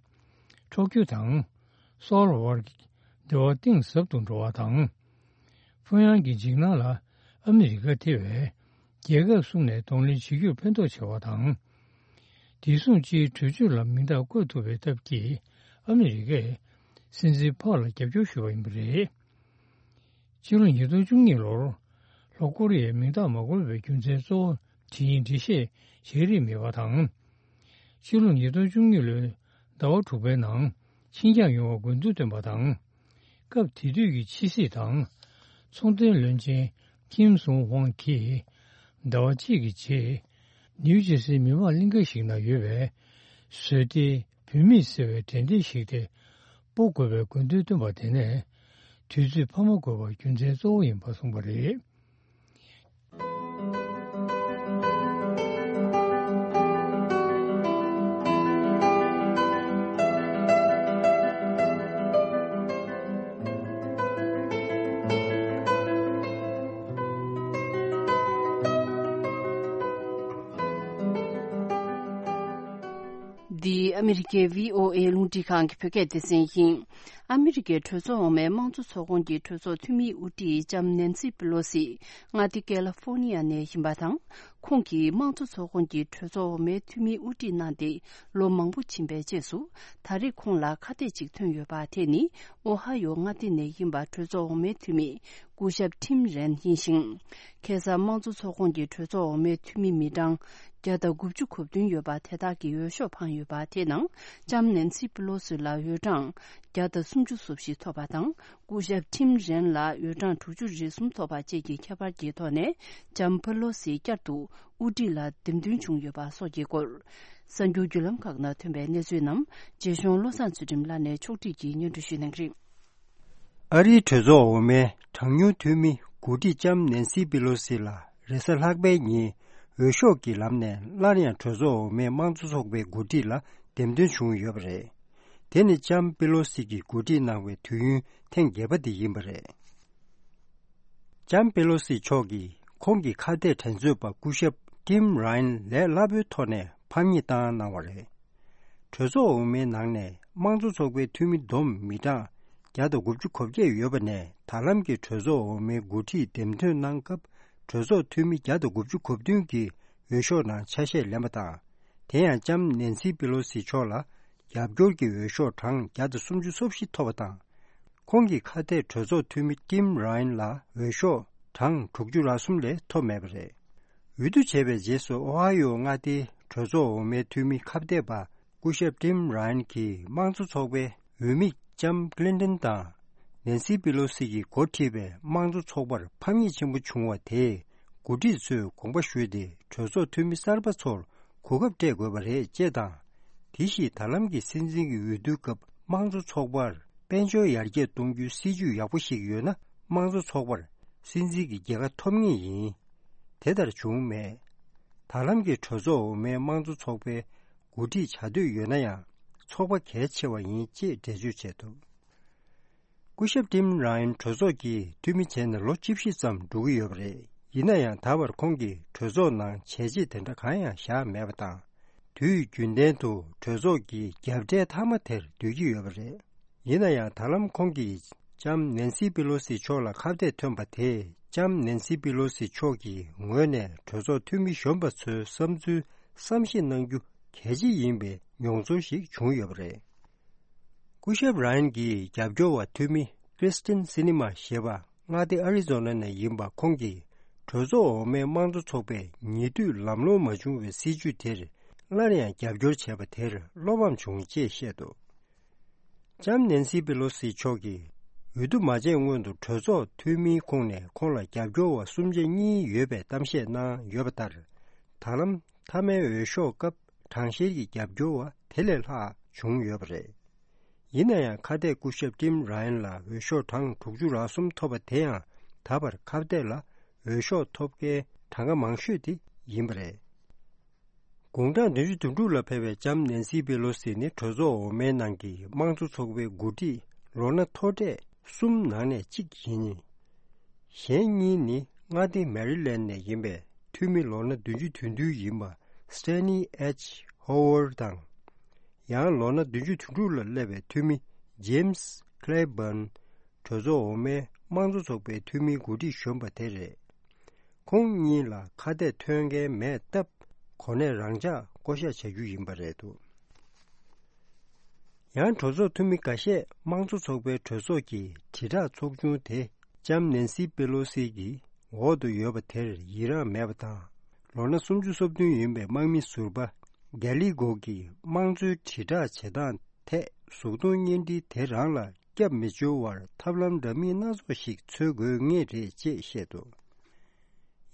འཕྲོག་རྒྱུ་དང་སོའོལ་བར་གྱི་འབྲེལ་བ་གཏིང་ཟབ་ཏུ་འགྲོ་བ་དང་། ཕུ་ཡང་གི་འཇིགས་སྣང་ལ་ཨ་མི་རི་ཀ་དེ་བས་ རྒྱལ་ཁབ་གསུམ་ནས་གདོང་ལེན་བྱེད་རྒྱུར་ཕན་ཐོགས་ཆེ་བ་དང་། བདེ་སྲུང་སྤྱིའི་གྲོས་ཆོད་ལ་མིང་རྟགས་བཀོད་ཐུབ་པའི་སྟབས་ཀྱིས་ཨ་མི་རི་ཀས་སྲིད་འཛིན་ཕག་ལ་རྒྱབ་སྐྱོར་ཞུས་པ་ཡིན་པ་རེད། ཕྱི་ལོ་ཉིས་སྟོང་བཅུ་གཉིས་ལོར་ལྷོ་ཀོ་རི་ཡས་མིང་རྟགས་མ་བཀོད་པའི་རྒྱུ་མཚན་གཙོ་བོ་དེ་ཡིན་འགྲེལ་བཤད་བྱེད་རིན་མེད་པ་དང་། ཕྱི་ལོ་ཉིས་སྟོང་བཅུ་གཉིས་ལོའི་ཟླ་བ་དྲུག་པའི་ནང་ཕྱིར་འགྱངས་ཡོང་བར་དགོས་འདུན་བཏོན་པ་དང་། སྐབས་དེ་དུས་ཀྱི་ཕྱི་སྲིད་དང་ཚོང་དོན་བློན་ཆེན་ཀིམ་སུང་ཧོང་གིས་ཟླ་བ་གཅིག་གི་རྗེས་ནིའུ་ཇེར་སིའི་མི་མང་གླིང་ག་ཞིག་ན་ཡོད་པའི་བཟོ་ལྟའི་བུད་མེད་ཟེར་བའི་དྲན་རྟེན་ཞིག་དེ་སྤོ་དགོས་པའི་དགོས་འདུན་བཏོན་པ་དེ་ནས་དུས་ཚོད་འཕར་མ་དགོས་པ་རྒྱུ་མཚན་གཙོ་བོ་ཡིན་པ་གསུངས་པ་རེད། འདི་ཨ་མི་རི་ཀའི་བྷི་ཨོ་ཨེ་རླུང་འཕྲིན་ཁང་གི་བོད་སྐད་སྡེ་ཚན་ཡིན། ཨ་མི་རི་ཀའི་གྲོས་ཚོགས་འོག་མའི་དམངས་གཙོ་ཚོགས་ཁོངས་ཀྱི་གྲོས་ཚོགས་འཐུས་མིའི་དབུ་ཁྲིད་ལྕམ་ནན་སི་པི་ལོ་སི་མངའ་སྡེ་ཀེ་ལ་ཧྥོར་ནི་ཡ་ནས་ཡིན་པ་དང་། ཁོང་གིས་དམངས་གཙོ་ཚོགས་ཁོངས་ཀྱི་གྲོས་ཚོགས་འོག་མའི་འཐུས་མིའི་དབུ་ཁྲིད་གནང་སྟེ་ལོ་མང་པོ་ཕྱིན་པའི་རྗེས་སུ། ད་རེས་ཁོང་ལ་ཁ་གཏད་ཅིག་ཐོན་ཡོད་པ་དེ་ནི་ཨོ་ཧ་ཡོ་མངའ་སྡེ་ནས་ཡིན་པ་གྲོས་ཚོགས་འོག་མའི་འཐུས་མི་སྐུ་ཞབས་ཊིམ་རན་ཡིན་ཞིང་། ཁ་སང་དམངས་གཙོ་ཚོགས་ཁོངས་ཀྱི་གྲོས་ཚོགས་འོག་མའི་འཐུས་མི་མི་གྲངས་བརྒྱ་དང་དགུ་བཅུ་གོ་བདུན་ཡོད་པ་དེ་དག་གི་འོས་ཤོག་འཕངས་ཡོད་པ་དེ་ནང་ལྕམ་ནན་སི་པི་ལོ་སི་ལ་འོས་གྲངས་བརྒྱ་དང་སུམ་ཅུ་སོ་བཞི་ཐོབ་པ་དང་། སྐུ་ཞབས་ཊིམ་རན་ལ་འོས་གྲངས་དྲུག་ཅུ་རེ་གསུམ་ཐོབ་པ་བཅས་ཀྱི་ཁྱད་པར་གྱི་ཐོག་ནས་ལྕམ་པེ་ལོ་སི་བསྐྱར་དུ་དབུ་ཁྲིད་ལ་འདེམས་ཐོན་བྱུང་ཡོད་པ་སོགས་ཀྱི་སྐོར། གསར་འགྱུར་བརྒྱུད་ལམ་ཁག་ནང་ཐོན་པའི་གནས་ཚུལ་རྣམས་རྗེ་གཞུང་བློ་བཟང་ཚུལ་ཁྲིམས་ལགས་ནས་ཕྱོགས་སྒྲིག་གིས་སྙན་སྒྲོན་ཞུ་གནང་གི་རེད། ཨ་རིའི་གྲོས་ཚོགས་འོག་མའི་གྲངས་ཉུང་འཐུས་མི་འགོ་ཁྲིད་ལྕམ་ནན་སི་པི་ལོ་སི་ལ་རེས་གཟའ་ལྷག་པའི་ཉིན་འོས་ཤོག་གི་ལམ་ནས་སླར་ཡང་གྲོས་ཚོགས་འོག་མའི་དམངས་གཙོ་ཚོགས་པའི་འགོ་ཁྲིད་ལ་འདེམས་ཐོན་བྱུང་ཡོད་པ་རེད། དེ་ནི་ལྕམ་པེ་ལོ་སི་གིས་འགོ་ཁྲིད་གནང་བའི་དུས་ཡུན་ཐེངས་བརྒྱད་པ་དེ་ཡིན་པ་རེད། ལྕམ་པེ་ལོ་སི་མཆོག་གིས་ཁོང་གི་ཁ་གཏད་འགྲན་རྩོད་པ་སྐུ་ཞབས་ཊིམ་རའེན་ལས་སླ་པོའི་ཐོག་ནས་ཕམ་ཉེས་བཏང་གནང་བ་རེད། གྲོས་ཚོགས་འོག་མའི་ནང་ནས་དམངས་གཙོ་ཚོགས་པའི་འཐུས་མི་བསྡོམས་མི་གྲངས་བརྒྱ་དང་དགུ་བཅུ་གོ་བརྒྱད་ཡོད་པ་ནས། ད་ལམ་གྱི་གྲོས་ཚོགས་འོག་མའི་འགོ་ཁྲིད་འདེམས་ཐོན་གནང་སྐབས་གྲོས་ཚོགས་འཐུས་མི་བརྒྱ་དང་དགུ་བཅུ་གོ་བདུན་གྱིས་འོས་ཤོག་ནང་ཆ་ཤས་ལེན་པ་དང་། དེ་ཡང་ལྕམ་ནན་སི་པེ་ལོ་སི་མཆོག་ལ་རྒྱབ་སྐྱོར་གྱི་འོས་ཤོག་གྲངས་བརྒྱ་དང་སུམ་ཅུ་སོ་བཞི་ཐོབ་པ་དང་། ཁོང་གི་ཁ་གཏད་གྲོས་ཚོགས་འཐུས་མི་ཊིམ་རའེན་ལ་འོས་ཤོག་གྲངས་དྲུག་ཅུ་རེ་གསུམ་ལས་ཐོབ་མེད་པ་རེད། འོས་བསྡུ་བྱས་པའི་རྗེས་སུ་ཨོ་ཧ་ཡོ་མངའ་སྡེའི་གྲོས་ཚོགས་འོག་མའི་འཐུས་མི་ཁ་གཏད་པ་སྐུ་ཞབས་ཊིམ་རའེན་གྱིས་དམངས་གཙོ་ཚོགས་པའི་འོས་མི་ལྕམ་ཀི་ལིན་ཏོན་དང་ནན་སི་པི་ལོ་སི་གིས་འགོ་ཁྲིད་པའི་དམངས་གཙོ་ཚོགས་པར་ཕམ་ཉེས་ཆེན་པོ་བྱུང་བ་དེས། འགོ་ཁྲིད་ཚོས་དགོངས་པ་ཞུས་ཏེ་གྲོས་ཚོགས་འཐུས་མི་གསར་པ་ཚོར་གོ་སྐབས་སྤྲད་དགོས་པ་རེད་ཅེས་དང་། དེ་བཞིན་ད་ལམ་གྱི་སྲིད་འཛིན་གྱི་འོས་བསྡུའི་སྐབས་དམངས་གཙོ་ཚོགས་པར་དཔལ་འབྱོར་ཡར་རྒྱས་གཏོང་རྒྱུའི་སྲིད་ཇུས་ཡག་པོ་ཞིག་ཡོད་ན། དམངས་གཙོ་ཚོགས་པར་སྲིད་འཛིན་གྱི་རྒྱལ་ཁ་ཐོབ་ངེས་ཡིན། དེ་ལྟར་བྱུང་མེད། ད་ལམ་གྱི་གྲོས་ཚོགས་འོག་མའི་དམངས་གཙོ་ཚོགས་པའི་འགོ་ཁྲིད་བྱ་འདོད་ཡོད་ན་ཡང་ཚོགས་པ་གལ་ཆེ་བ་ཡིན་ཅེས་འགྲེལ་བརྗོད་བྱས་འདུག་སྐུ་ཞབས་ཊིམ་རའེན་གྲོས་ཚོགས་ཀྱི་འཐུས་མི་བྱས་ནས་ལོ་བཅུ་བཞི་ཙམ་འགྲོ་གི་ཡོད་པ་རེད། ཡིན་ན་ཡང་ད་བར་ཁོང་གིས་གྲོས་ཚོགས་ནང་བྱས་རྗེས་དེ་འདྲ་གང་ཡང་བཞག་མེད་པ་དང་། དུས་རྒྱུན་ལྡན་དུ་གྲོས་ཚོགས་ཀྱི་རྒྱབ་གྲལ་མཐའ་མ་དེར་སྡོད་ཀྱི་ཡོད་པ་རེད། ཡིན་ན་ཡང་ད་ལམ་ཁོང་གིས་ལྕམ་ནན་སི་པི་ལོ་སི་མཆོག་ལ་ཁ་གཏད་ཐོན་པ་དེས་ལྕམ་ནན་སི་པི་ལོ་སི་མཆོག་གི་ངོས་ནས་གྲོས་ཚོགས་འཐུས་མི་གཞོན་པ་ཚོའི་བསམ་ཚུལ་བསམ་ཤེས་གནང་རྒྱུ་གལ་ཆེ་ཡིན་པའི་མྱོང་ཚོར་ཞིག་བྱུང་ཡོད་པ་རེད། སྐུ་ཞབས་རའེན་གྱི་རྒྱབ་སྐྱོར་བ་འཐུས་མི་ཀྲིས་ཏིན་སི་ནི་མ་ཞེས་པ་མངའ་སྡེ་ཨ་རི་ཛོ་ན་ནས་ཡིན་པ་ཁོང་གིས་གྲོས་ཚོགས་འོག་མའི་དམངས་གཙོ་ཚོགས་པས་ཉེ་དུས་ལམ་ལྷོང་མ་བྱུང་བའི་སྲིད་ཇུས་དེར་སླར་ཡང་རྒྱབ་སྐྱོར་བྱས་པ་དེར་བློ་ཕམ་བྱུང་ཅེས་བཤད་འདུག་ལྕམ་ནན་སི་པེ་ལོ་སི་མཆོག་གིས་འོས་བསྡུ་མ་བྱས་སྔོན་དུ་གྲོས་ཚོགས་འཐུས་མིའི་ཁོངས་ནས་ཁོང་ལ་རྒྱབ་སྐྱོར་བ་གསུམ་ཆ་གཉིས་ཡོད་པའི་གཏམ་བཤད་གནང་ཡོད་པ་ལྟར། ད་ལམ་མཐའ་མའི་འོས་ཤོག་སྐབས་གྲངས་བཤེར་གྱི་རྒྱབ་སྐྱོར་བ་དེ་ལས་ལྷག་བྱུང་ཡོད་པ་རེད། ཡིན་ན་ཡང་ཁ་གཏད་སྐུ་ཞབས་ཊིམ་རའེན་ལ་འོས་ཤོག་གྲངས་དྲུག་ཅུ་རེ་གསུམ་ཐོབ་པ་དེ་ཡང་ད་བར་ཁ་གཏད་ལ་འོས་ཤོག་ཐོབ་མཁན་གྲངས་ཀ་མང་ཤོས་དེ་ཡིན་པ་རེད། དགུང་གྲངས་བདུན་ཅུ་དོན་དྲུག་ལ་ཕེབས་པའི་ལྕམ་ནན་སི་པེ་ལོ་སི་ནི་གྲོས་ཚོགས་འོག་མའི་ནང་གི་དམངས་གཙོ་ཚོགས་པའི་འགོ་ཁྲིད་ལོ་ན་མཐོ་གྲས་གསུམ་ནང་ནས་གཅིག་ཡིན། གཞན་གཉིས་ནི་མངའ་སྡེ་མེ་རི་ལེན་ནས་ཡིན་པའི་འཐུས་མི་ལོ་ན་བདུན་ཅུ་དོན་བདུན་ཡིན་པ་སི་ཊེ་ནི་ཨེཆ་ཧོ་ཝར་དང་། ཡང་ལོ་ན་བདུན་ཅུ་དོན་དྲུག་ལ་སླེབས་པའི་འཐུས་མི་ཇེམ་སི་ཁི་ལེ་བྷན། གྲོས་ཚོགས་འོག་མའི་དམངས་གཙོ་ཚོགས་པའི་འཐུས་མིའི་འགོ་ཁྲིད་གཞོན་པ་དེ་རེད། ཁོང་གཉིས་ལ་ཁ་གཏད་ཐོན་མཁན་མེད་སྟབས། གོ་གནས་རང་འཇགས་བསྐོ་གཞག་བྱ་རྒྱུ་ཡིན་པ་རེད་འདུག་ཡང་གྲོས་ཚོགས་འཐུས་མི་འགའ་ཤས་དམངས་གཙོ་ཚོགས་པའི་གྲོས་ཚོགས་ཀྱི་དྲིལ་བསྒྲགས་ཚོགས་ཆུང་དེ་ལྕམ་ནན་སི་པེ་ལོ་སི་གི་འོག་ཏུ་ཡོད་པ་དེར་ཡི་རངས་མེད་པ་དང་། ལོ་ན་སུམ་ཅུ་སོ་བདུན་ཡིན་པའི་དམག་མི་ཟུར་པ་གྷེ་ལི་གོ་གིས་དམངས་གཙོའི་དྲིལ་བསྒྲགས་བྱེད་སྟངས་ཐད་གཟུགས་མཐོང་བརྙན་འཕྲིན་དེ་རང་ལ་སྐྱབས་མི་བཅོལ་བར་ཐབས་ལམ་འདྲ་མིན་སྣ་ཚོགས་ཤིག་འཚོལ་དགོས་ངེས་རེད་ཅེས་བཤད་འདུག་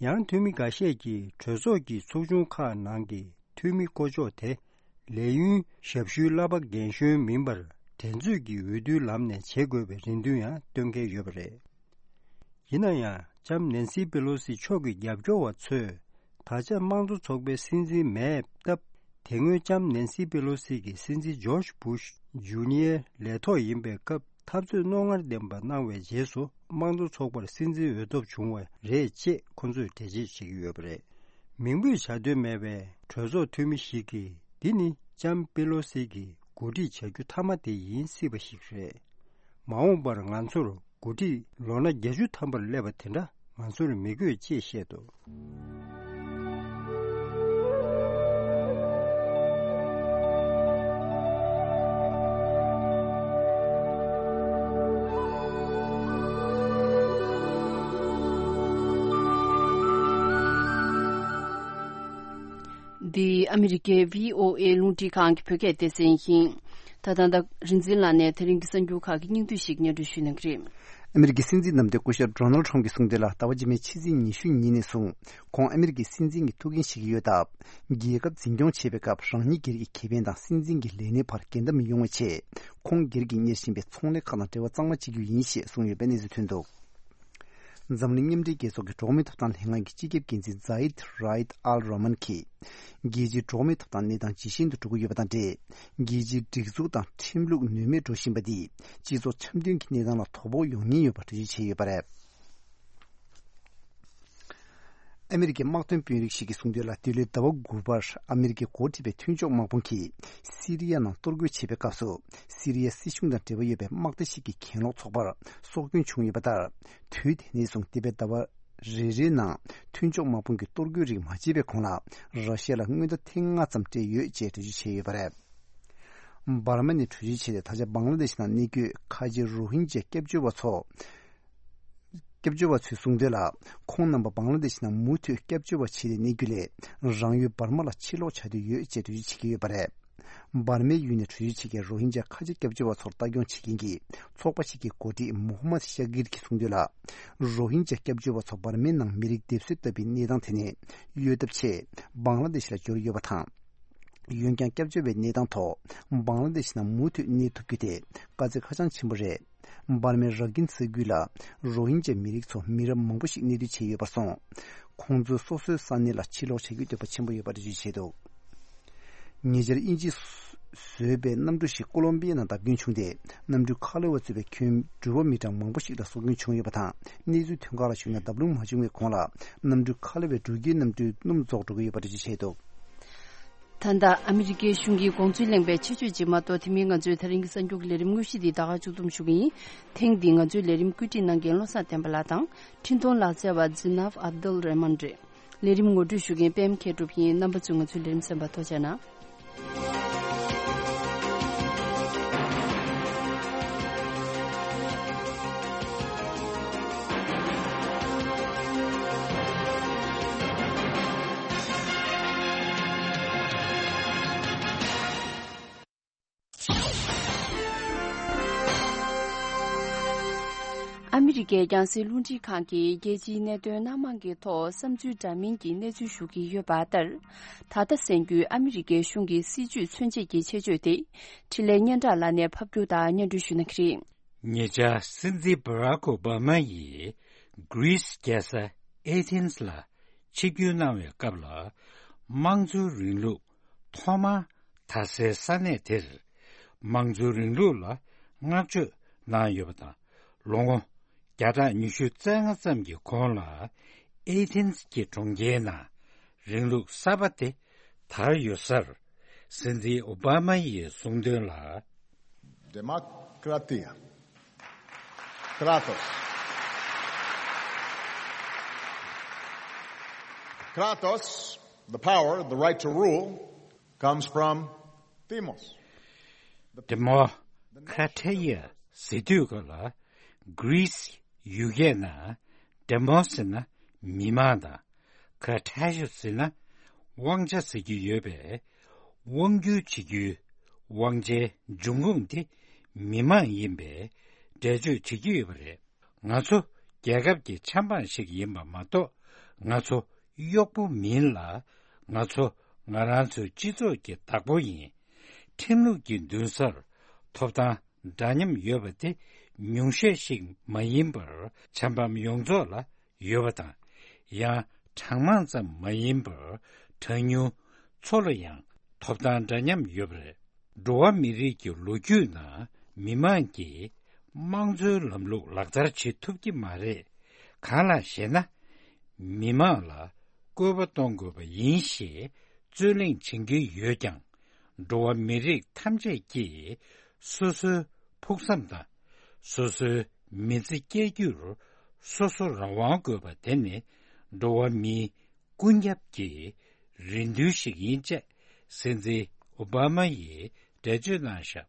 ཡང་འཐུས་མི་འགའ་ཤས་ཀྱིས་གྲོས་ཚོགས་ཀྱི་ཚོགས་ཆུང་ཁག་ནང་གི་འཐུས་མི་བསྐོ་ཕྱོགས་དེ་ལས་ཡུན་ཞབས་ཞུའི་གླ་པ་རྒན་གཞོན་མིན་པར་འགྲན་རྩོད་ཀྱི་འོས་བསྡུའི་ལམ་ནས་བྱེད་དགོས་པའི་རེ་འདུན་ཡང་བཏོན་མཁན་ཡོད་པ་རེད། ཡིན་ན་ཡང་ལྕམ་ནན་སི་པེ་ལོ་སི་མཆོག་གི་རྒྱབ་སྐྱོར་བ་ཚོས་ད་ཆ་དམངས་གཙོ་ཚོགས་པའི་སྲིད་འཛིན་མེད་སྟབས། དེ་སྔོན་ལྕམ་ནན་སི་པེ་ལོ་སི་གིས་སྲིད་འཛིན་ཇོརྗ་བྷུཤ་ཇུ་ནི་ཡར་ལས་ཐོག་ཡིན་པའི་སྐབས་འཐབ་རྩོད་རྣོ་ངར་ལྡན་པ་གནང་བའི་རྗེས་སུ་དམངས་གཙོ་ཚོགས་པར་སྲིད་འཛིན་འོས་ཐོབ་བྱུང་བ་རེད་ཅེས་ཁོ་ཚོས་འགྲེལ་བརྗོད་བྱེད་ཀྱི་ཡོད་པ་རེད། མིང་འབོད་བྱ་འདོད་མེད་པའི་གྲོས་ཚོགས་འཐུས་མི་ཞིག་གིས་འདི་ནི་ལྕམ་པེ་ལོ་སི་གིས་གོ་སྒྲིག་བྱ་རྒྱུ་མཐའ་མ་དེ་ཡིན་སྲིད་པ་ཞིག་རེད། མ་འོངས་པར་ང་ཚོར་འགོ་ཁྲིད་ལོ་ན་བརྒྱད་ཅུ་ཐམ་པར་སླེབས་པ་དེ་འདྲ་ང་ཚོར་མི་དགོས་ཅེས་བཤད་འདུག་འདི་ཨ་མི་རི་ཀའི་བྷི་ཨོ་ཨེ་རླུང་འཕྲིན་ཁང་གི་བོད་སྐད་སྡེ་ཚན་ཡིན། ད་ལྟ་ད་རིག་འཛིན་ལགས་ནས་དེ་རིང་གི་གསར་འགྱུར་ཁག་གི་སྙིང་བསྡུས་ཤིག་སྙན་སྒྲོན་ཞུ་གནང་གི་རེད། ཨ་མི་རི་ཀའི་སྲིད་འཛིན་རྣམ་པའི་སྐུ་ཞབས་ཌོ་ནལ་ཁྲོམ་གྱིས་གསུངས་དོན་ལ། ཟླ་བ་རྗེས་མའི་ཕྱི་ཚེས་ཉི་ཤུ་ཉིན་ནས་བཟུང་ཁོང་ཨ་མི་རི་ཀའི་སྲིད་འཛིན་གྱི་ཐུགས་འགན་བཞེས་ཀྱི་ཡོད་སྟབས། རྒྱལ་ཁབ་འཛིན་སྐྱོང་བྱེད་པའི་སྐབས་རང་ཉིད་སྒེར་གྱི་ཁེ་ཕན་དང་སྲིད་འཛིན་གྱི་ལས་སྣེ་བར་འགལ་ཟླ་མི་ཡོང་བའི་ཆེད། ཁོང་སྒེར་གྱིས་གཉེར་བཞིན་པའི་ཚོང་ལས་ཁག་དང་འབྲེལ་བ་གཙང་མ་བྱེད་རྒྱུ་ཡིན་ཞེས་གསུངས་ཡོད་པའི་གནས་ཚུལ་ཐོན་འདུག་འཛམ་གླིང་མཉམ་འབྲེལ་རྒྱལ་ཚོགས་ཀྱི་འགྲོ་བ་མིའི་ཐོབ་ཐང་ལྷན་ཁང་གི་སྤྱི་ཁྱབ་འགན་འཛིན་ཛ་ཡིད་ར་ཡིད་ཨལ་རོ་མན་གྱིས། རྒྱལ་སྤྱིའི་འགྲོ་བ་མིའི་ཐོབ་ཐང་གནས་སྟངས་ཇེ་ཞན་དུ་འགྲོ་གི་ཡོད་པ་དང་འབྲེལ། རྒྱལ་སྤྱིའི་སྒྲིག་འཛུགས་དང་ཁྲིམས་ལུགས་ནུས་མེད་འགྲོ་བཞིན་པ་འདིས་སྤྱི་ཚོགས་འཆམ་མཐུན་གྱི་གནས་སྟངས་ལ་དོ་ཕོག་ཡོང་ཉེན་ཡོད་པ་འགྲེལ་བརྗོད་བྱས་ཡོད་པ་རེད། ཨ་མི་རི་ཀའི་དམག་དོན་དཔོན་རིགས་ཤིག་གིས་གསུངས་དོན་ལ། འདི་ལོའི་ཟླ་བ་དགུ་པར་ཨ་མི་རི་ཀས་འགོ་ཁྲིད་པའི་མཐུན་ཕྱོགས་དམག་དཔུང་གིས་སི་རི་ཡ་ནང་གཏོར་རྒོལ་བྱེད་པའི་སྐབས་སུ། སི་རི་ཡ་སྲིད་གཞུང་དང་འབྲེལ་བ་ཡོད་པའི་དམག་སྡེ་ཞིག་གི་གྱེན་ལོག་ཚོགས་པར་སྲོག་སྐྱོན་བྱུང་ཡོད་པ་ལྟར། དུས་དེ་ནས་བཟུང་འདས་པའི་ཟླ་བ་རེ་རེའི་ནང་མཐུན་ཕྱོགས་དམག་དཔུང་གིས་གཏོར་རྒོལ་རིགས་མ་བྱས་པའི་གོང་ལ། ར་ཤི་ཡ་ལ་སྔོན་བརྡ་ཐེངས་ལྔ་ཙམ་སྤྲད་ཡོད་ཅེས་འགྲེལ་བརྗོད་བྱས་ཡོད་པ་རེད། འབར་མ་ནས་བྲོས་བྱོལ་བྱས་ཏེ་ད་ཆ་བང་ལ་དེ་ཤི་ནང་གནས་འཁོད་ཁ་ཆེ་རོ་ཧིན་ཇ་སྐྱབས་བཅོལ་བ་ཚོ། སྐྱབས་བཅོལ་བ་ཚོས་གསུངས་དོན་ལ། ཁོང་རྣམ་པ་བང་ལ་དེ་ཤི་ནང་མུ་མཐུད་སྐྱབས་བཅོལ་བ་བྱས་ཏེ་གནས་རྒྱུ་ལས། རང་ཡུལ་འབར་མ་ལ་ཕྱིར་ལོག་བྱ་འདོད་ཡོད་ཅེས་འགྲེལ་བརྗོད་བྱེད་ཀྱི་ཡོད་པ་རེད། འབར་མའི་ཡུལ་ནས་བྲོས་བྱོལ་བྱེད་མཁན་རོ་ཧིན་ཇ་ཁ་ཆེ་སྐྱབས་བཅོལ་བ་ཚོར་ལྟ་སྐྱོང་བྱེད་མཁན་གྱི་ཚོགས་པ་ཞིག་གི་འགོ་ཁྲིད་མོ་ཧམ་མད་ཤ་གིར་གྱིས་གསུངས་དོན་ལ། རོ་ཧིན་ཇ་སྐྱབས་བཅོལ་བ་ཚོ་འབར་མའི་ནང་མི་རིགས་སྡེབ་གསོད་ལྟ་བུའི་གནས་སྟངས་དེ་ནས་གཡོལ་ཐབས་ཆེད་བང་ལ་དེ་ཤི་ལ་འབྱོར་ཡོད་པ་དང་། འོན་ཀྱང་སྐྱབས་བཅོལ་བའི་གནས་སྟངས་ཐོག་བང་ལ་དེ་ཤི་ནང་མུ་མཐུད་གནས་ཐུབ་རྒྱུ་དེ་དཀའ་ཚེགས་ཧ་ཅང་ཆེན་པོ་རེད། འབར་མའི་ར་ཀིན་ས་ཁུལ་ལ་རོ་ཧིན་ཇ་མི་རིགས་ཚོ་མི་རབས་མང་པོ་ཞིག་གནས་སྡོད་བྱས་ཡོད་པར་སོང་། ཁོང་ཚོས་སོ་སོའི་ས་གནས་ལ་ཕྱིར་ལོག་བྱ་རྒྱུའི་འདོད་པ་ཆེན་པོ་ཡོད་པ་འགྲེལ་བརྗོད་བྱས་འདུག་ཉེ་ཆར་དབྱིན་ཇིས་བཟོས་པའི་གནམ་གྲུ་ཞིག་ཀོ་ལོམ་པི་ཡ་ནང་བརྡབ་སྐྱོན་བྱུང་སྟེ། གནམ་གྲུའི་ཁ་ལོ་བ་གཙོས་པའི་ཁྱོན་འགྲུལ་པ་མི་གྲངས་མང་པོ་ཞིག་ལ་སྲོག་སྐྱོན་བྱུང་ཡོད་པ་དང་། གནས་ཚུལ་ཐོན་ཁག་ལ་གཞིགས་ན། བརྡབ་ལྷུང་མ་བྱུང་བའི་གོང་ལ་གནམ་གྲུའི་ཁ་ལོ་བས་འགྲུལ་སྐྱེལ་གནམ་གྲུའི་སྣུམ་རྫོགས་འགྲོ་གི་ཡོད་པ་འགྲེལ་བརྗོད་བྱས་འདུག་ད་ལྟ་ཨ་མི་རི་ཀའི་གཞུང་གི་དགོངས་ཚུལ་གླེང་བའི་ཆེད་བརྗོད་ཅིག་མ་གཏོགས། དེ་མིན་ང་ཚོའི་དེ་རིང་གི་གསར་འགྱུར་གྱི་ལས་རིམ་དངོས་གཞི་འདི་ད་ག་མཇུག་བསྡོམས་ཞུ་གི་ཡིན། ཐེངས་འདིའི་ང་ཚོའི་ལས་རིམ་བཀོད་སྒྲིག་གནང་མཁན་བློ་བཟང་བསྟན་པ་ལགས་དང་། འཕྲིན་གཏོང་ལག་རྩལ་བ་ཛི་ནབ་ཨབ་དུལ་རེ་མན་རེད། ལས་རིམ་ངོ་སྤྲོད་ཞུ་མཁན་པད་མ་མཁས་གྲུབ་ཡིན། རྣམ་པ་ཚོས་ང་ཚོའི་ལས་རིམ་གསན་པར་ཐུགས་རྗེ་གནང་། ཨ་མི་རི་ཀའི་རྒྱང་སྲིང་རླུང་འཕྲིན་ཁང་གིས་རྒྱལ་སྤྱིའི་གནད་དོན་སྣ་མང་གི་ཐོག་བསམ་ཚུལ་འདྲ་མིན་གྱི་གནས་ཚུལ་ཞུ་གི་ཡོད་པ་ལྟར། ད་ལྟ་གསན་རྒྱུའི་ཨ་མི་རི་ཀའི་གཞུང་གི་སྲིད་བྱུས་མཚོན་བྱེད་ཀྱི་ཆེད་བརྗོད་དེ། འཕྲིན་ལས་སྙན་གྲགས་ལགས་ནས་ཕབ་སྒྱུར་དང་སྙན་སྒྲོན་ཞུ་གནང་གི་རེད། ཉེ་ཆར་སྲིད་འཛིན་བྷ་རག་ཨོ་བྷ་མ་ཡིས་གྷི་རིས་རྒྱལ་ས་ཨེ་ཐེན་ལ་ཆིབས་བསྒྱུར་གནང་བའི་སྐབས་ལ། དམངས་གཙོའི་རིང་ལུགས་ཐོག་མར་དར་སའི་ས་གནས་དེར། དམངས་གཙོའི་རིང་ལུགས་ལ་བསྔགས་བརྗོད་གནང་ཡོད་པ་དང་། ལོ་ངོ་བརྒྱ་ཕྲག་ཉི་ཤུ་རྩ་ལྔ་ཙམ་གྱི་གོང་ལ། ཨེ་ཐེན་གྱི་གྲོང་ཁྱེར་ནང་རིང་ལུགས་གསར་པ་དེ་དར་ཡོད་སར། སྲིད་འཛིན་ཨོ་བྷ་མ་ཡིས་གསུངས་དོན་ལ། Demokratia. Κράτος. Kratos, the power, the right to rule, comes from Demos. Demos, Kratia ཟེར་དུས་ག་ལ། Greece ཡུལ་སྐད་ནང་Demos ཟེར་ན་མི་མང་དང་། Kratia ཟེར་ན་དབང་ཆ་ཟེར་རྒྱུ་ཡོད་པས། དབང་སྒྱུར་བྱེད་རྒྱུའི་དབང་ཆའི་འབྱུང་ཁུངས་དེ་མི་མང་ཡིན་པའི་འགྲེལ་བརྗོད་བྱེད་ཀྱི་ཡོད་པ་རེད། ང་ཚོ་རྒྱལ་ཁབ་ཀྱི་ཆབ་འབངས་ཤིག་ཡིན་པ་མ་གཏོགས། ང་ཚོ་གཡོག་པོ་མིན་ལ། ང་ཚོ་ང་རང་ཚོའི་སྤྱི་ཚོགས་ཀྱི་བདག་པོ་ཡིན། ཁྲིམས་ལུགས་ཀྱི་མདུན་སར་ཐོབ་ཐང་འདྲ་མཉམ་ཡོད་པ་དེ་ཉུང་ཤས་ཤིག་མ་ཡིན་པར་ཆབ་འབངས་ཡོངས་རྫོགས་ལ་ཡོད་པ་དང་། ཡང་གྲངས་མང་ཙམ་མ་ཡིན་པར་གྲངས་ཉུང་ཚོ་ལ་ཡང་ཐོབ་ཐང་འདྲ་མཉམ་ཡོད་པ་རེད། འགྲོ་བ་མི་རིགས་ཀྱི་ལོ་རྒྱུས་ནང་མི་མང་གིས་དམངས་གཙོའི་ལམ་ལུགས་ལག་བསྟར་བྱེད་ཐུབ་ཀྱི་མ་རེད། གང་ལགས་ཤེ་ན། མི་མང་ལ་བཀོད་པ་གཏོང་དགོས་པ་ཡིན་ཞེས་རྩོད་གླེང་བྱེད་ཀྱི་ཡོད་ཀྱང་། འགྲོ་བ་མི་རིགས་ཐམས་ཅད་ཀྱིས་སོ་སོའི་ཕུགས་བསམ་དང་སོ་སོའི་མི་ཚེ་སྐྱེལ་རྒྱུར་སོ་སོ་རང་དབང་དགོས་པ་དེ་ནི་འགྲོ་བ་མིའི་ཀུན་ཁྱབ་ཀྱི་རེ་འདུན་ཞིག་ཡིན་ཅེས་སྲིད་འཛིན་ཨོ་བྷ་མ་ཡིས་འགྲེལ་བརྗོད་གནང་བཞག་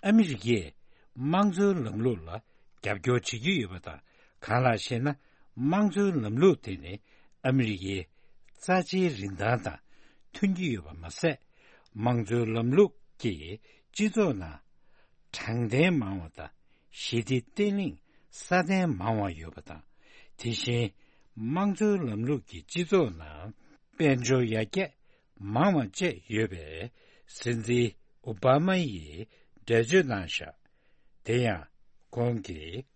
ཨ་མི་རི་ཀས་དམངས་གཙོའི་ལམ་ལུགས་ལ་རྒྱབ་སྐྱོར་བྱེད་ཀྱི་ཡོད་པ་དང་། གང་ལགས་ཤེ་ན། དམངས་གཙོའི་ལམ་ལུགས་དེ་ནི་ཨ་མི་རི་ཀའི་རྩ་ཆེའི་རིན་ཐང་དང་མཐུན་གྱི་ཡོད་པ་མ་ཟད། དམངས་གཙོའི་ལམ་ལུགས་ཀྱིས་སྤྱི་ཚོགས་ནང་དྲང་བདེན་མང་བ་དང་། ཞི་བདེ་བརྟན་ལྷིང་སྲ་བརྟན་མང་བ་ཡོད་པ་དང་། དེ་བཞིན་དམངས་གཙོའི་ལམ་ལུགས་ཀྱིས་སྤྱི་ཚོགས་ནང་དཔལ་འབྱོར་ཡར་རྒྱས་མང་བ་བཅས་ཡོད་པས། སྲིད་འཛིན་ཨོ་བྷ་མ་ཡིས་འགྲེལ་བརྗོད་གནང་བཞག་དེ་ཡང་ཁོང་གིས།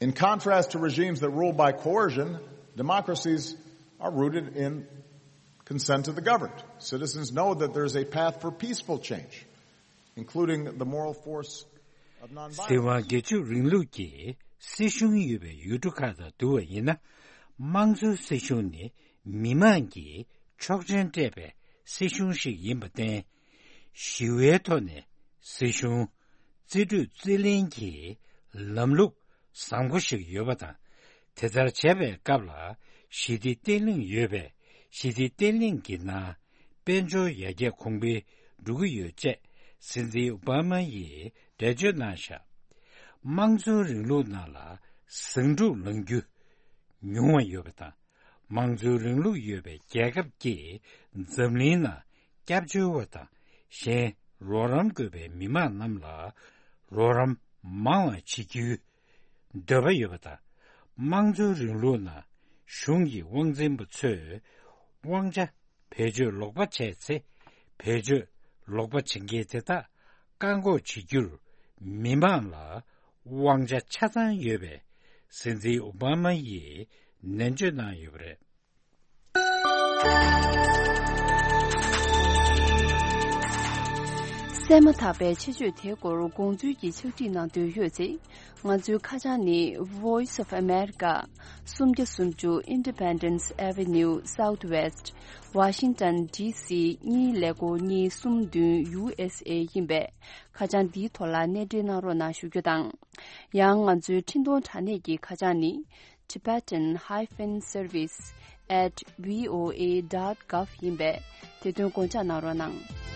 In contrast to regimes that rule by coercion, democracies are rooted in consent of the governed. Citizens know that there is a path for peaceful change, including the moral force of nonviolence. སྲིད་དབང་སྒེར་གཅོད་རིང་ལུགས་ཀྱི་སྲིད་གཞུང་ཡོད་པའི་ཡུལ་གྲུ་ཁག་དང་བསྡུར་བ་ཡིན་ན། དམངས་གཙོའི་སྲིད་གཞུང་ནི་མི་མང་གིས་ཆོག་མཆན་སྤྲད་པའི་སྲིད་གཞུང་ཞིག་ཡིན་པར་བརྟེན། ཞི་བའི་ཐོག་ནས་སྲིད་གཞུང་རྩིས་སྤྲོད་རྩིས་ལེན་གྱི་ལམ་ལུགས་བཟང་པོ་ཞིག་ཡོད་པ་དང་། དེ་ལྟར་བྱས་པའི་སྐབས་ལ་ཞི་བདེ་བརྟན་ལྷིང་ཡོད་པས། ཞི་བདེ་བརྟན་ལྷིང་གི་ནང་དཔལ་འབྱོར་ཡར་རྒྱས་གོང་འཕེལ་འགྲོ་གི་ཡོད་ཅེས་སྲིད་འཛིན་ཨོ་བྷ་མ་ཡིས་འགྲེལ་བརྗོད་གནང་བཞག་དམངས་གཙོའི་རིང་ལུགས་ནང་ལ་ཟིང་འཁྲུག་ལངས་རྒྱུ་ཉུང་བ་ཡོད་པ་དང་། དམངས་གཙོའི་རིང་ལུགས་ཡོད་པའི་རྒྱལ་ཁབ་ཀྱིས་འཛམ་གླིང་ནང་སྐྱབས་བཅོལ་བ་དང་གཞན་རོགས་རམ་དགོས་པའི་མི་མང་རྣམས་ལ་རོགས་རམ་མང་བ་བྱེད་རྒྱུའི་འདོད་པ་ཡོད་པ་དང་། དམངས་གཙོའི་རིང་ལུགས་ནང་གཞུང་གི་དབང་འཛིན་པ་ཚོས་དབང་ཆ་བེད་སྤྱོད་ལོག་པ་བྱས་ཚེ། བེད་སྤྱོད་ལོག་པ་བྱེད་མཁན་དེ་དག་བཀག་འགོག་བྱེད་རྒྱུར་མི་མང་ལ་དབང་ཆ་ཆ་ཚང་ཡོད་པའི་སྲིད་འཛིན་ཨོ་བྷ་མ་ཡིས་ནན་བརྗོད་གནང་ཡོད་པ་རེད། གསན་མ་ཐག་པའི་ཆེད་བརྗོད་དེའི་སྐོར་དགོངས་ཚུལ་གྱི་ཕྱག་བྲིས་གནང་འདོད་ཡོད་ཚེ། ང་ཚོའི་ཁ་བྱང་ནི། Voice of America, སུམ་བརྒྱ་སུམ་ཅུ་Independence Avenue Southwest, Washington D C གཉིས་ཀླད་ཀོར་གཉིས་གསུམ་བདུན་U S A ཡིན་པས། ཁ་བྱང་འདིའི་ཐོག་ལ་གནས་འབྲེལ་གནང་རོགས་གནང་ཞུ་རྒྱུ་དང་། ཡང་ང་ཚོའི་འཕྲིན་གཏོང་དྲ་གནས་ཀྱི་ཁ་བྱང་ནི། Tibetan hyphen service at V O A dot gov ཡིན་པས། དེ་དོན་དགོངས་འཇགས་གནང་རོགས་གནང་།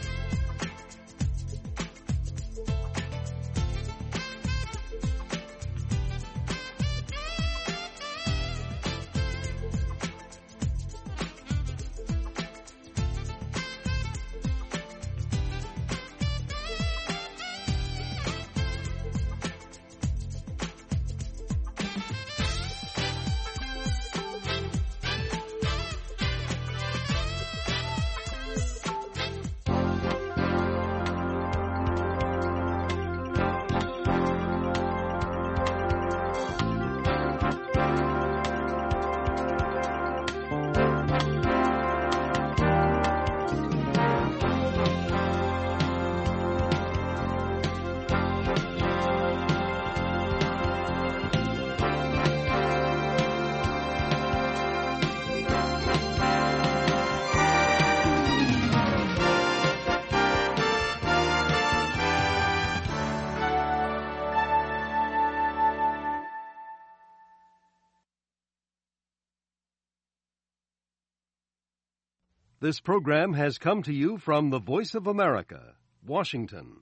This program has come to you from the Voice of America, Washington.